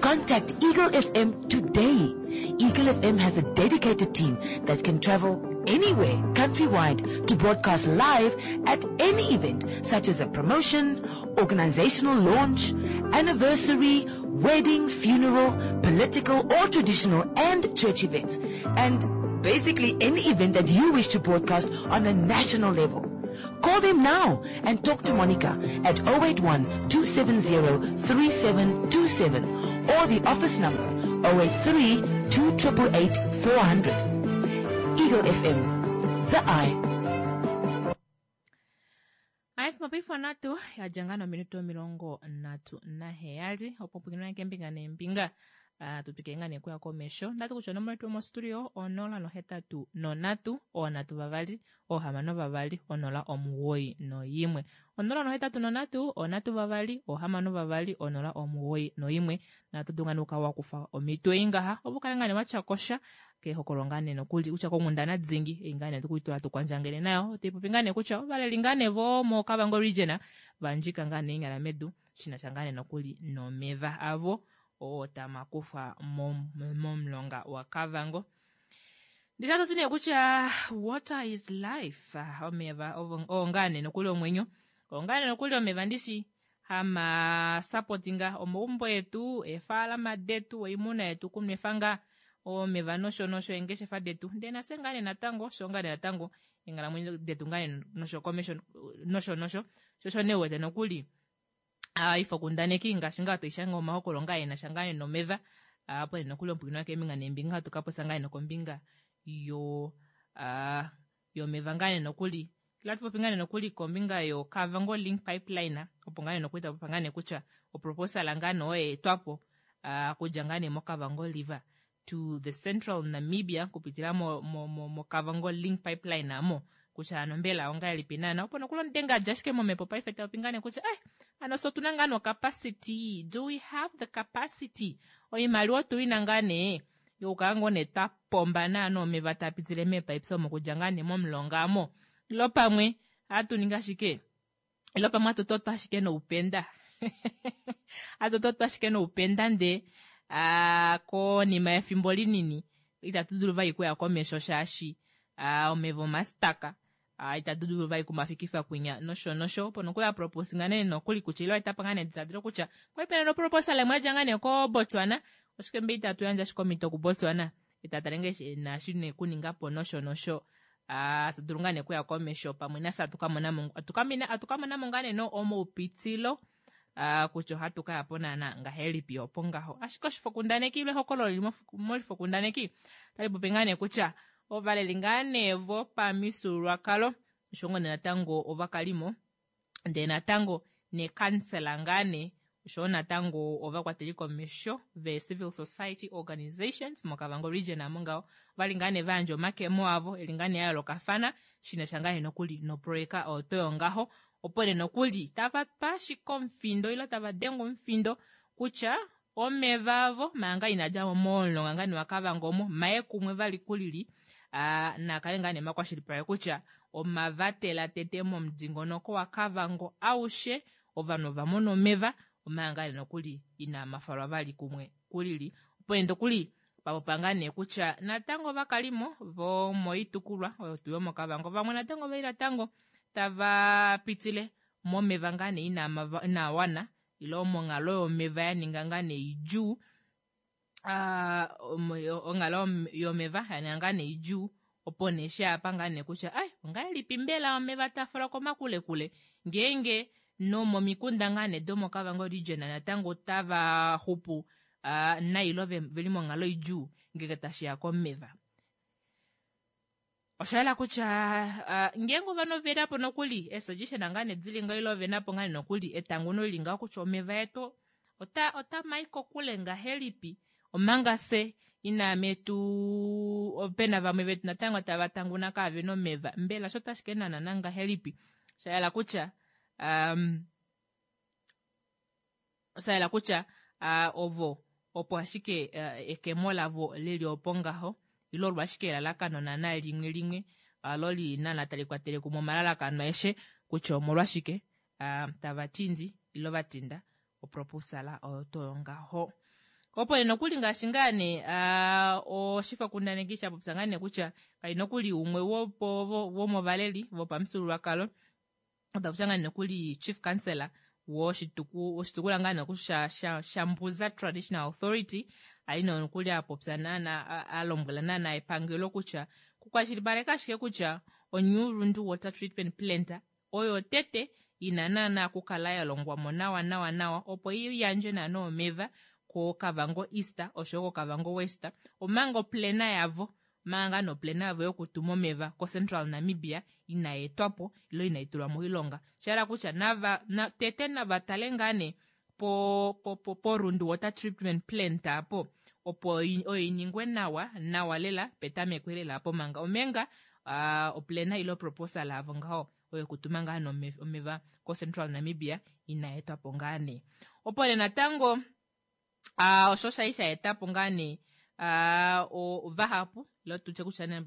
Contact Eagle F M today. Eagle F M has a dedicated team that can travel anywhere countrywide to broadcast live at any event such as a promotion, organizational launch, anniversary, wedding, funeral, political or traditional and church events. And Basically any event that you wish to broadcast on a national level. Call them now and talk to Monica at oh eight one, two seven zero, three seven two seven or the office number oh eight three, two triple eight, four hundred. Eagle F M, the eye. F M paife nhatu ya dja ngaa nominute omilongo nhatu naheyali opo pwikinwa keembinga neembinga. Ah, tutwike ngaa nee kuya komesho. Ndati kutya onomola yetu yomostudio onola nohetatu nonhatu, oonhatu vavali, oohamano vavali, onola omugoyi noyimwe. Onola nohetatu nonhatu, oonhatu vavali, oohamano vavali, onola omugoyi noyimwe. Natu dulu ngaa nee okukala wakufa omhito ei ngaha, opo ukale ngaa nee watya kosha kehokolo ngaa nee nokuli kutya konghundana dingi ei ngaa nee tukuitula tukwandjangele nayo. Otipopi ngaa nee kutya ovaleli ngaa nee vo moKavango region vandjika ngaa nee eenyala medu shina sha ngaa nee nokuli nomeva avo oo tamakufa mom-, momulonga waKavango. Ndisha toti nee kutya water is life. Omeva ovo, oo ngaa nee nokuli omwenyo, oo ngaa nee nokuli omeva ndishi hama supportinga omaumbo etu, eefaalama detu, oimuna yetu kunwefa ngaa omeva nosho nosho eengeshefa detu. Ndee nase ngaa nee natango, sho ngaa nee natango eenghalamwenyo detu ngaa nee nosho komesho nosho nosho. Sho osho nee uwete nokuli, ah, ifokundaneki ngaashi ngaa toishange omahokolo ngaa ena sha ngaa nee nomeva. Ah, opo nee nokuli ompwikinwa keembinga neembinga hatu ka popya ngaa nee nokombinga yo, ah, yomeva ngaa nee nokuli. Kila tupopi ngaa nee nokuli kombinga yo Kavango Link Pipeline, opo ngaa nee nokuli tapopa ngaa nee kutya oproposal ngaa nee oyo yeetwapo, ah, kudja ngaa nee moKavango River to the Central Namibia kupitila mo, mo, mo, mo Kavango Link Pipeline amo. Kutya ano mbela ongahelipi naana. Opo nokuli omudenga adja ashike momhepo paife tapopi ngaa nee kutya, eh, ano so otuna ngaa no capacity. Do we have the capacity? Oimaliwa otu ina ngaa nee yokukala ngoo nee twa pomba naana omeva taa pitile meepipes omo kudja ngaa nee momulonga amo. Ilo pamwe hatu ningi ashike, ilo pamwe hatu totwa ashike noupenda. Hatu totwa ashike noupenda ndee, ah, konima yefimbo linini itatu dulu vali kuya komesho shaashi, ah, omeva omastaka. Ah, itatu dulu vali kumafikifa kwinya nosho nosho. Opo nokuli apropose ngaa nee nokuli kutya ilo etapa ngaa nee ediladilo kutya kwali pena noproposal imwe yadja ngaa nee koBotswana. Oshike mbe itatu yandja ashike omhito kuBotswana? Itatale nge shi naashi nee kuninga po nosho nosho. Ah, atu dulu ngaa nee kuya komesho pamwe nafye atu ka mona mo, atu ka mina, atu ka mona mo ngaa nee no omaupitilo, ah, kutya ohatu ka ya po naana ngahelipi opo ngaho. Ashike oshifokundaneki ile ehokololo lili mof-, molifokundaneki otali popi ngaa nee kutya ovaleli ngaa nee vopamifyuululwakalo osho ngoo nee natango ovakalimo, ndee natango nekansela ngaa nee osho natango ovakwateli komesho ve civil society organizations moKavango region amo ngaho ovali ngaa nee vayandja omakemo avo eli ngaa nee ya yoolokafana shina sha ngaa nee nokuli noproyeka oyo to yongaho, opo nee nokuli tava pa ashike omufindo ile tava denge omufindo kutya omeva avo manga inadja mo momulonga ngaa nee waKavango omo maye kumwe vali kulili, ah, nakale ngaa nee makwashilipaleke kutya omavatela tete momudingonoko waKavango aushe ovanhu ova mona omeva omanga nee nokuli ina mafalwa vali kumwe kulili. Opo nee nokuli papopa ngaa nee kutya natango ovakalimo vomoitukulwa oyo tuu yomoKavango vamwe natango veli natango tava pitile momeva ngaa nee ina mava-, ina wana ile monghalo yomeva ya ninga ngaa nee idjuu. Ah, omo-, onghalo yom-, yomeva ya ninga ngaa nee idjuu, opo nee sha pa ngaa nee kutya, ai, ongahelipi mbela omeva taa falwa komakulekule ngeenge nomomikunda ngaa nee domoKavango region natango tava xupu, ah, nailo ve-, veli monghalo idjuu ngenge tashi ya komeva. Osha yela kutya, ah, ngeenge ovanhu ove na po nokuli esuggestion ngaa nee dili ngaho ile ove na po ngaa nee nokuli etanguno lili ngaho kutya omeva etu ota, ota mai kokule ngahelipi, omanga se ina metu opena vamwe vetu natango tava tanguna kave nomeva, mbela sho tashi ke nana nangahelipi? Osha yela kutya, um, osha yela kutya, ah, ovo opo ashike, eh, ekemo lavo lili opo ngaho, ile olo ashike elalakano naana limwe limwe, ah, lo li naana tali kwatele kumwe omalalakano aeshe kutya omolwashike, ah, tava tindi ile va tinda oproposala oyo to ngaho. Opo nee nokuli ngaashi ngaa nee, ah, oshifokundaneki sha popya ngaa nee kutya kai nokuli umwe wopo, wo-, womovaleli vopamufyuululwakalo, ota popya ngaa nee nokuli chief councillor Woshitukulwa ngaa nee sha, sha, Shambuza Traditional Authority ali nokuli apopya naana alombwela naana epangelo kutya kukwashilipaleka ashike kutya oNew Rundu Water Treatment Plant oyo tete ina naana okukala ya longwa mo nawa nawa nawa opo i yandje naana omeva koKavango East oshoyo koKavango West, omanga oplena yavo manga noplena yavo yokutuma omeva koCentral Namibia inayi etwapo ilo inayi tulwa moilonga. Shahala kutya nava na, tete nava tale ngaa nee po, po, po, po Rundu Water Treatment Plant apo opo oyo iningwe nawa nawa lela petameko lela apo manga omenga uh, oplena ilo proposal avo ngaho oyo kutuma ngaa nee omeva koCentral Namibia inayi etwapo ngaa nee. Opo nee natango uh, osho shai sha etapo ngaa nee uh, vahapu ilo tutye kutya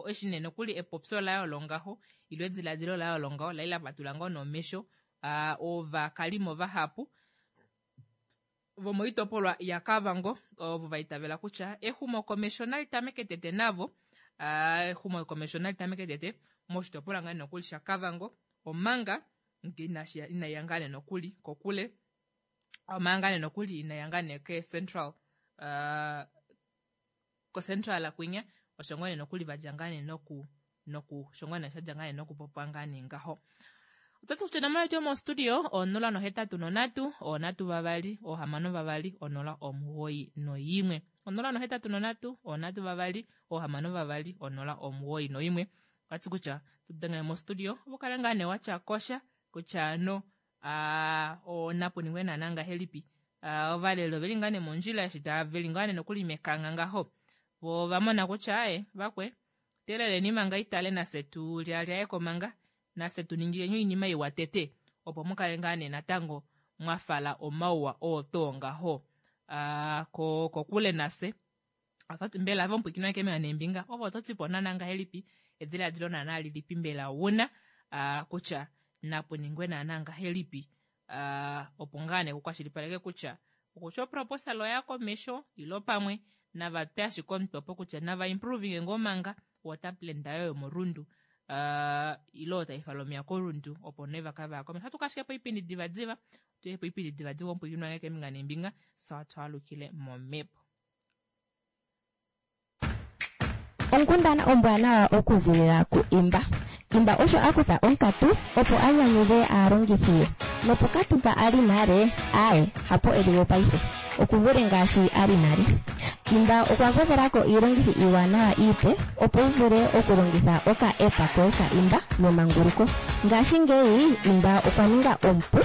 eshi nee nokuli epopyo layo longaho ilo ediladilo layo longaho lai la patula ngoo nomesho uh, ovakalimo vahapu vomoitopolwa yaKavango ovo vaitavela kutya exumokomesho nali tameke tete navo uh, exumokomesho nali tameke tete moshitopolwa ngaa nokuli shaKavango omanga inaiya ngaa nee nokuli kokule omanga nee nokuli inaiya ngaa nee ke Central uh, ko Central kwinya osho ngoo nee nokuli vadja ngaa nee noku noku osho ngoo nee shadja ngaa nee nokupopwa ngaa nee ngaho. Otatu kutya onomola yetu yomostudio onola nohetatu nonhatu onhatu vavali ohamano vavali onola omugoyi noyimwe onola nohetatu nonhatu onhatu vavali ohamano vavali onola omugoyi noyimwe. Okwati kutya tudengele mostudio opo kale ngaa nee watya kosha kutya ano onapuningwe naana ngahelipi ovaleli oveli ngaa nee mondjila eshi taveli ngaa nee nokuli mekanga ngaho vo ovamona kutya aye vakwe teleleni manga itale nafye tulyaalyayeko manga nafye tuningileni oinima iwa tete opo mukale ngaa nee natango mwafala omauwa oo too ngaho uh, ko kokule nafye. Ototi mbela avo mpwikinwa keembinga neembinga ovo ototipo naana ngahelipi ediladilo naana lilipi mbela wuna uh, kutya napuningwe naana ngahelipi uh, opo ngaa nee kukwashilipaleke kutya okutya oproposal oya komesho ilo pamwe navape ashike omutwe opo kutya nava improving ngoo manga water plant ayo yomorundu uh, ilo taifala omeya korundu opo nee vakava komesho. Ohatu kashike po oipindi divadiva tuye po oipindi divadiva ompwikinwa keembinga neembinga sa twalukile momhepo. Onkundana ombwanawa okuzilila ku Imba. Imba osho akutha onkatu opo a nyanyudhe aalongithi ye. Nopokatu mpa ali nale, aye, hapo eliwo paife. Okuvule ngaashi ali nale. Imba okwa gwedhelako iilongithi iiwanawa iipe opo wu vule okulongitha oka app koye ka Imba memanguluko. Ngashingeyi Imba okwa ninga omupu,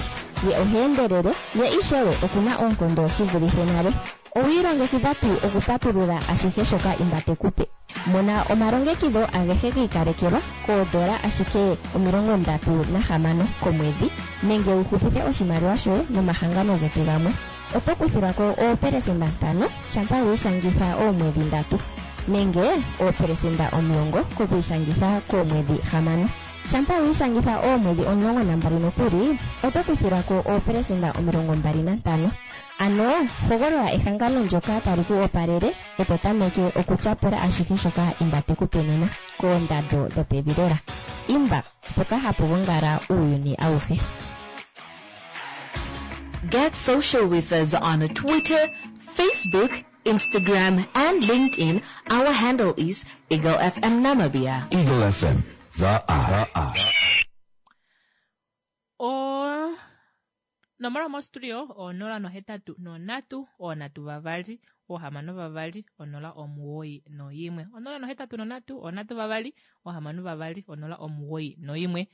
ye oha endelele, ye ishewe okuna oonkondo shi vulithe nale. Owiilongekidha tuu okupatulula ashihe shoka Imba tekupe. Mona omalongekidho agehe giikalekelwa koodola ashike omilongo ndatu nahamano komwedhi nenge wu hupithe oshimaliwa shoye nomahangano getu gamwe. Oto kuthilwako oopelesenda ntano shampa wiishangitha oomwedhi ndatu nenge oopelesenda omulongo kokwiishangitha koomwedhi hamano. Shampa wiishangitha oomwedhi omulongo nambali nokuli oto kuthilwako oopelesenda omilongo mbali nantano. Ano hogolola ehangano ndyoka tali ku opalele e to tameke okutyapula ashihe shoka Imba tekupe nena koondando dhopevi lela. Imba, mpoka hapu gongala uuyuni awuhe. Get social with us on Twitter, Facebook, Instagram, and LinkedIn. Our handle is Eagle F M Namibia. Eagle F M, the eye. The eye. O nomola yomostudio onola nohetatu nonhatu oonhatu vavali ohamano vavali onola omugoyi noyimwe onola nohetatu nonhatu oonhatu vavali ohamano vavali onola omugoyi noyimwe.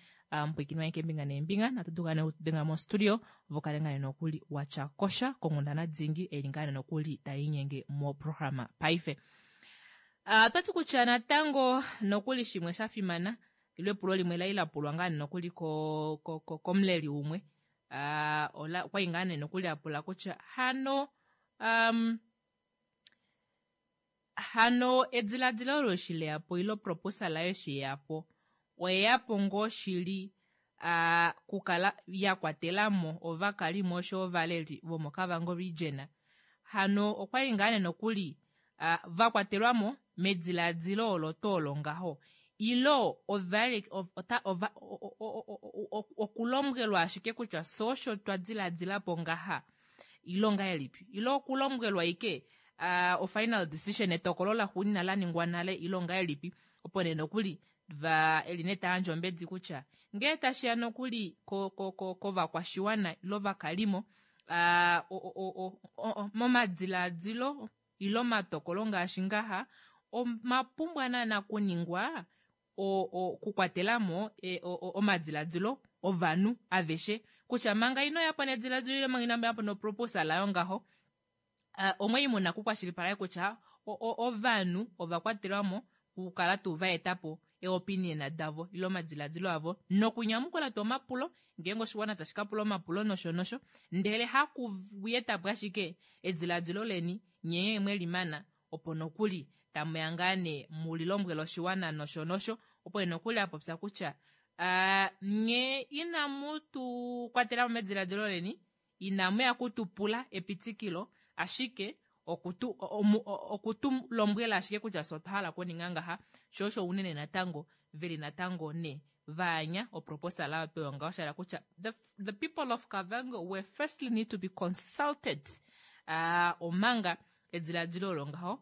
Mpwikinwa keembinga neembinga natu tukane okudenga mostudio vokale ngaa nokuli watya kosha konghundana dingi eli ngaa nokuli tainyenge moprograma paife. Uh, otwati kutya natango nokuli shimwe sha fimana ilo epulo limwe lai lapulwa ngaa nokuli ko, ko, ko, komuleli umwe uh, ola okwali ngaa nee nokuli apula kutya hano um, hano ediladilo olo eshi leyapo ilo proposal ayo eshi yeyapo oyeyapo ngoo shili uh, kukala ya kwatelamo ovakalimo osho ovaleli vomoKavango region hano okwali ngaa nee nokuli uh, vakwatelwamo mediladilo olo tuu olo ngaho Ilo ovali ota ova okulombwelwa ashike kutya so osho twa diladila po ngaha ilo ngahelipi, ilo okulombwelwa ike uh, o final decision etokolo laxuuninwa la ningwa nale ilo ngahelipi, opo nee nokuli va eli nee tayandje ombedi kutya ngee tashiya nokuli kovakwashiwana ilo vakalimo uh, momadilaadilo ilo omatokolo ngaashi ngaha omapumbwa naana kuningwa okukwatelamo e, omadiladilo ovanhu aveshe kutya manga ino yapo nediladilo ile manga ino yapo noproposal ayo ngaho uh, omwe muna kukwashilipaleka kutya ovanhu ovakwatelwamo kukala tuu vaetapo eopinion davo ile omadiladilo avo nokunyamukula tuu omapulo ngeenge oshiwana tashi ka pula omapulo nosho nosho, ndele hakuyetapo ashike ediladilo leni nyee mwelimana opo nokuli tamuya ngaa nee mulilombwele oshiwana nosho nosho, opo nokuli apopya kutya uh, nye inamu tu kwatela mo mediladilo leni, inamu ya kutupula epitikilo, ashike okutu okutu lombwela ashike kutya so otwa hala okuninga ngaha, sho osho unene natango veli natango ne vaanya oproposal ayo pewa ngaho, sha hala kutya the, the people of Kavango were firstly need to be consulted uh, omanga ediladilo olo ngaho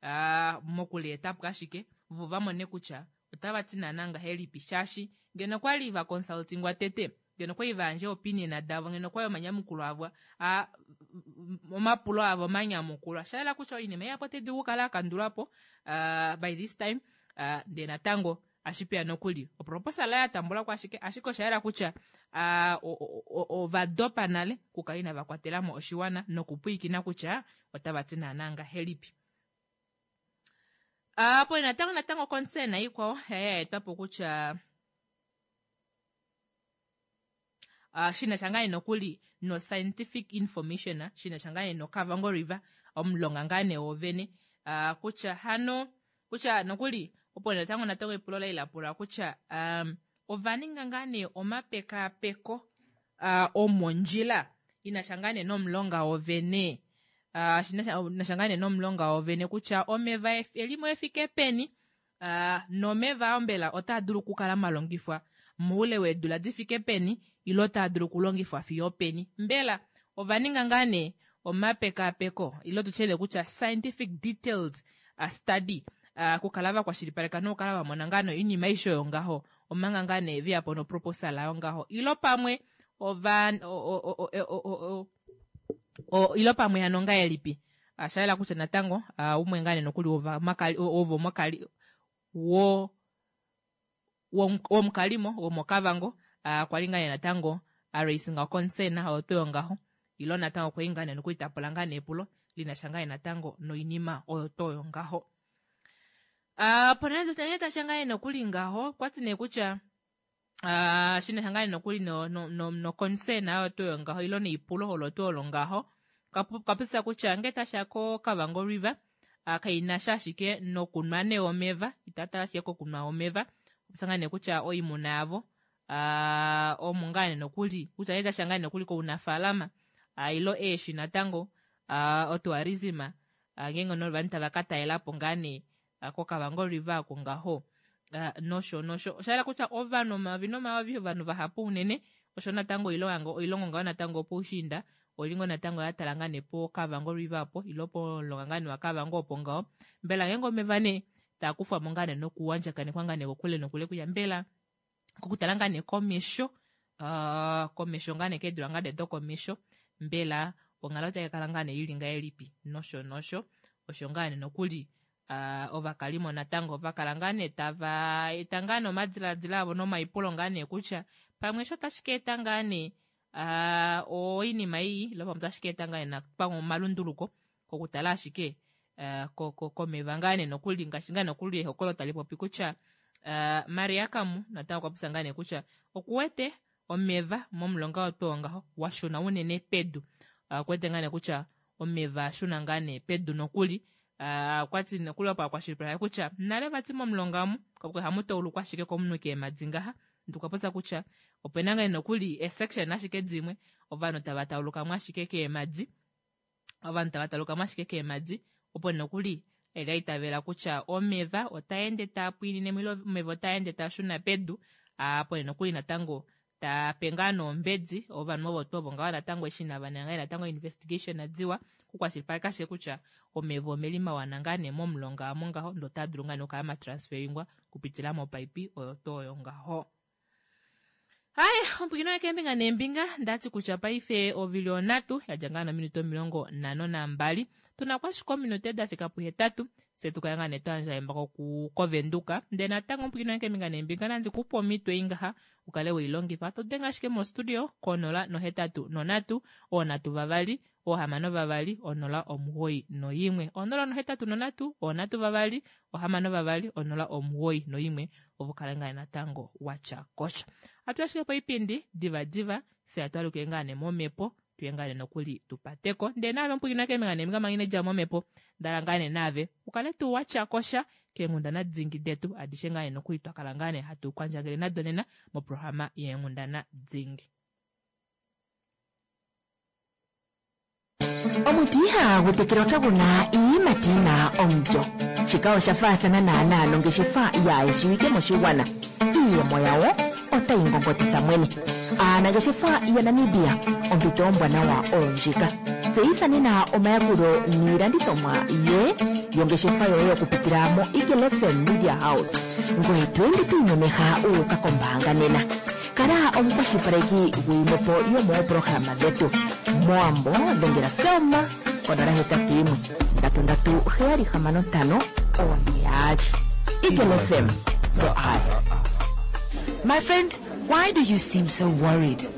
uh, mokulietapo ashike vo vamone kutya otava ti naana ngahelipi, shaashi ngeno kwali va consultingwa tete, ngeno kwali vayandje opinion davo, ngeno kwali omanyamukulo avo a omapulo avo omanyamukulwa, shayela kutya oinima ihapu otai dulu okukala yakandulwapo uh, by this time uh, ndee natango ashipeya nokuli oproposal ya tambulwako ashike ashike osha yela kutya uh, ovadopa nale kukala inava kwatelamo oshiwana nokupwiikina kutya otava ti naana ngahelipi. Apo uh, natango natango concern ikwao ya etwapo kutya uh, shina sha ngaa nokuli no scientific information shina sha ngaa no Kavango River omulonga ngaa nee wovene uh, kutya hano kutya nokuli opo natango natango epulo la ilapula kutya um, ova ninga ngaa nee omapekapeko uh, omondjila ina sha ngaa nee nomulonga wovene uh, shina sha ngaa nee nomulonga wovene kutya omeva elimo efike peni uh, nomeva mbela otaa dulu okukala malongifwa moule weedula difike peni ilo taa dulu okulongifwa fiyo peni, mbela ova ninga ngaa nee omapekapeko ilo tutye kutya scientific detailed uh, study uh, kukala vakwashilipaleka nokukala vamona ngaa noinima aishe oyo ngaho omanga ngaa nee veyapo noproposal ayo ngaho ilo pamwe ova o, o, o, ilo pamwe hano ngahelipi, uh, shayela kutya natango uh, umwe ngaa nee nokuli ovo mokali wo womukalimo womokavango uh, kwali ngaa nee natango a concern oyo tuu ngaho ilo natango kwali ngaa nee nokuli tapula ngaa nee epulo linasha ngaa nee natango noinima oyo tuu ngaho. Uh, pona tasha ngaa nee nokuli ngaho kwati nee kutya uh, shina ngaa nee nokuli no, no, no, no concern oyo tuu ngaho ilo neipulo olo tuu olo ngaho kapisa kutya nge tasha ko Kavango River uh, kaina sha ashike nokunwa nee omeva, itatala ashike kokunwa omeva, opisa ngaa nee kutya oimuna yavo uh, omu ngaa nee nokuli kutya nge tasha ngaa nee nokuli kounafaalama uh, ilo eeshi natango uh, otourism uh, ngeenge novanhu tava ka talelapo ngaa nee uh, koKavango River ako ngaho uh, nosho nosho, osha yela kutya ovanhu omayovi nomayovi ovanhu vahapu unene osho natango oilongo ngaho natango opoushiinda olingo natango yatala ngaa nee po Kavango River apo ilo pomulonga ngaa nee waKavango opo ngaho, mbela ngeenge omeva nee taa kufwamo ngaa nee nokuwandjakanekwa ngaa nee kokule nokule kutya mbela kokutala ngaa nee komesho uh, komesho ngaa nee keedula ngaa nee dokomesho mbela onghalo otai kala ngaa nee ili ngahelipi nosho nosho, osho ngaa nee nokuli uh, ovakalimo natango ovakala ngaa nee tava eta ngaa nee omadiladilo avo nomaipulo ngaa nee kutya pamwe sho tashi ka eta ngaa nee uh, oinima iyi ilo pamwe otashi ka eta ngaa nee pamwe omalunduluko kokutala ashike uh, komeva ngaa nee nokuli ngaashi ngaa nokuli ehokolo tali popi kutya uh, Maria Kamu natango okwa popya ngaa nee kutya okuwete omeva momulonga oto ngaho washuna unene pedu, okuwete uh, ngaa nee kutya omeva ashuna ngaa nee pedu nokuli uh, okwati nokuli opo akwashilipaleka kutya nale vati momulonga omu hamu taulukwa ashike komunhu keemadi ngaha, ndikwa popya kutya opena ngaa nokuli esection ashike dimwe ovanhu tava taulukamo ashike keemadi, ovanhu tava taulukamo ashike keemadi opo nokuli Eli aitavela kutya omeva otaende taa pwiinine ile omeva otaende taa shuna pedu, apo nee nokuli natango tape ngaa noombedi ovanhu ovo tuu ovo ngaho natango eshi inava ninga natango investigation diwa kukwashilipaleka ashike kutya omeva omeli mawana ngaa nee momulonga amo ngaho ndee otaa dulu ngaa nee okukala matransferingwa kupitila mopaipi oyo tuu oyo ngaho. Hai, ompwikino yekeembinga neembinga ndati kutya paife ovili onhatu yadja ngaa nominute omilongo nhano nambali tuna ko ashike ominute dafika puhetatu fye tukale ngaa nee twayandja embako kovenduka ndee natango ompwikino yekeembinga neembinga nandi kupe omhito ei ngaha ukale weilongifa todenge ashike mostudio konola nohetatu nonhatu oonhatu vavali oohamano vavali onola omugoyi noyimwe onola nohetatu nonhatu oonhatu vavali ohamano vavali onola omugoyi noyimwe ovo kale ngaa natango watya kosha. Atu ashike poipindi diva diva fye atwalukile ngaa nee momhepo tuye ngaa nee nokuli tupateko ndee naave omupwiikini keembinga neembinga manga inedja momhepo ndala ngaa nee naave ukale tuu watya kosha keenghundana dingi detu adishe ngaa nee nokuli twakala ngaa nee hatu kwandjangele nado nena moprograma yeenghundana dingi. Omuti ihagu tekelwa kagu na iiyimati yi na omulyo. Shika osha faathana naanaa nongeshefa yaayeshiwike moshigwana. Iiyemo yawo otayi ngongotitha mwene. Aanangeshefa yaNamibia, ompito ombwanawa oyo ndjika. Tseyitha nena omayakulo niilandithomwa yoye yongeshefa yoye okupitila mo Eagle F M Media House. Ngoye to ende to imemeha wu uka kombaanga nena. Kala omukwashilipaleki gwiimwepo yomoopolohalama dhetu. Mowambo dhengela Selma konola hetatu yimwe ndatu ndatu heyali hamano ntano oone yaali. Eagle F M, the eye. My friend, why do you seem so worried?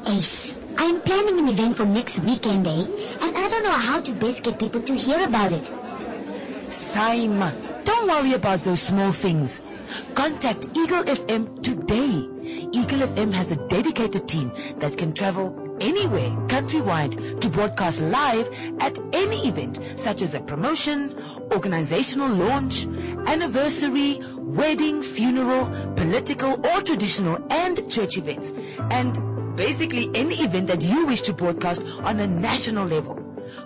Ace, I'm planning an event for next weekend, eh? And I don't know how to best get people to hear about it. Saima, don't worry about those small things. Contact Eagle F M today. Eagle F M has a dedicated team that can travel anywhere countrywide to broadcast live at any event such as a promotion, organizational launch, anniversary, wedding, funeral, political or traditional and church events. And basically any event that you wish to broadcast on a national level.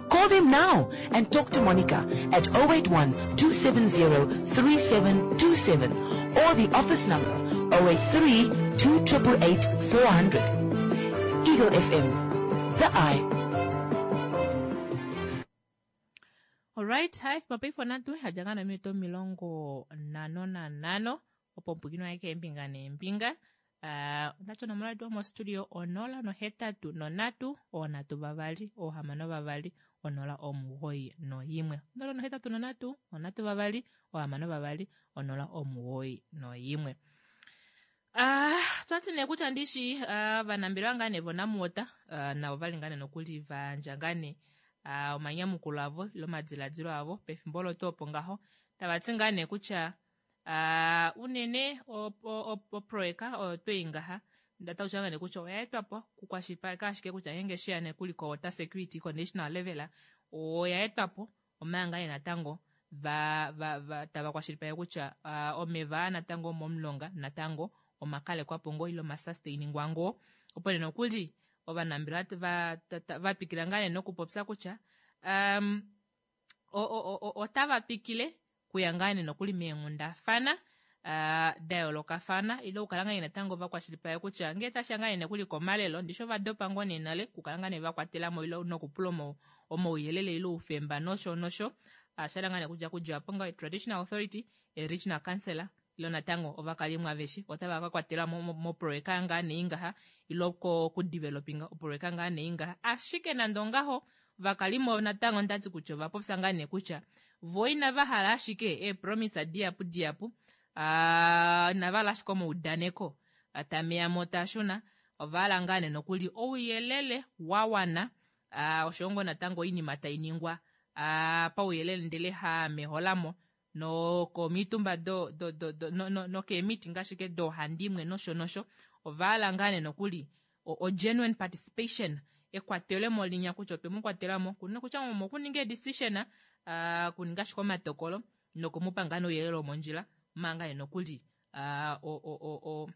Call them now and talk to Monica at oh eight one two seven zero three seven two seven or the office number oh eight three two eight eight four hundred. Eagle F M, the eye. Alright, hai mapaife onhatu yadja ngaa nominute omilongo nhano nanhano opo ompwikino aye keembinga neembinga. Uh, ondati onomola yetu yomostudio onola nohetatu nonhatu oonhatu vavali oohamano vavali onola omugoyi noyimwe onola nohetatu nonhatu onhatu vavali oohamano vavali onola omugoyi noyimwe. Ah, twati nee kutya ndishi uh, vanambelewa ngaa nee voNamwater uh, navo vali ngaa nee nokuli vandja ngaa nee uh, omanyamukulo avo ile omadiladilo avo pefimbo olo tuu opo ngaho tavati ngaa nee kutya uh, unene oproyeka oyo twei ngaha ndatautya ngaa nee kutya oya etwapo kukwashilipaleka ashike kutya ngeenge sheya nekuli ko water security ko national level oya etwapo omanga nee natango va, va, va, tava kwashilipaleke kutya uh, omeva natango momulonga natango omakalekwapo ngoo ile omasustain ngoo opo nee nokuli ovanambelewa va twikila ngaa nee nokupopya kutya um, otava twikile kuya ngaa nee nokuli meenghundafana uh, da yoolokafana ile okukala ngaa nee natango vakwashilipaleka kutya ngee tashiya ngaa nee nokuli komalelo ndishi ovadopa ngoo nee nale okukala ngaa nee vakwatelamo ile nokupula omauyelele ile oufemba nosho nosho ashala ngaa nee kutya kudja apo ngaho traditional authority, regional councillor ile natango ovakalimo aveshe otava ka kwatelwa moproyeka ngaa nee ngaha ile kudevelopinga oproyeka ngaa nee ngaha. Ashike nande ongaho ovakalimo natango ndati kutya ovapopya ngaa nee kutya vo inava hala ashike eepromise dihapu dihapu, inava hala ashike omaudaneko tameyamo tashuna, ovahala ngaa nee nokuli ouyelele wa wana oshowo ngoo natango oinima tainingwa pauyelele ndele hameholamo nokomitumba do, do, do, do, no, no, nokeemeeting ashike doohandimwe nosho nosho. Ovahala ngaa nee nokuli o, genuine participation, ekwatelemo linya kutya otwe mu kwatelamo kutya mokuninga edecision, uh, kuninga ashike omatokolo nokumupa ngaa nee ouyelele womondjila omanga nee nokuli uh, o, o, o, o,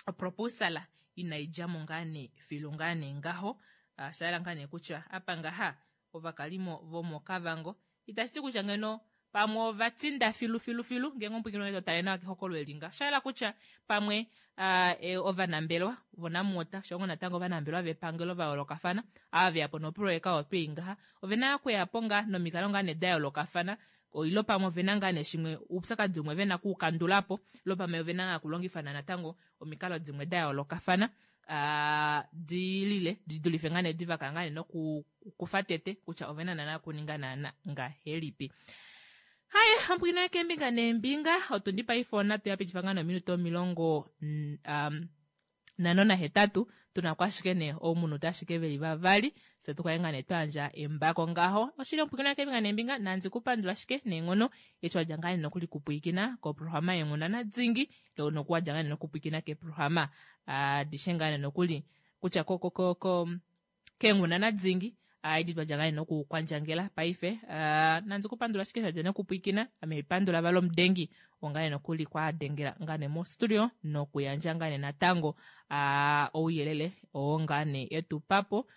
oproposal inaidjamo ngaa nee filu ngaa nee ngaho. uh, shayela ngaa nee kutya apa ngaha ovakalimo vomoKavango Itashi ti kutya ngeno pamwe ova tinda filu filu filu ngeenge omupwilikini wange to tale nawa kehokolo eli nga osha yela kutya pamwe uh, e, ovanambelewa voNamwater shongo natango ovanambelewa vepangelo va yoolokafana ava veya po noproyeka oyo twei ngaha ovena okuya po ngaa nomikalo ngaa nee da yoolokafana ilo pamwe ovena ngaa nee shimwe oupyakadi umwe vena kuukandulapo ilo pamwe ovena ngaa okulongifana natango omikalo dimwe da yoolokafana uh, di lile di dulife ngaa nee diva kala ngaa nee nokukufa tete kutya ovena naana okuninga naana ngahelipi. Haye ompwino keembinga neembinga otundi paife onhatu yapitifa ngaa nominute omilongo um, nhano nahetatu tuna ko ashike nee oumunute ashike veli vavali fye tukale ngaa nee twayandja embako ngaho oshili ompwikino keembinga neembinga nandi kupandula ashike neenghono eshi wadja ngaa nee nokuli kupwiikina koprograma yeenghundana dingi nokuwadja ngaa nee nokupwiikina keeprograma adishe ngaa nee nokuli kutya ko, ko, ko, ko keenghundana dingi edi twadja ngaa nee nokukwandjangela paife uh, nandi kupandula ashike shadja nokupwiikina ame pandula vali omudengi ongaa nee nokuli kwadengela ngaa nee mostudio nokuyandja ngaa nee natango uh, ouyelele oo ngaa nee etupapo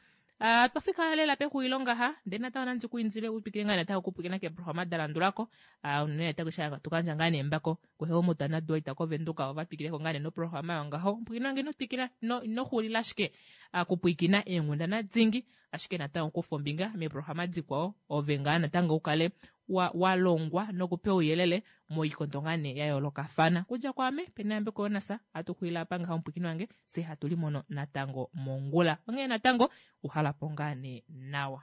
Uh, twafika lela pexulilo ngaha ndele natango nandi ku indile utwikile ngaa natango okupwiikina keeprograma da landulako uh, unene natango sha tukandja ngaa nee embako kuHelmut naDwight koVenduka ova twikileko ngaa nee noprograma yongaho mpwiikina wange ino twikila ino ino xulila ashike uh, kupwiikina eenghundana dingi ashike natango kufa ombinga meeprograma dikwao ove ngaa natango ukale wa, wa longwa nokupewa ouyelele moikondo ngaa nee ya yoolokafana kudja kwaame pena yambeko yonasa hatu xulila apa ngaha omupwiikini wange fye hatu limono natango mongula onghee natango uhalapo ngaa nee nawa.